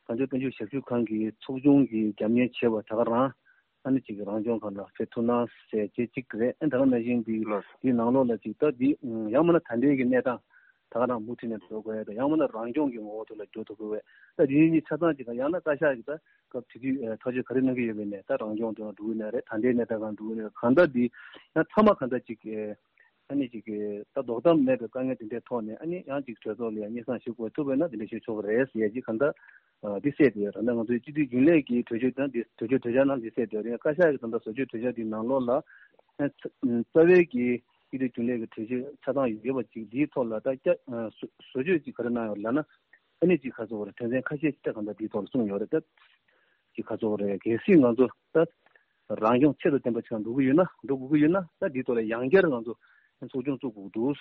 གངས་ལྗོངས་དཔལ་འབྱོར་ཞབས་ཞུ་ཁང་གི་ཚོགས་ཆུང་གི་རྒྱབ་གཉེར་བྱས་པ་ད་ག་རང་ཨ་ནི་ཅིག་གི་རང་སྐྱོང་ཁང་ལ་ཕེབས་ཐུབ་ན་ཟེར་བྱས་གཅིག་རེད། ཨ་ད་ག་ནང་བཞིན་འདི་ལགས། འདི་ནང་ལོགས་ལ་ཅིག་ད་འདི་ཡང་མིན་ན་ད་ལྟའི་གི་གནས་སྟངས་ད་ག་རང་མུ་མཐུད་ནས་འགྲོ་དགོས་ཡ་དང་། ཡང་མིན་ན་རང་སྐྱོང་གི་ངོ་བོ་དེ་ལ་འགྱུར་ཐུབ་དགོས་པས། ད་འདི་གཉིས་ཆ་ཚང་ཅིག་དང་། ཡང་ན་བཀའ་ཤག་གི་ད་སྐབས་དེ་དུས་ཨེ་ཐག་གཅོད་ག་རེ་གནང་གི་ཡོད་པ་ཡིན་ནའི་ད་རང་སྐྱོང་དེ་ལ་འགྲོ་གི་ན་རེད། ད་ལྟའི་གནས་སྟངས་སྒང་འགྲོ་གི་ན་རེད། གང་ལྟར་འདི་ཡང་མཐའ་མ་གང་ལྟར་ཅིག་ཨེ་ཨ་ནི་ཅིག་གི་ད་ལྡོག་ཟླ་མེད་པའི་དཀའ་ངལ་དེ་འདྲའི་ཐོག་ནས་ཨ་ནི་ཡང་ཅིག་གྲོས་ཚོགས་ལ་ཡང་སྙན་སེང་ཞུ་དགོས་ཐུབ་པ་ཡིན་ན་དེ་འདྲ་ཞུ་ཆོག་གི་རེད་ཟེར་ཡ་ཅིག་གང་ལྟར་ཨ་འདི་གསལ་བསྡད་ཡོད། ད་ལྟ་ང་ཚོའི་སྤྱི་འཐུས་རྒྱུན་ལས་ཀྱི་གྲོས་ཆོད་དང་འདི་གྲོས་ཆོད་གྲོས་འཆར་ནང་འདི་གསལ་བསྡད་ཡོད་རེད། བཀའ་ཤག་གི་ད་ལྟ་བཟོ་བཅོས་གྲོས་འཆར་འདི་ནང་ལོགས་ལ་ཨ་རྩ་བའི་གི་ སྤྱི་འཐུས་རྒྱུན་ལས་ཀྱི་གྲོས་ཆོད་ཆ་ཚང་ཡོད་པ་ཅིག་འདིའི་ཐོག་ལ་ད་བསྐྱར་བཟོ་བཟོ་བཅོས་ཅིག་ག་རེ་གནང་ཡོད་ལབ་ན། ཨ་ནི་ཅིག་ག་ཚོད་རེད། དོན་ཚན་ཁ་ཤས་ཅིག་ད་གང་ལྟར་འདིའི་ཐོག་ལ་གསུངས་ཡོད་རེད་ད། ཅིག་ག་ཚོད་རེད། གལ་སྲིད་ང་ཚོ་ད་རང་སྐྱོང་ཆེད་དུ་ལྡན་པ་ཅིག་འགྲོ་གི་ཡོད་ན། འགྲོ་དགོས་ཀྱི་ཡོད་ན། ད་འདིའི་ཐོག་ལ་ཡང་བསྐྱར་ང་ཚོ་ཚོགས་ཆུང་བཙུགས་དགོས་འདུག་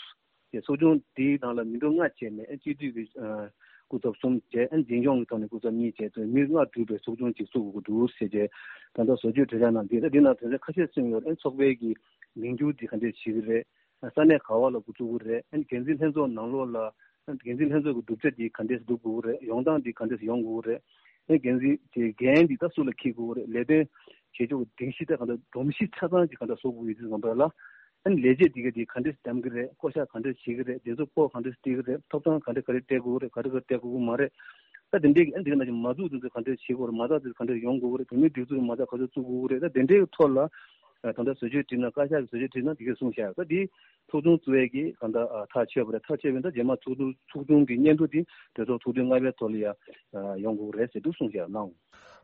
དེ་ཚོགས་ཆུང་དེའི་ནང་ལ་མི་འགྲོ་ལྔ་བྱས་ནས་སྤྱི་འཐུས་ཀྱི་སྐུ་ཚབ་གསུམ་བྱས། འཛིན་སྐྱོང་གི་ཐོག་ནས་སྐུ་ཚབ་གཉིས་བྱས། ཚོ་མི་ལྔ་གྲུབ་པའི་ཚོགས་ཆུང་ཅིག་བཙུགས་དགོས་འདུག་ཟེར་བྱས། ད་ལྟ་བཟོ་བཅོས་གྲོས་འཆར་ནང་འདི་ད་འདི་ནང་དོན་ཚན་ཁ་ཤས་གསུངས་ཡོད། ཚོགས་པའི་གི་མིང་བསྒྱུར་འདི་ག་འདྲས་བྱེད་ཀྱི་རེད། ས་གནས་ག་བ་ལ་འགོ་བཙུགས་དགོས་རེད། འགན་འཛིན་ལྷན་ཚོགས་ནང་ལོགས་ལ་འགན་འཛིན་ལྷན་ཚོགས་ཀྱི་གྲུབ་ཆ་འདི་ག་འདྲས་སྒྲུབ་དགོས་རེད། ཡོང་སྟངས་འདི་ག་འདྲས་ཡོང་དགོས་རེད། འགན་འཛིན་གྱི་འགན་འདི་ད་སུ་ལ་འཁྱེར་དགོས་རེད། ལས་དོན་བྱེད་ཕྱོགས་ཀྱི་སྒྲིག་གཞི་ད་ག་འདྲ་སྒྲོམ་གཞི་ཆ་ཚང་ཅིག་ག་འདྲ་བཟོ་དགོས་ཡོད་དུས་ཙམ་པ་ལ། ཨ་ནི་ལས་བྱེད་འདི་ག་འདི་ག་འདྲས་འདེམས་ཀྱི་རེད། བསྐོ་བཞག་ག་འདྲས་བྱེད་ཀྱི་རེད། དེ་ཚོ་བསྐོ་ག་འདྲས་སྤྲད་ཀྱི་རེད། ཐོབ་ཐང་ག་འདྲས་ག་རེ་སྤྲད་དགོས་རེད། ག་རེ་ག་རེ་སྤྲད་དགོས་ཀྱི་མ་རེད། ད་དེ་འདྲས་ཀྱི་ཨ་འདི་ག་ནང་བཞིན་མ་འཛུགས་དེ་ཚོ་ག་འདྲས་བྱེད་དགོས་རེད། མ་རྩ་དེ་ཚོ་ག་འདྲས་ཡོང་དགོས་ཀྱི་རེད། བོད་མིའི་སྒྲིག་འཛུགས་མ་རྩ་ག་ཚོད་བཙུགས་དགོས་ཀྱི་རེད། ད་དེ་འདྲས་ཀྱི་ཐོག་ལ་ད་ལྟ་བཟོ་བཅོས་བསྒྲིགས་ན། བཀའ་ཤག་གི་བཟོ་བཅོས་བསྒྲིགས་ན་འདི་གས་གསུངས་བཞག་ད་འདི་ཚོགས་ཆུང་བཙུགས་ཡས་ཀྱི་གང་ལྟར་ཨ་ཐག་ཆོད་པ་རེད། ཐག་ཆོད་པ་ཡིན་ད་རྗེས་མ་ཚོགས་འདུ་ཚོགས་ཆུང་གི་སྙན་ཐོ་དེ་གྲོས་ཚོགས་ཚོགས་དུས་ལྔ་པའི་ཐོག་ལ་ཡ་ཡོང་དགོས་རེད་ཟེར་འདུག་གསུངས་བཞག་གནང་།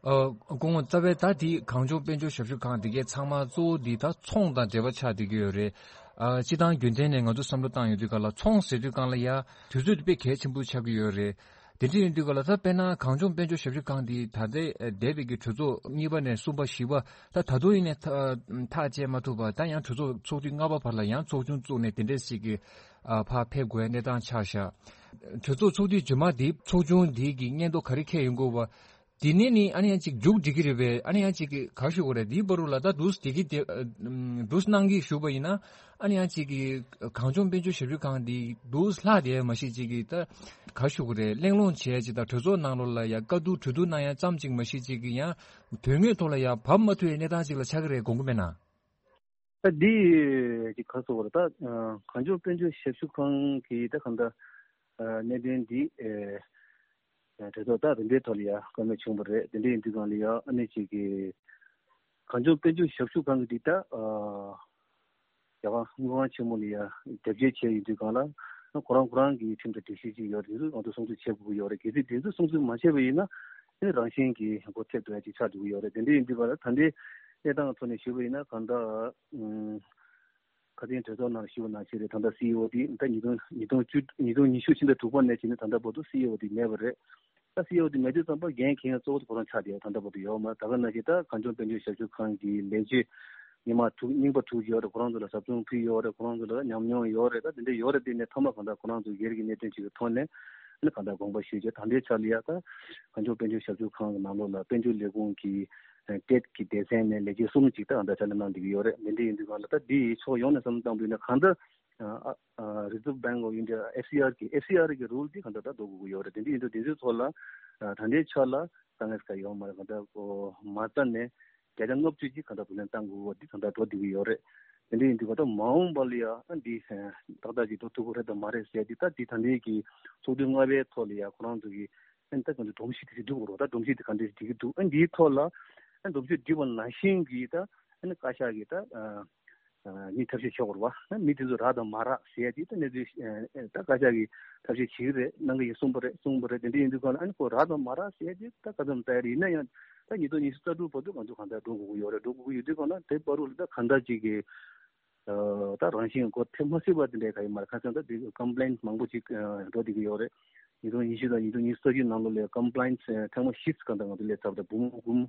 ཨ་སྐུ་ངོ་རྩ་བའི་ད་དེ་གངས་ལྗོངས་དཔལ་འབྱོར་ཞབས་ཞུ་ཁང་དེ་གའི་ཚང་མ་གཙོ་བོ་འདི་ད་ཚོང་དང་འབྲེལ་བ་ཆགས་བསྡད་ཀྱི་ཡོད་རེད། ཨ་སྤྱི་བཏང་རྒྱུན་ལྡན་ནས་ང་ཚོ་བསམ་བློ་བཏང་ཡོང་དུས་སྒང་ལ་ཚོང་ཟེར་དུས་སྒང་ལ་ཡ་དུས་ཚོད་དེ་དཔེ་གལ་ཆེན་པོ་ཆགས་ཀྱི་ཡོད་རེད། དེ་འདྲ་ཡིན་དུས་སྒང་ལ་ད་དཔེར་ན་གངས་ལྗོངས་དཔལ་འབྱོར་ཞབས་ཞུ་ཁང་འདི་ད་ལྟའི་འདས་པའི་གི་གྲོས་ཚོགས་གཉིས་པ་ནས་གསུམ་པ་བཞི་པ་ད་ད་དུང་ཡིན་ནས་ཐག་ཐག་བཅད་མ་ཐུབ་པ། ད་ཡང་གྲོས་ཚོགས་ཚོགས་དུས་ལྔ་པ་བར་ལ་ཡང་ཚོགས་ཆུང་བཙུགས་ནས་དེ་འདྲས་ཞིག་གི་ཨ་ཕར་ཕེབས་དགོས་གནས་སྟངས་ཆགས་བཞག་གྲོས་ཚོགས་ཚོགས་དུས་རྗེས་མ་འདི་ཚོགས་ཆུང་འདི་གི་སྙན་ཐོ་ག་རེ་འཁྱེར་ཡོང་དགོས་པ། དེ་ནས་ནི་ཨ་ནི་ཡང་ཅིག་མཇུག་སྒྲིལ་གྱི་རེད་པས། ཨ་ནི་ཡང་ཅིག་གི་ག་ཞུ་དགོས་རེད། འདིའི་བར་དུ་ལ་ད་འདུག་སེ་དེ་གི་དེ་འདུག་སེ་གནང་གི་བཞུགས་པ་ཡིན་ན། ཨ་ནི་ཡང་ཅིག་གི་གངས་ལྗོངས་དཔལ་འབྱོར་ཞབས་ཞུ་ཁང་འདི་འདུག་སེ་ལྷག་བསྡད་མ་ཤེས་ཅིག་གི་ད་ག་ཞུ་དགོས་རེད། གླེང་སློང་བྱས་ཅིག་དང་གྲོས་ཚོགས་ནང་ལོགས་ལ་ཡ་བཀའ་བསྡུར་གྲོས་བསྡུར་གནང་ཡ་ཙམ་ཅིག་མ་ཤེས་ཅིག་གི་ཡང་དོན་དངོས་ཐོག་ལ་ཡ་བབས་མ་ཐུབ་པའི་གནས་སྟངས་ཅིག་ལ་ཆགས་ཀྱི་རེད་དགོངས་ཀྱི་མེད་ན། ད་འདི་ཅིག་ག་སོགས་རེད། ད་གངས་ལྗོངས་དཔལ་འབྱོར་ཞབས་ཞུ་ཁང་གི་ད་གང་ལྟར་གནད་དོན་འདི་གྲོས་ཚོགས་ད་རིམ་པའི་ཐོག་ལ་ཡ་བཀའ་མོལ་བྱུང་བ་རེད། དེ་འདྲ་ཡིན་དུས་སྒང་ལ་ཡ་ཨ་ནི་ཅིག་གི་གངས་ལྗོངས་དཔལ་འབྱོར་ཞབས་ཞུ་ཁང་གི་འདི་ད་རྒྱ་གར་དངུལ་ཁང་ཆེན་མོ་ལ་ཡ་དེབ་སྐྱེལ་བྱས་ཡོད་དུས་སྒང་ལ་ཁོ་རང་ཁོ་རང་གི་ཁྲིམས་དང་སྒྲིག་གཞི་ཅིག་ཡོད་རེད། ང་ཚོ་སྲུང་བརྩི་བྱེད་དགོས་ཀྱི་ཡོད་རེད། གལ་སྲིད་དེ་ཚོ་སྲུང་བརྩི་མ་བྱས་པ་ཡིན་ན་ཨ་ནི་རང་བཞིན་གྱིས་སྒོ་ཐེབས་འགྲོ་ཡ་ཅིག་ཆགས་འགྲོ་གི་ཡོད་རེད། དེ་འདྲ་ཡིན་དུས་སྒང་ལ་ད་ལྟའི་གནས་སྟངས་ཐོག་ནས་ཞུས་པ་ཡིན་ན་གང་ལྟར་ཁ་སང་གྲོས་ཚོགས་ནང་ཞུས་པ་ནང་བཞིན་རེད། ད་ལྟ་སི་ཨི་ཨོ་དེ་ད་ཉིས་སྟོང་ཉིས་སྟོང་བཅུ་ཉིས་སྟོང་ཉི་ཤུ་ཕྱི་ཟླ་དྲུག་པ་ནས་བྱས་ནས་ད་ལྟ་བར་དུ་སི་ཨི་ཨོ་དེ་མེད་པ་རེད། ད་སི་ཨི་ཨོ་དེ་མེད་དུས་ཙམ་པ་འགན་འཁྱེར་མཁན་གཙོ་བོ་དེ་ཁོ་རང་ཆགས་བསྡད་ཡོད། ད་ལྟ་བར་དུ་ཡོད་མ་རེད། ད་ག་ནང་བཞིན་ད་གངས་ལྗོངས་དཔལ་འབྱོར་ཞབས་ཞུ་ཁང་གི་ལས་བྱེད་ཉི་མ་དྲུག་རྙིང་པ་དྲུག་ཡོད་རེད། ཁོ་རང་ཚོ་ལ་ཟབ་སྦྱོང་ཕུལ་ཡོད་རེད། ཁོ་རང་ཚོ་ལ་ཉམས་མྱོང་ཡོད་རེད། ད་དེ་འདྲ་ཡོད་རེད། དེ་ནས་མཐའ་མ་གང་ལྟར་ཁོ་རང་ཚོ་སྒེར་གྱི་གནད་དོན་ཅིག་གི་ཐོག་ནས་ཨ་ནི་གང་ལྟར་དགོངས་པ་ཞུས་བྱས། ད་ལྟའི་ཆ་ལ་ཡ་ད་གངས་ལྗོངས་དཔལ་འབྱོར་ཞབས་ཞུ་ཁང་གི་ནང་ལོགས་ལ་དཔལ་འབྱོར་ལས་ཁུངས་ཀྱི་ཊེཊ་ཀྱི་སྡེ་ཚན་ནས་ལས་བྱེད་གསུམ་ཅིག་ད་གང་ལྟར་ཕྱག་ལས་གནང་བསྡད་ཀྱི་ཡོད་རེད། དེ་འདྲ་ཡིན་དུས་སྒང་ལ་ད་འདི་ཕྱོགས་ཡོངས་ནས་བསམ་བློ་བཏང་བ་ཡིན་ན་གང་ལྟར་ཨ་ཨ་Reserve Bank of India, ཨེཕ་སི་ཨར་གི་ཨེཕ་སི་ཨར་གི་རུལ་དེ་གང་ལྟར་ད་འགྲོ་དགོས་ཀྱི་ཡོད་རེད། དེ་འདྲ་ཡིན་དུས་དེ་ཚོའི་ཐོག་ལ་ཨ་ད་ལྟའི་ཆ་ལ་དཀའ་ངལ་ག་ཡོད་མ་རེད། གང་ལྟར་ཁོ་མ་རྩ་ནས་བརྒྱ་ཆ་ལྔ་བཅུ་ཅིག་གང་ལྟར་བུ་ལོན་བཏང་དགོས་པ་འདི་གང་ལྟར་འགྲོ་བསྡད་ཀྱི་ཡོད་རེད། དེ་འདྲ་ཡིན་དུས་གང་ལྟར་མ་འོངས་པ་ལ་ཡ་ཨ་འདི་ཏག་ཏག་ཅིག་འགྲོ་ཐུབ་ཀྱི་རེད་དམ་མ་རེད་ཟེར་དེ་ད་འདི་ད་ལྟའི་གི་ཚོགས་དུས་ལྔ་པའི་ཐོག་ལ་ཡ་ཁོ་རང་ཚོ་གི་ཨ་ནི་ད་གང་ལྟར་སྒྲོམ་གཞི་དེ་ཅིག་སྒྲིག་དགོས་རེད། ད་སྒྲོམ་གཞི་དེ་གང་འདྲ་ཞིག་སྒྲིག་གི་འདུག་ཨ་འདིའི་ཐོག་ལ་ཨ་སྒྲོམ་གཞི་སྒྲིག་པ་ནང་བཞིན་གྱི་ད་ཨ་ནི་བཀའ་ཤག་གི་ད་ཨ་མི་ཐབས་ཤེས་བྱེད་དགོས་རེད་བ། མི་དེ་ཚོ་རག་དང་མ་རག་ཟེར་ཡ་དེ་ད་གནས་ཚུལ་ད་བཀའ་ཤག་གིས་ཐབས་ཤེས་བྱེད་ཀྱི་རེད། གནང་གི་ཡིན་གསུངས་པ་རེད། གསུངས་པ་རེད། དེ་འདྲ་ཡིན་དུས་སྒང་ལ་ཨ་ནི་ཁོ་རག་དང་མ་རག་ཟེར་ཡ་དེ་ད་ག་ཚོད་ཙམ་ཡིན་ན་ཡང་ད་ཉིས་སྟོང་ཉི་ཤུ་རྩ་དྲུག་བར་དུ་ང་ཚོ་གང་ལྟར་འགྲོ་དགོས་ཀྱི་ཡོད་རེད། འགྲོ་དགོས་ཀྱི་ཡོད་དུས་སྒང་ལ་དེ་བར་དུ་ལ་ད་གང་ལྟར་ཅིག་གི་ད་རང་བཞིན་སྒོ་ཐེབས་མ་སྲིད་པ་དེ་འདྲ་ག་ཡིན་མ་རེད། ཁ་སང་ད་དེ་ཀམ་པི་ལེན་མང་པོ་ཅིག་འགྲོ་བསྡད་ཀྱི་ཡོད་རེད། ཉིས་སྟོང་ཉི་ཤུ་དང་ཉིས་སྟོང་ཉི་ཤུ་རྩ་བཞི་ནང་ལོགས་ལ་ཀམ་པི་ལེན་ཐེངས་མ་བཞི་ཙམ་གང་ལྟར་ང་ཚོ་སླེབས་ཚར་བ་དང་འབུམ་འབུམ་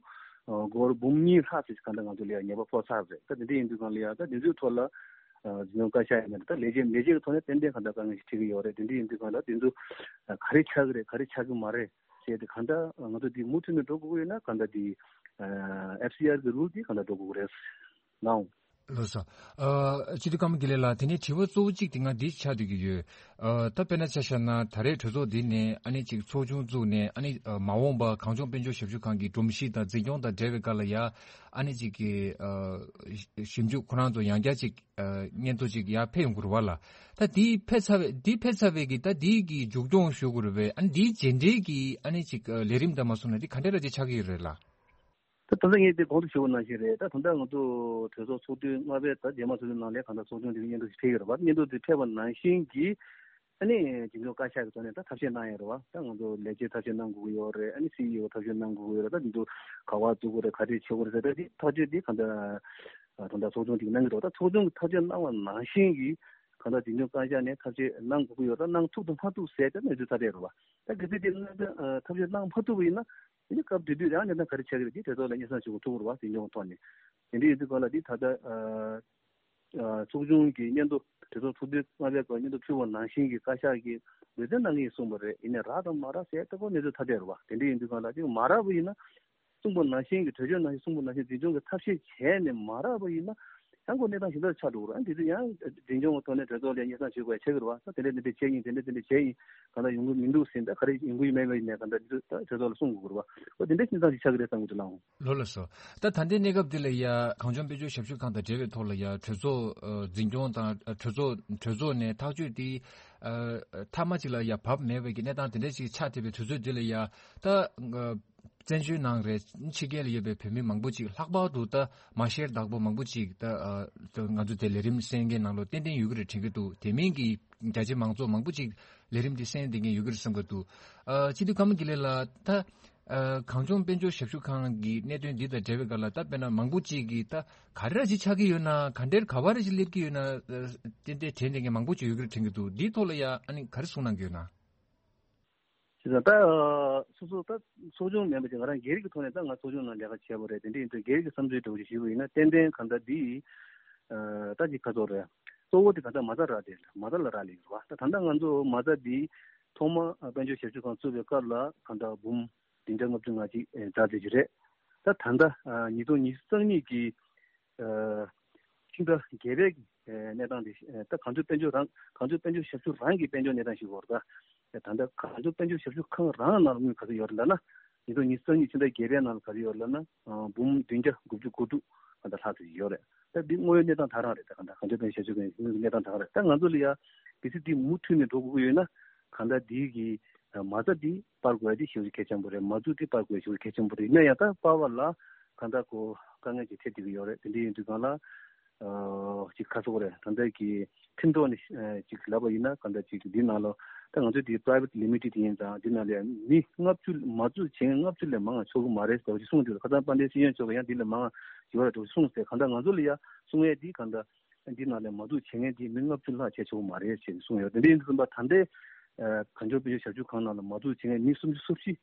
སྒོར་འབུམ་གཉིས་ལྷག་ཙམ་གང་ལྟར་ང་ཚོ་ལ་ཉེས་པ་ཕོག་ཚར་རེད། ད་དེ་འདྲ་ཡིན་དུས་སྒང་ལ་ཡ་ད་དེ་ཚོའི་ཐོག་ལ་འཛིན་སྐྱོང་བཀའ་ཤག་ཡིན་ན་ད་ལས་བྱེད་ལས་བྱེད་ཀྱི་ཐོག་ནས་ཏན་ཏན་གང་ལྟར་དཀའ་ངལ་ཞིག་འཕྲད་ཀྱི་ཡོད་རེད། དེ་འདྲ་ཡིན་དུས་སྒང་ལ་དེ་ཚོ་ག་རེ་ཆགས་ཀྱི་རེད། ག་རེ་ཆགས་ཀྱི་མ་རེད་ཟེར་ཏེ་གང་ལྟར་ང་ཚོ་འདི་མུ་མཐུད་ནས་འགྲོ་དགོས་ཀྱི་ཡོད་ན་གང་ལྟར་འདི་ཨེཕ་སི་ཨར་གྱི་རུལ་འདི་གང་ལྟར་འགྲོ་དགོས་ཀྱི་རེད་ནའང་། ལགས་སོ། ཨ་སྤྱི་འཐུས་ཀརྨ་དགེ་ལེགས་ལགས། དེ་ནས་དྲི་བ་གཙོ་བོ་གཅིག་དེ་ང་འདི་ཆགས་བསྡད་ཀྱི་ཡོད། ཨ་ད་དཔེར་ན་ཆ་བཞག་ན་ད་རེས་གྲོས་ཚོགས་འདི་ནས་ཨ་ནི་ཅིག་ཚོགས་ཆུང་བཙུགས་ནས་ཨ་ནི་ཨ་མ་འོངས་པ་གངས་ལྗོངས་དཔལ་འབྱོར་ཞབས་ཞུ་ཁང་གི་སྒྲོམ་གཞི་དང་འཛིན་སྐྱོང་དང་འབྲེལ་བའི་སྐོར་ལ་ཡ་ཨ་ནི་ཅིག་གི་ཨ་ཞིབ་འཇུག་ཁོ་རང་ཚོ་ཡང་བསྐྱར་ཅིག་ཨ་སྙན་ཐོ་ཅིག་ཡར་ཕེབས་ཡོང་གི་རེད་བ་ལགས། ད་འདི་ཕེབས་ཚར་བའི་འདི་ཕེབས་ཚར་བའི་གི་ད་འདི་གི་མཇུག་སྐྱོང་ཞུ་དགོས་རེད་པས། ཨ་ནི་འདིའི་རྗེས་འབྲེལ་གི་ཨ་ནི་ཅིག་ཨ་ལས་རིམ་དང་མ་སོང་ན་འདི་ག་འདྲ་ར་ཅིག་ཆགས་ཀྱི་ཡོད་རེད་ལགས། ད་ད་ལྟ་ངས་དེ་གོང་དུ་ཞུས་པ་ནང་བཞིན་རེད། ད་ད་ལྟ་ང་ཚོ་གྲོས་ཚོགས་ཚོགས་དུས་ལྔ་པའི་ད་རྗེས་མ་ཚོགས་དུས་ནང་ལ་གང་ལྟར་ཚོགས་ཆུང་དེ་གི་སྙན་ཐོ་ཞིག་ཕེབས་ཡོད་རེད་བ། སྙན་ཐོ་དེ་ཕེབས་པ་ནང་བཞིན་གྱི་ཨ་ནི་འཛིན་སྐྱོང་བཀའ་ཤག་གི་ཐོག་ནས་ད་ཐབས་ཤེས་གནང་ཡོད་རེད་བ། ད་ང་ཚོ་ལས་བྱེད་ཐབས་ཤེས་གནང་དགོས་ཀྱི་ཡོད་རེད། ཨ་ནི་སི་ཨི་ཨོ་ཐབས་ཤེས་གནང་དགོས་ཀྱི་ཡོད་རེད། ད་འདི་ཚོ་ག་བ་འཛུགས་དགོས་རེད། ག་རེ་བྱེད་དགོས་རེད་ཟེར། ད་འདི་ཐག་གཅོད་འདི་གང་ལྟར་ ད་ལྟ་ཚོགས་ཆུང་ཅིག་གནང་གི་འདུག་ད་ཚོགས་ཆུང་གི་ཐབས་ཤེས་གནང་བ་ནང་བཞིན་གྱི་གང་ལྟར་འཛིན་སྐྱོང་བཀའ་ཤག་ནས་ཐབས་ཤེས་གནང་དགོས་ཀྱི་ཡོད་ད་གནང་ཐུབ་དང་མ་ཐུབ་ཟེར་ཏེ་གནས་ཚུལ་ཐ་དད་རེད་བ། ད་གལ་སྲིད་དེ་གནང་ཐབས་ཤེས་གནང་མ་ཐུབ་པ་ཡིན་ན། དེ་ནི་སྐབས་དེ་དུས་ཡང་གནས་སྟངས་ག་རེ་ཆགས་ཀྱི་རེད་དེ་གྲོས་ཚོགས་ལ་སྙན་སེང་ཞུ་དགོས་ཐུག་རེད་བ། འཛིན་སྐྱོང་ཐོག་ནས་དེ་འདྲ་ཡིན་དུས་གང་ལ་དེ་ད་ལྟ་ཚོགས་ཆུང་གི་སྙན་ཐོ་གྲོས་ཚོགས་ཚོགས་དུས་ལྔ་པའི་སྐབས་སྙན་ཐོ་ཕུལ་བ་ནང་བཞིན་གྱི་བཀའ་ཤག་གིས་འབད་བརྩོན་གནང་གི་ཡིན་གསུངས་པ་རེད། ཡིན་ནའི་རག་དང་མ་རག་ཟེར་ལྟ་བུ་གནས་ཚུལ་ཐ་དད་རེད་བ། དེ་འདྲ་ཡིན་དུས་གང་ལ་དེ་མ་རག་པ་ཡིན་ན། གསུངས་པ་ནང་བཞིན་གྱི་གྲོས་ཆོད་ནང་བཞིན་གསུངས་པ་ནང་བཞིན་འཛིན་སྐྱོང་གི་ཐབས་ཤེས་བྱས་ནས་མ་རག་པ་ཡིན་ན་ཡང་ཁོ་གནས་སྟངས་གཞན་དག་ཆགས་འགྲོ་གི་རེད། ཨ་འདི་ཚོ་ཡང་འཛིན་སྐྱོང་གི་ཐོག་ནས་གྲོས་ཚོགས་ལ་སྙན་སེང་ཞུ་དགོས་ཆགས་ཀྱི་རེད་བ། ད་དེ་འདྲ་དེ་འདྲ་བྱས་ཡིན་དེ་འདྲ་དེ་འདྲ་བྱས་ཡིན་གང་ལྟར་ཡོང་གི་མི་འདུག་ཟིན་ད་ག་རེ་ཡོང་གི་ཡོད་མེད་མེད་ཡིན་ནས་གང་ལྟར་འདི་ཚོ་ད་གྲོས་ཚོགས་ལ་གསུང་དགོས་ཀྱི་རེད་བ། ཨོ་དེ་འདྲ་སྙན་སེང་ཞིག་ཆགས་ཀྱི་རེད་བསམ་གྱི་འདུག་ལགས། ལོ་ལ་སོ། ད་ད་ལྟའི་གནས་སྐབས་འདི་ལ་ཡ་གངས་ལྗོངས་དཔལ་འབྱོར་ཞབས་ཞུ་ཁང་དང་འབྲེལ་བའི་ཐོག་ལ་ཡ་གྲོས་ཚོགས་འཛིན་སྐྱོང་དང་གྲོས་ཚོགས་གྲོས་ཚོགས་ནས་ཐག་གཅོད་དེ་མཐའ་མ་ཅིག་ལ་ཡ་བབས་མེད་པའི་གི་གནས་སྟངས་དེ་འདྲ་ཅིག་ཆགས་བསྡད་པའི་དུས་ཚོད་འདི་ལ་ཡ་ད། བཙན་བྱོལ་ནང་རེད་ཕྱི་རྒྱལ་ལ་ཡོད་པའི་བོད་མི་མང་པོ་ཅིག་ལྷག་པར་དུ་ད་མ་ཤེར་བདག་པོ་མང་པོ་ཅིག་ད་ང་ཚོ་དེ་ལས་རིམ་གསན་མཁན་ནང་ལོ་ཏན་ཏན་ཡོད་ཀྱི་རེད་དྲན་གྱི་འདུག་དེ་མིན་གྱི་རྒྱ་ཆེ་མང་ཚོགས་མང་པོ་ཅིག་ལས་རིམ་འདི་གསན་བསྡད་མཁན་ཡོད་ཀྱི་རེད་བསམ་གྱི་འདུག་སྤྱི་འཐུས་ཀརྨ་དགེ་ལེགས་ལགས། ད་གངས་ལྗོངས་དཔལ་འབྱོར་ཞབས་ཞུ་ཁང་གི་གནད་དོན་འདི་དང་འབྲེལ་བའི་སྐབས་ལ་ད་དཔེར་ན་མང་པོ་ཅིག་གིས་ད་ག་རེ་ར་ཅིག་ཆགས་ཀྱི་ཡོད་ན་ག་འདྲའི་ག་བ་ར་ཅིག་སླེབས་ཀྱི་ཡོད་ན་ཏན་ཏན་དྲན་བསྡད་མཁན་མང་པོ་ཅིག་ཡོད་ཀྱི་རེད་དྲན་གྱི་འདུག་འདིའི་ཐོག་ལ་ཡ་ཨ་ནི་ག་རེ་གསུང་གནང་གི་ཡོད་ན། བྱས་ཙང་ད་སོ་སོ་ད་ཚོགས་ཆུང་མིན་པ་ཅིག་ང་རང་སྒེར་གྱི་ཐོག་ནས་ད་ང་ཚོགས་ཆུང་ནང་ལས་ཀ་བྱས་པ་རེད། དེ་འདྲ་ཡིན་དུས་སྒེར་གྱི་བསམ་ཚུལ་འདྲ་བོ་ཞིག་ཞུས་པ་ཡིན་ན་ཏན་ཏན་གང་ལྟར་འདི་ད་ཅིག་ཁ་ཚོགས་རེད། གཙོ་བོ་དེ་གང་ལྟར་མ་རྩ་རག་དེ་མ་རྩ་ལ་རག་ལས་ཡོད་རེད་བ། ད་ད་ལྟ་ང་ཚོ་མ་རྩ་འདི་ཐོག་མ་དཔལ་འབྱོར་ཞབས་ཞུ་ཁང་བཙུགས་པའི་སྐབས་ལ་གང་ལྟར་འབུམ་བདུན་བརྒྱ་ལྔ་བཅུ་ང་གཅིག་འཛའ་ཙི་ཅིག་རེད། ད་ད་ལྟ་ཉིས་སྟོང་ཉི་ཤུ་རྩ་གཉིས་ཀྱི་ཕྱི་ཟླ་བརྒྱད་པའི་གནས་སྟངས་དེ་ད་གངས་ལྗོངས་དཔལ་འབྱོར་རང་གངས་ལྗོངས་དཔལ་འབྱོར་ཞབས་ཞུ་རང་གི་དཔལ་འབྱོར་གནས་སྟངས་ཤིག་ཡོད་རེད། ད་ད་ལྟ་གངས་ལྗོངས་དཔལ་འབྱོར་ཞབས་ཞུ་ཁང་རང་ནང་ལ་དངུལ་ག་ཚོད་ཡོད་རེད་ལབ་ན། ཉིས་སྟོང་ཉི་ཤུ་རྩ་གཉིས་ཕྱི་ཟླ་བརྒྱད་པའི་ནང་ལ་ག་ཚོད་ཡོད་རེད་ལབ་ན། འབུམ་བདུན་བརྒྱ་དགུ་བཅུ་གོ་དྲུག་ད་ལྷག་ཙམ་ཡོད་རེད། ད་འདི་དངོས་ཡོད་གནས་སྟངས་དེ་རང་རེད། ད་གང་ལྟར་གངས་ལྗོངས་དཔལ་འབྱོར་ཞབས་ཞུ་ཁང་གི་དངུལ་གྱི་གནས་སྟངས་དེ་རང་རེད། ད་ང་ཚོ་ལ་ཡ་གལ་སྲིད་འདི་མུ་མཐུད་ནས་འགྲོ་དགོས་ཀྱི་ཡོད་ན་གང་ལྟར་འདི་གི་མ་རྩ་འདི་སྤར་དགོས་ཡ་དེ་ཞེ་པོ་ཅིག་གལ་ཆེན་པོ་རེད། མ་རྩ་འདི་སྤར་དགོས་ཡ་ཞེ་པོ་ཅིག་གལ་ཆེན་པོ་རེད། ཡིན་ན་ཡང་ད་སྤར་བ་ལ་གང་ལྟར་ཁོ་དཀའ་ངལ་ཅིག་འཕྲད་བསྡད་ཀྱི་ཡོད་རེད། དེ་འདྲ་ཡིན་དུས་གང་ལ། ཅིག་ཁ་སོག་རེད། ད་ལྟ་གི་ཁྲིམས་ཐོག་ནས་ཅིག་ལབ་པ་ཡིན་ན་གང་ལྟར་ཅིག་འདི་ནང་ལོ་ད་ང་ཚོ་འདི་private limited་ཡིན་ཙང་འདི་ནང་ལ་མི་ལྔ་བཅུ་མ་འཛུལ་བྱེད་མཁན་ལྔ་བཅུ་ལས་མང་བ་ཆོག་གི་མ་རེད་ཟེར་བ་ཅིག་གསུངས་འདུག་ཁ་སང་དཔལ་ལྡན་སྲིད་གཞུང་མཆོག་གིས་ཡང་འདི་ལས་མང་བ་ཡོད་རེད་འདུག་གསུངས་ཟེར། གང་ལྟར་ང་ཚོ་ལ་ཡ་གསུང་ཡས་འདི་གང་ལྟར་འདི་ནང་ལ་མ་འཛུལ་བྱེད་མཁན་འདི་མི་ལྔ་བཅུ་ལྷག་བྱས་ཆོག་གི་མ་རེད་ཅེས་གསུངས་ཡོད། དེ་འདྲ་ཡིན་དུས་ཙམ་པ་ད་ལྟའི་གངས་ལྗོངས་དཔལ་འབྱོར་ཞབས་ཞུ་ཁང་ནང་ལ་མ་འཛུལ་བྱེད་མཁན་མི་སུམ་ཅུ་སོ་བཞི་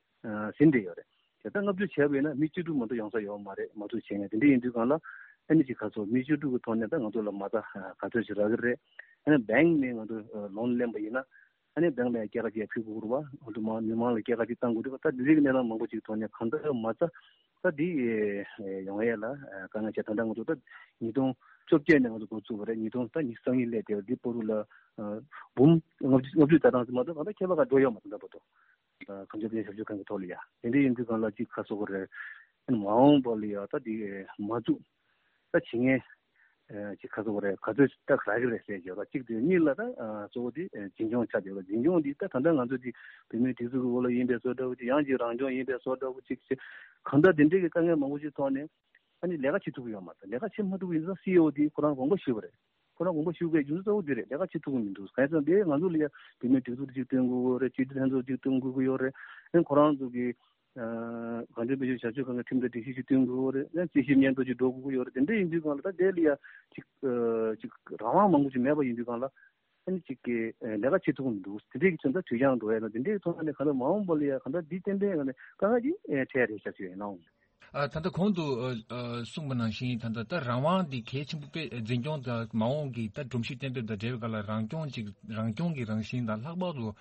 ཟིན་བསྡད་ཡོད་རེད། དེ་ལྟར་ལྔ་བཅུ་བྱས་པ་ཡིན་ན་མི་བཅུ་དྲུག་མ་གཏོགས་ཡོང་ས་ཡོད་མ་རེད། མ་གཏོགས་བྱས་ནས་དེ་འདྲ་ཡིན་དུས་གང་ལ་ཨ་ནི་ཅིག་ག་ཚོད་མི་བཅུ་དྲུག་གི་ཐོག་ནས་ད་ང་ཚོ་ལ་མ་རྩ་ག་ཚོད་ཅིག་རག་གི་རེད། ཨ་ནི་bank་ནས་ང་ཚོ་loan་ལེན་པ་ཡིན་ན་ཨ་ནི་bank་ལ་སྐྱེད་ཀ་ཅིག་ཕུལ་དགོས་རེད་བ། ཨ་ནི་མི་མང་ལ་སྐྱེད་ཀ་ཅིག་བཏང་དགོས་རེད་བ། ད་འདི་རིགས་གནས་སྟངས་མང་པོ་ཅིག་ཐོག་ནས་གང་ལྟར་མ་རྩ་ད་འདི་ཡོང་ཡས་ལ་དཀའ་ངལ་ཆེ། ད་ལྟ་ང་ཚོ་ད་ཉིས་སྟོང་བཅོ་བརྒྱད་ནས་ང་ཚོ་འགོ་བཙུགས་པ་རེད། ཉིས་སྟོང་ད་ཉི་ཤུ་རྩ་གཉིས་སླེབས་བསྡད་པ་འདི་བར་དུ་ལ་འབུམ་ལྔ་བཅུ་ལྔ་བཅུ་ཙམ་ཙམ་མ་གཏོགས་གང་ལྟར་ཁྱད་པར་ག་འགྲོ་ཡོད་མ་རེད་ད་ལྟ་བར་དུ། གངས་ལྗོངས་དཔལ་འབྱོར་ཞབས་ཞུ་ཁང་གི་ཐོག་ལ་ཡ། དེ་འདྲ་ཡིན་དུས་གང་ལ་ཅིག་ཁ་སོག་རེད། མ་འོངས་པ་ལ་ཡ་ད་འདི་མ་བཙུགས་ད་བྱེད་མཁན་ཅིག་ཁ་སོག་རེད། ག་ཚོད་ད་རག་གི་རེད་ཟེར་གྱི་ཡོད་ད། གཅིག་དེ་གཉིས་ལ་ད་གཙོ་བོ་དེ་འཛིན་སྐྱོང་ཆགས་བསྡད་ཡོད། འཛིན་སྐྱོང་འདི་ད་ད་ལྟ་ང་ཚོ་ཅིག་བོད་མིའི་སྒྲིག་འཛུགས་ཀྱི་འོག་ལ་ཡིན་པའི་བཟོ་འདྲ་བོ་ཅིག་ཡང་ཅིག་རང་སྐྱོང་ཡིན་པའི་བཟོ་འདྲ་བོ་ཅིག་ཅིག་གང་ལྟར་དེ་འདྲའི་གི་དཀའ་ངལ་མང་པོ་ཞིག་ཐོག་ནས་ཨ་ནི་ལས་ཀ་བྱེད་ཐུབ་ཀྱི་ཡོད་མ་རེད། ལས་ཀ་བྱེད་མ་ཐུབ་པ་ཡིན་ཙང་སི་ཨི་ཨོ་དེ་ཁོ་རང་དགོངས་པ་ཞུས་པ་རེད། ཁོ་རང་དགོངས་པ་ཞུ་དགོས་རྒྱུ་མཚན་གཙོ་བོ་འདི་རེད། ལས་ཀ་བྱེད་ཐུབ་ཀྱི་མི་འདུག་གང་ཡིན་ཟེར་ན་དེ་ང་ཚོ་ལ་ཡ་བོད་མིའི་སྒྲིག་འཛུགས་ཅིག་བཏོན་དགོས་ཀྱི་ཡོད་རེད། སྤྱི་འཐུས་ལྷན་ཚོགས་ཅིག་བཏོན་དགོས་ཀྱི་ཡོད་རེད། ཨ་ནི་ཁོ་རང་ཚོ་གི་གངས་ལྗོངས་དཔལ་འབྱོར་བྱ་སྤྱོད་ཁང་གི་ཁྲིམས་དང་སྒྲིག་གཞི་ཅིག་བཏོན་དགོས་ཀྱི་ཡོད་རེད། ཨ་ནི་རྩིས་ཞིབ་སྙན་ཐོ་ཅིག་འགྲོ་དགོས་ཀྱི་ཡོད་རེད། དེ་འདྲ་ཡིན་དུས་གང་ལ་ད་དེ་ལ་ཡ་ཅིག་ཅིག་རང་དབང་མང་པོ་ཅིག་མེད་པ་ཡིན་དུས་གང་ལ་ཨ་ནི་ཅིག་གི་ལས་ཀ་བྱེད་ཐུབ་ཀྱི་མི་འདུག་དེ་འདྲའི་གི་དོན་དག་དུས་འགྱངས་འགྲོ་ཡ་ན་དེ་འདྲའི་གི་ཐོག་ནས་གང་ལ་མ་འོངས་པ་ལ་ཡ་གང་ལྟར་འདི་ཏན་ཏན་གང་ལ་དཀའ་ངལ་ཅིག་འཕྲད་རེད་ཤག་ཅིག་ཡིན་ནའང་། ཨ། ད་ལྟ་གོང་དུ་ཨ་ཨ་གསུངས་པ་ནང་བཞིན་ད་ལྟ་ད་རང་དབང་འདི་གལ་ཆེན་པོ་དཔེ་འཛིན་སྐྱོང་དང་མ་འོངས་ཀྱི་ད་སྒྲོམ་གཞི་གཏན་འབེབས་དང་འབྲེལ་བའི་སྐབས་ལ་རང་སྐྱོང་ཅིག་རང་སྐྱོང་གི་རང་བཞིན་དང་ལྷག་པར་དུ་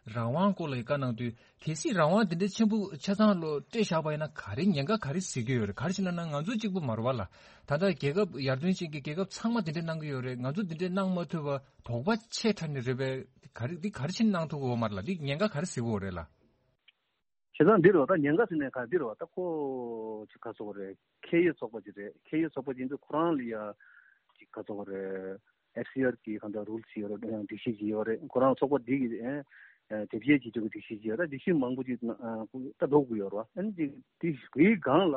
རང་དབང་སྐོར་ལ་བཀའ་གནང་དུས་གལ་སྲིད་རང་དབང་དེ་འདྲ་ཆེན་པོ་ཆ་ཚང་ལོ་སྤྲད་བཞག་པ་ཡིན་ན་ག་རེ་ཉེན་ཁ་ག་རེ་གཟིགས་ཀྱི་ཡོད་རེད། ག་རེ་བྱས་ན་ན་ང་ཚོ་གཅིག་པུ་མ་རེད་བ་ལ། ད་ལྟ་རྒྱལ་ཁབ་ཡར་ཐོན་ཅན་གྱི་རྒྱལ་ཁབ་ཚང་མ་དེ་འདྲ་གནང་གི་ཡོད་རེད། ང་ཚོ་དེ་འདྲ་གནང་མ་ཐུབ་པ་དོགས་པ་ཆེ་དྲགས་ནས་རེད་པས། ག་རེ་འདི་ག་རེ་བྱས་ནས་གནང་ཐུབ་ཀྱི་ཡོད་མ་རེད་ལ། འདི་ཉེན་ཁ་ག་རེ་གཟིགས་ཀྱི་ཡོད་རེད་ལ། བྱས་ཙང་འདི་རུ་ད་ཉེན་ཁ་ཟེར་ནས་ག་འདི་རུ་ད་ཁོ་ཅིག་ག་ཚོགས་རེད། ཁེ་ཡོད་ཚོགས་པ་ཅིག་རེད། ཁེ་ཡོད་ཚོགས་པ་ཅིག་འདི་ཁོ་རང་ལ་ཡ་ཅིག་ག་ཚོགས་རེད། ཨེཕ་སི་ཨར་གི་གང་ལྟར་རུལ་ཅིག་ཡོད་རེད། སྒྲིག་གཞི་ཅིག་ཡོད་རེད། ཁོ་རང་ཚོགས་པ་འདི་གི་དེབ་སྐྱེལ་བྱེད་ཆོག་གི་སྒྲིག་གཞི་ཅིག་ཡོད་རེད། སྒྲིག་གཞི་མང་པོ་ཅིག་ད་འགྲོ་དགོས་ཡོད་རེད་བ། ཨ་ནི་ཅིག་དེ་གི་སྒང་ལ་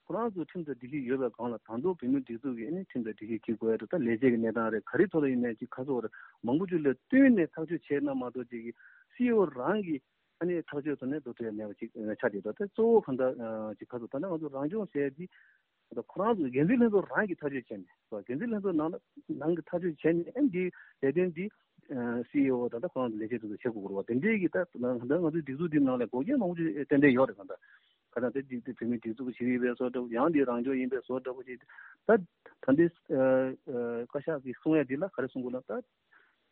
ཁོ་རང་ཚོ་ཁྲིམས་དང་སྒྲིག་གཞི་ཡོད་པའི་སྒང་ལ་ད་དུང་བོད་མིའི་སྒྲིག་འཛུགས་ཀྱི་ཨ་ནི་ཁྲིམས་དང་སྒྲིག་གཞི་གི་དགོས་ཡ་དེ་ད་ལས་བྱེད་ཀྱི་གནས་སྟངས་རེད། ག་རེ་ཐོག་ལ་ཡིན་ནའི་ཅིག་ག་ཚོགས་རེད། མང་པོ་ཅིག་ལ་བསྟུན་ནས་ཐག་གཅོད་བྱས་ན་མ་གཏོགས་ཅིག་གི་སི་ཨི་ཨོ་རང་གི་ཨ་ནི་ཐག་གཅོད་ཐོག་ནས་འགྲོ་ཐུབ་ཡ་མེད་པ་ཅིག་ཆགས་བསྡད་འདུག་དེ་གཙོ་བོ་གང་ལྟར་ཅིག་ག་ཚོད་ད་ནི་ང་ཚོ་རང་སྐྱོང་ཟེར་ཡ་འདི་ ད་ཁོ་རང་ཚོ་འགན་འཛིན་ལྷན་ཚོགས་རང་གིས་ཐག་གཅོད་བྱས་ནས་འགན་འཛིན་ལྷན་ཚོགས་ནང་ནང་གི་ཐག་གཅོད་བྱས་ནས་ཨ་འདི་ལས་དོན་འདི་སི་ཨི་ཨོ་ད་ལྟ་ཁོ་རང་ཚོ་ལས་བྱེད་ཚོ་བྱེད་དགོས་རེད་བ། དེ་འདྲའི་གི་ད་ང་ཚོའི་སྒྲིག་འཛུགས་འདི་ནང་ལ་འགོག་རྐྱེན་མང་པོ་ཅིག་ཏན་ཏན་ཡོད་རེད། གང་ལྟར་གང་ལྟར་དེ་འདི་བོད་མིའི་སྒྲིག་འཛུགས་ཤིག་ཡིན་པའི་བཟོ་འདྲ་པོ། ཡང་འདི་རང་སྐྱོང་ཡིན་པའི་བཟོ་འདྲ་པོ་ཅིག་ད་ད་འདི་བཀའ་ཤག་གིས་གསུང་ཡ་འདི་ལ་ག་རེ་གསུང་དགོས་ལབ་ད།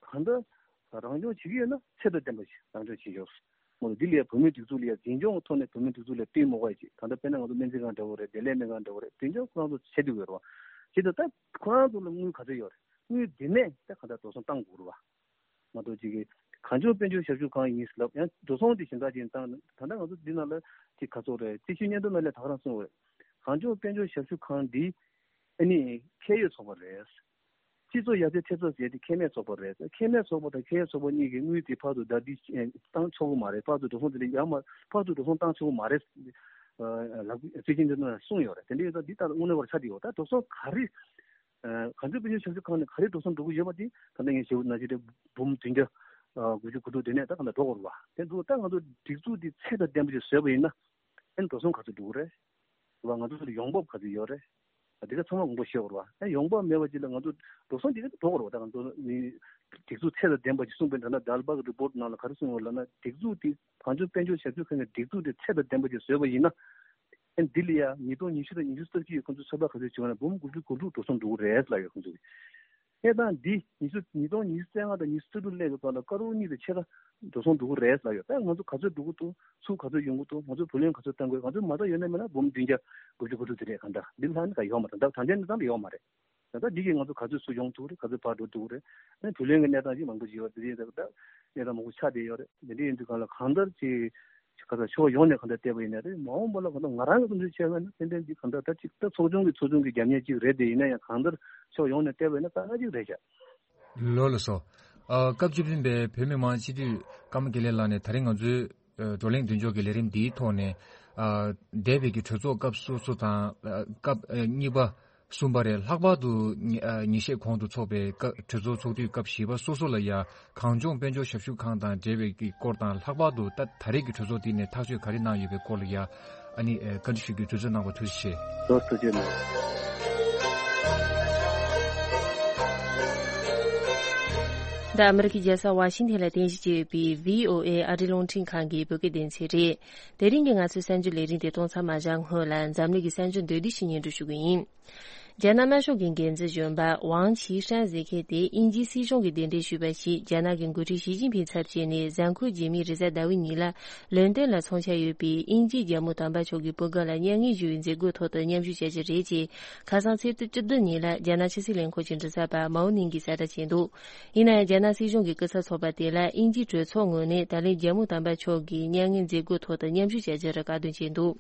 གང་ལྟར་རང་སྐྱོང་བྱེད་ཀྱི་ཡོད་ན་ཚད་དང་ལྡན་པ་ཞིག་རང་སྐྱོང་བྱེད་ཆོག་མོ་འདི་ལ་བོད་མིའི་སྒྲིག་འཛུགས་ལ་འཛིན་སྐྱོང་གི་ཐོག་ནས་བོད་མིའི་སྒྲིག་འཛུགས་ལ་བསྟུན་མོ་བ་ཅིག་གང་ལྟར་དཔེར་ན་ང་ཚོ་སྨན་རྩིས་ཁང་འདྲ་བོ་རེད། བདེ་ལེགས་སྨན་ཁང་འདྲ་བོ་རེད། འཛིན་སྐྱོང་ཁོ་རང་ཚོ་བྱེད་དུ་ཡོད་རེད་བ། བྱེད་དུ་ད་ཁོ་རང་ཚོ་ལ་དངུལ་ག་ཚོད་ཡོད་རེད། དངུལ་འདི་ནས་ད་གང་ལྟར་འགྲོ་སོང་བཏང་དགོས་རེད་བ། ང་ཚོ་ཅིག་གི་གངས་ལྗོངས་དཔལ་འབྱོར་ཞབས་ཞུ་ཁང་ཡིན་ལབ་ཡང་འགྲོ་སོང་དེ་གཞན་དག་ཅིག་བཏང་ད་ལྟ་ང་ཚོ་འདི་ནང་ལ་ཅིག་ག་ཚོད་རེད། རྩིས་ཞིབ་སྙན་ཐོ་ནང་ལ་ད་ག་རང་གསུངས་པ་རེད། གངས་ལྗོངས་དཔལ་འབྱོར་ཞབས་ཞུ་ཁང་འདི་ཨ་ནི་ཁེ་ཡོད་ཚོགས་པ་རེད། སྤྱི་ཚོགས་ཡར་རྩེ་ཐེབས་རྩ་ཟེར་དེ་ཁེ་མེད་ཚོགས་པ་རེད། ཁེ་མེད་ཚོགས་པ་དང་ཁེ་ཡོད་ཚོགས་པ་གཉིས་ཀྱི་དངུལ་དེ་ཕར་ཚུར་ཟླ་འདི་བཏང་ཆོག་གི་མ་རེད། ཕར་ཚུར་འགྲོ་སོང་དེ་འདྲ་ཡར་མར་ཕར་ཚུར་འགྲོ་སོང་བཏང་ཆོག་གི་མ་རེད། ལག་རྩིས་ཅན་དེ་ཚོ་གསུངས་ཡོད་རེད། དེ་འདྲ་ཡོད་ཙང་འདི་ལྟར་དངོས་གནས་པར་ཆགས་བསྡད་ཡོད། ད་འགྲོ་སོང་ག་རེ་གངས་ལྗོངས་དཔལ་འབྱོར་ཞབས་ཞུ་ཁང་ནས་ག་རེ་འགྲོ་སོང་འགྲོ་གི་ཡོད་པ་དེ་ད་ལྟ་ངས་ཞུ་ན་ཅི་རེད། འབུམ་བདུན་བརྒྱ་དགུ་བཅུ་གོ་དྲུག་དེ་ནས་ད་གང་ལྟར་འགྲོ་དགོས་རེད་བ། དེ་འདུག་ད་ང་ཚོ་སྒྲིག་འཛུགས་འདི་ཚད་དང་ལྡན་པ་ཞིག་བཟོས་པ་ཡིན་ན། ཨན་འགྲོ་སོང་ག་ཚོད་འགྲོ་གི་རེད། བ་ང་ཚོ་ཚོ་ལ་ཡོང་འབབ་ག་ཚོད་ཡོད་རེད། དེ་ག་ཚང་མ་དགོངས་པ་བཞེས་དགོས་རེད་བ། ཨན་ཡོང་འབབ་མེད་པ་ཅིག་ལ་ང་ཚོ་འགྲོ་སོང་དེ་ག་འགྲོ་དགོས་རེད་བ། ད་ང་ཚོ་ནི་སྒྲིག་འཛུགས་ཚད་དང་ལྡན་པ་ཅིག་གསུངས་པའི་ད་ལྟ་ཌལ་བྷག་གི་རི་པོར་ཊི་ནང་ལ་ག་རེ་གསུངས་ཡོད་ལབ་ན། སྒྲིག་འཛུགས་དེ་གངས་ལྗོངས་དཔལ་འབྱོར་ཞབས་ཞུ་ཁང་གི་སྒྲིག་འཛུགས་དེ་ཚད་དང་ལྡན་པ་ཅིག་བཟོས་པ་ཡིན་ན། ཨན་འདི་ལ་ཡ་ཉིས་སྟོང་ཉི་ཤུ་དང་ཉི་ཤུ་རྩ་གཅིག་ཁོང་ཚོ་ཚོད་དཔག་ག་ཚོད་བྱུང་བ་ན་འབུམ་དགུ་བཅུ་གོ་དྲུག་འགྲོ་སོང་འགྲོ་གི་རེད་ལབ་ཡོད་ཁོང་ཚོ་གི། གནས་སྟངས་འདི་ཉི་ཤུ་ཉིས་སྟོང་ཉི་ཤུ་རྩ་ལྔ་དང་ཉི་ཤུ་རྩ་དྲུག་སླེབས་པའི་བར་ལ་སྐར་འོ་གཉིས་དང་ཕྱེད་ཀ་འགྲོ་སོང་འགྲོ་གི་རེད་ལབ་ཡོད། ད་ང་ཚོ་ག་ཚོད་འགྲོ་གི་འདུག་ཚུར་ག་ཚོད་ཡོང་གི་འདུག་ང་ཚོ་བུ་ལོན་ག་ཚོད་བཏང་དགོས། ང་ཚོ་མ་རྩ་ཡོད་ན་མེད་ན་འབུམ་བདུན་བརྒྱ་དགུ་བཅུ་གོ་དྲུག་དེ་རེད། གང་ལྟར་འདི་ལྷག་ནི་ག་ཡོད་མ་རེད། ད་ད་ལྟའི་གནས་སྟངས་ལ་ཡོད་མ་རེད། ད་ལྟ་འདི་གིས་ང་ཚོ་ག་ཚོད་ཚུར་ཡོང་ཐུབ་རེད། ག་ཚོད་ཕར་འགྲོ་ཐུབ་རེད། ཨ་ནི་བུ་ལོན་གྱི་གནས་སྟངས་ཅིག་མང་པོ་ཅིག་ཡོད་རེད། དེ་ཡིན་ཙང་ད་གནས་སྟངས་མང་པོ་ཆགས་བསྡད་ཡོད་རེད། དེ་འདྲ་ཡིན་དུས་གང་ལ་གང་ལྟར་ཅིག་ག་ཚོད་ཕྱོགས་ཡོངས་ནས་གང་ལྟར་བལྟས་པ་ཡིན་ན་རེད། མ་འོངས་པ་ལ་གང་ལྟར་ང་རང་གི་བསམ་ཚུལ་བྱས་པ་ཡིན་ན་ཏན་ཏན་འདི་གང་ལྟར་ད་ཅིག་ད་ཚོགས་ཆུང་གི་ཚོགས་ཆུང་གི་རྒྱབ་གཉེར་ཅིག་རེད། དེ་ཡིན་ན་ཡང་གང་ལྟར་ཕྱོགས་ཡོངས་ནས་བལྟས་པ་ཡིན་ན་དཀའ་ངལ་ཅིག་རེད་ཤག་ལགས་ལགས་སོ། ཨ། སྐབས་བཅུ་བདུན་པའི་བོད་མི་མང་སྤྱི་འཐུས་ཀརྨ་དགེ་ལེགས་ལགས་ནས་ད་རིང་ང་ཚོའི་ཨ་བགྲོ་གླེང་མདུན་ལྕོག་གི་ལས་རིམ་འདིའི་ཐོག་ནས། ཨ། འདས་པའི་གི་གྲོས་ཚོགས་སྐབས་སོ་སོ་དང་། ཨ། སྐབས་ཨ་གཉིས་པ་གསུམ་པ་རེད། ལྷག་པར་དུ་ཉི་ཨ་ཉིན་ཤས་གོང་དུ་ཚོགས་པའི་སྐབས་གྲོས་ཚོགས་ཚོགས་དུས་སྐབས་བཞི་པ་སོ་སོ་ལ་ཡ་གངས་ལྗོངས་དཔལ་འབྱོར་ཞབས་ཞུ་ཁང་དང་འབྲེལ་བའི་གི་སྐོར་དང་། ལྷག་པར་དུ་ད་ད་རེས་ཀྱི་གྲོས་ཚོགས་འདི་ནས་ཐག་གཅོད་ག་རེ་གནང་ཡོད་པའི་སྐོར་ལ་ཡ་ཨ་ནི་ཨ་བཀའ་འདྲི་ཞུ་རྒྱུའི་དུས་ཚོད་གནང་བར་ཐུགས་རྗེ་ཆེ། ཟུར་དུ་བསྐྱོད་གནང་། འདི་ཨ་མི་རི་ཀའི་རྒྱལ་ས་ཝ་ཤིང་ཐན་ལ་རྟེན་གཞི་བྱས་ཡོད་པའི་བྷི་ཨོ་ཨེ་ཨ་རིའི་རླུང་འཕྲིན་ཁང་གི་བོད་སྐད་སྡེ་ཚན་རེད། དེ་རིང་གི་ང་ཚོའི་གསར་འགྱུར་ལས་རིམ་དེ་གཏོང་མཚམས་མ་བཞག་སྔོན་ལ་འཛམ་གླིང་གི་གསར་འགྱུར་མདོར་བསྡུས་ཤིག་སྙན་སྒྲོན་ཞུ་གི་ཡིན། རྒྱ་ནག་དམར་ཤོག་གི་འགན་འཛིན་གཞོན་པ་ཝང་ཆི་ཧྲན་ཟེར་མཁན་དེ་དབྱིན་ཇིའི་སྲིད་གཞུང་གི་གདན་འདྲེན་ཞུས་པ་ཞིག་རྒྱ་ནག་གི་འགོ་ཁྲིད་ཞི་ཅིན་ཕིང་ཚབ་བྱས་ནས་གཟའ་འཁོར་རྗེས་མའི་རེས་གཟའ་ཟླ་བའི་ཉིན་ལ་ལོན་ཏོན་ལ་འཚོགས་འཆར་ཡོད་པའི་དབྱིན་ཇིའི་རྒྱལ་མོ་དམ་པ་མཆོག་གི་བུ་དགའ་ལ་མྱ་ངན་ཞུ་བའི་མཛད་སྒོའི་ཐོག་ཏུ་མཉམ་ཞུགས་བྱ་རྒྱུ་རེད་ཅེས་ཁ་སང་ཚེས་བཅུ་བདུན་ཉིན་ལ་རྒྱ་ནག་ཕྱི་སྲིད་ལས་ཁུངས་ཀྱི་མགྲིན་ཚབ་པ་མའོ་ནིང་གིས་གསལ་བསྒྲགས་བྱས་འདུག་ཡིན་ན་ཡང་རྒྱ་ནག་སྲིད་གཞུང་གི་སྐུ་ཚབ་ཚོགས་པ་དེ་ལ་དབྱིན་ཇིའི་གྲོས་ཚོགས་ངོས་ནས་ད་ལན་རྒྱལ་མོ་དམ་པ་མཆོག་གི་མྱ་ངན་མཛད་སྒོའི་ཐོག་ཏུ་མཉམ་ཞུགས་བྱ་རྒྱུར་བཀའ་འདོན་བྱས་འདུག་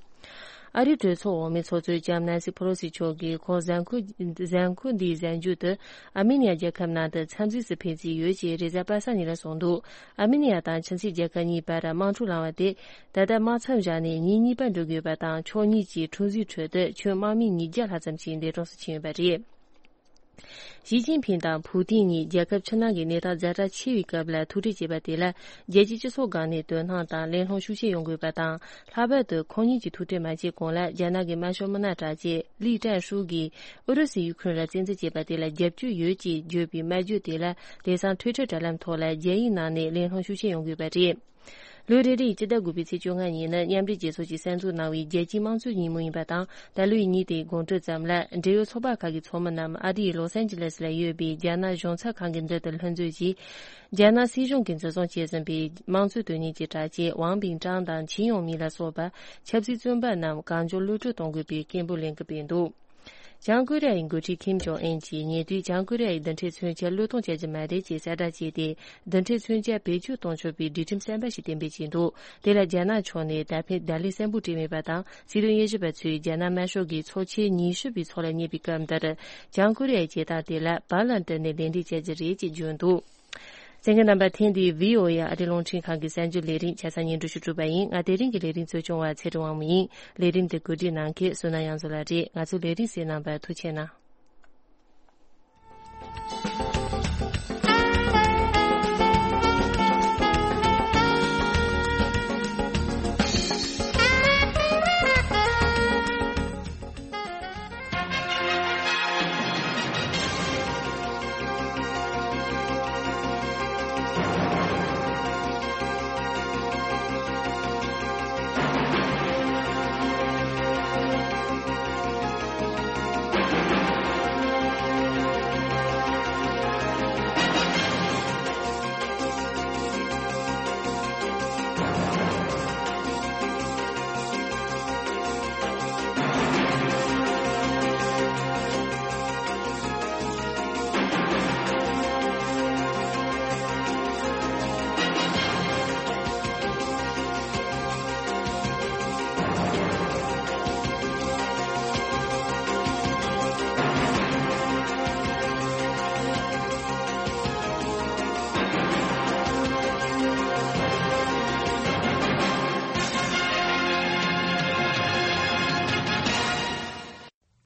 ཨ་རིའི་གྲོས་ཚོགས་འོག་མའི་ཚོགས་གཙོ་ལྕམ་ནན་སི་ཕེ་ལོ་སི་མཆོག་གིས་ཁོང་གཟའ་འཁོར་གཟའ་འཁོར་འདིའི་གཟའ་མཇུག་ཏུ་ཨར་མེ་ནི་ཡ་རྒྱལ་ཁབ་ནང་དུ་འཚམས་གཟིགས་སུ་ཕེབས་རྩིས་ཡོད་ཅེས་རེས་གཟའ་པ་སངས་ཉིན་ལ་གསུངས་འདུག་ཨར་མེ་ནི་ཡ་དང་ཁྱིམ་མཚེས་རྒྱལ་ཁབ་གཉིས་བར་དམག་འཁྲུག་ལངས་པ་དེ་ད་ལྟ་དམག་མཚམས་བཞག་ནས་ཉིན་གཉིས་པ་འགྲོ་གི་ཡོད་པ་དང་། ཕྱོགས་གཉིས་ཀྱིས་འཁྲུག་འཛིང་ཁྲོད་དུ་ཁྱོན་དམག་མི་ཉིས་བརྒྱ་ལྷག་ཙམ་ཞིག་འདས་གྲོངས་སུ་ཕྱིན་ཡོད་པ་རེད། ཞི་ཅིན་ཕིང་དང་ཕུའུ་ཏིན་གཉིས་རྒྱལ་ཁབ་ཕྱི་ནང་གི་གནས་སྟངས་ཛ་དྲག་ཆེ་བའི་སྐབས་ལ་ཐུག་འཕྲད་བྱས་པ་དེ་ལ་རྒྱལ་སྤྱིའི་སྤྱི་ཚོགས་སྒང་ནས་དོ་སྣང་དང་གླེང་སློང་ཤུགས་ཆེ་ཡོང་དགོས་པ་དང་། ལྷག་པར་དུ་ཁོང་གཉིས་ཀྱིས་ཐུག་འཕྲད་མ་བྱས་གོང་ལ་རྒྱ་ནག་གི་དམར་ཤོག་མི་སྣ་དྲག་ཅན་ལི་ཀྲན་ཧྲུའུ་གིས་ཨུ་རུ་སུས་ཡུ་ཁུ་རེན་ལ་བཙན་འཛུལ་བྱས་པ་དེ་ལ་རྒྱབ་སྐྱོར་ཡོད་ཅེས་བརྗོད་པའི་སྨྲ་བརྗོད་དེ་ལ་དེང་སང་ཊུའི་ཊར་དྲ་ལམ་ཐོག་ལ་རྒྱ་ཡིག་ནང་ནས་གླེང་སློང་ཤུགས་ཆེ་ཡོང་གི་ཡོད་པ་རེད། ལོ་རེ་རེའི་སྤྱི་ཟླ་དགུ་པའི་ཚེས་བཅོ་ལྔ་ཉིན་ནི་མཉམ་འབྲེལ་རྒྱལ་ཚོགས་ཀྱིས་གསར་འཛུགས་གནང་བའི་རྒྱལ་སྤྱིའི་དམངས་གཙོའི་ཉིན་མོ་ཡིན་པ་དང་། ད་ལོའི་ཉིན་དེའི་དགོང་དྲོ་ཙམ་ལ་འབྲེལ་ཡོད་ཚོགས་པ་ཁག་གི་ཚོགས་མི་རྣམས་ཨ་རིའི་ལོ་སན་ཇི་ལེས་ལ་ཡོད་པའི་རྒྱ་ནག་གཞུང་ཚབ་ཁང་གི་མདུན་དུ་ལྷན་འཛོམས་ཀྱིས། རྒྱ་ནག་སྲིད་གཞུང་གིས་འཛིན་བཟུང་བྱས་ཟིན་པའི་དམངས་གཙོའི་དོན་གཉེར་གྱི་དྲག་ཆས་ཝང་པིང་ཀྲང་དང་ཆིན་ཡོང་མིན་ལ་སོགས་པ་ཆབ་སྲིད་བཙོན་པ་རྣམས་གང་མགྱོགས་གློད་བཀྲོལ་གཏོང་དགོས་པའི་སྐད་འབོད་ལེན་གྱི་ཡོད་འདུག་བྱང་ཀོ་རི་ཡའི་འགོ་ཁྲིད་ཁིམ་ཇོང་ཨན་གྱིས་ཉེ་དུས་བྱང་ཀོ་རི་ཡའི་རྡུལ་ཕྲན་མཚོན་ཆ་བློས་གཏོང་བྱ་རྒྱུ་མ་རེད་ཅེས་གསལ་བསྒྲགས་བྱས་ཏེ། རྡུལ་ཕྲན་མཚོན་ཆ་བེད་སྤྱོད་གཏོང་ཆོག་པའི་སྒྲིག་ཁྲིམས་གསར་པ་ཞིག་གཏན་འབེབས་བྱས་འདུག་དེ་ལ་རྒྱ་ནག་ཕྱོགས་ནས་ད་ཕན་བརྡ་ལན་གསལ་པོ་སྤྲད་མེད་པ་དང་། སྲིད་དོན་དབྱེ་ཞིབ་པ་ཚོས་རྒྱ་ནག་དམར་ཤོག་གིས་ཚོགས་ཆེན་ཉི་ཤུ་པའི་ཚོགས་ལ་གཉེར་བའི་སྐབས་འདིར། བྱང་ཀོ་རི་ཡའི་བྱེད་སྟངས་དེ་ལ་བར་ལ་འདྲི་ནས་ལན་འདེབས་བྱ་རྒྱུ་རེད་ཅེས་བརྗོད་འདུག་གསན་མཁན་རྣམ་པ། ཐེངས་འདིའི་བྷི་ཨོ་ཨེ་ཨ་རིའི་རླུང་འཕྲིན་ཁང་གི་གསར་འགྱུར་ལས་རིམ་ཆ་ཚང་སྙན་སྒྲོན་ཞུ་གྲུབ་པ་ཡིན། ང་དེ་རིང་གི་ལས་རིམ་གཙོ་སྐྱོང་བ་ཚེ་རིང་དབང་མོ་ཡིན། ལས་རིམ་འདི་གོ་སྒྲིག་གནང་མཁན་བསོད་ནམས་དབྱངས་མཚོ་ལགས་རེད། ང་ཚོའི་ལས་རིམ་གསན་གནང་བར་ཐུགས་རྗེ་གནང་།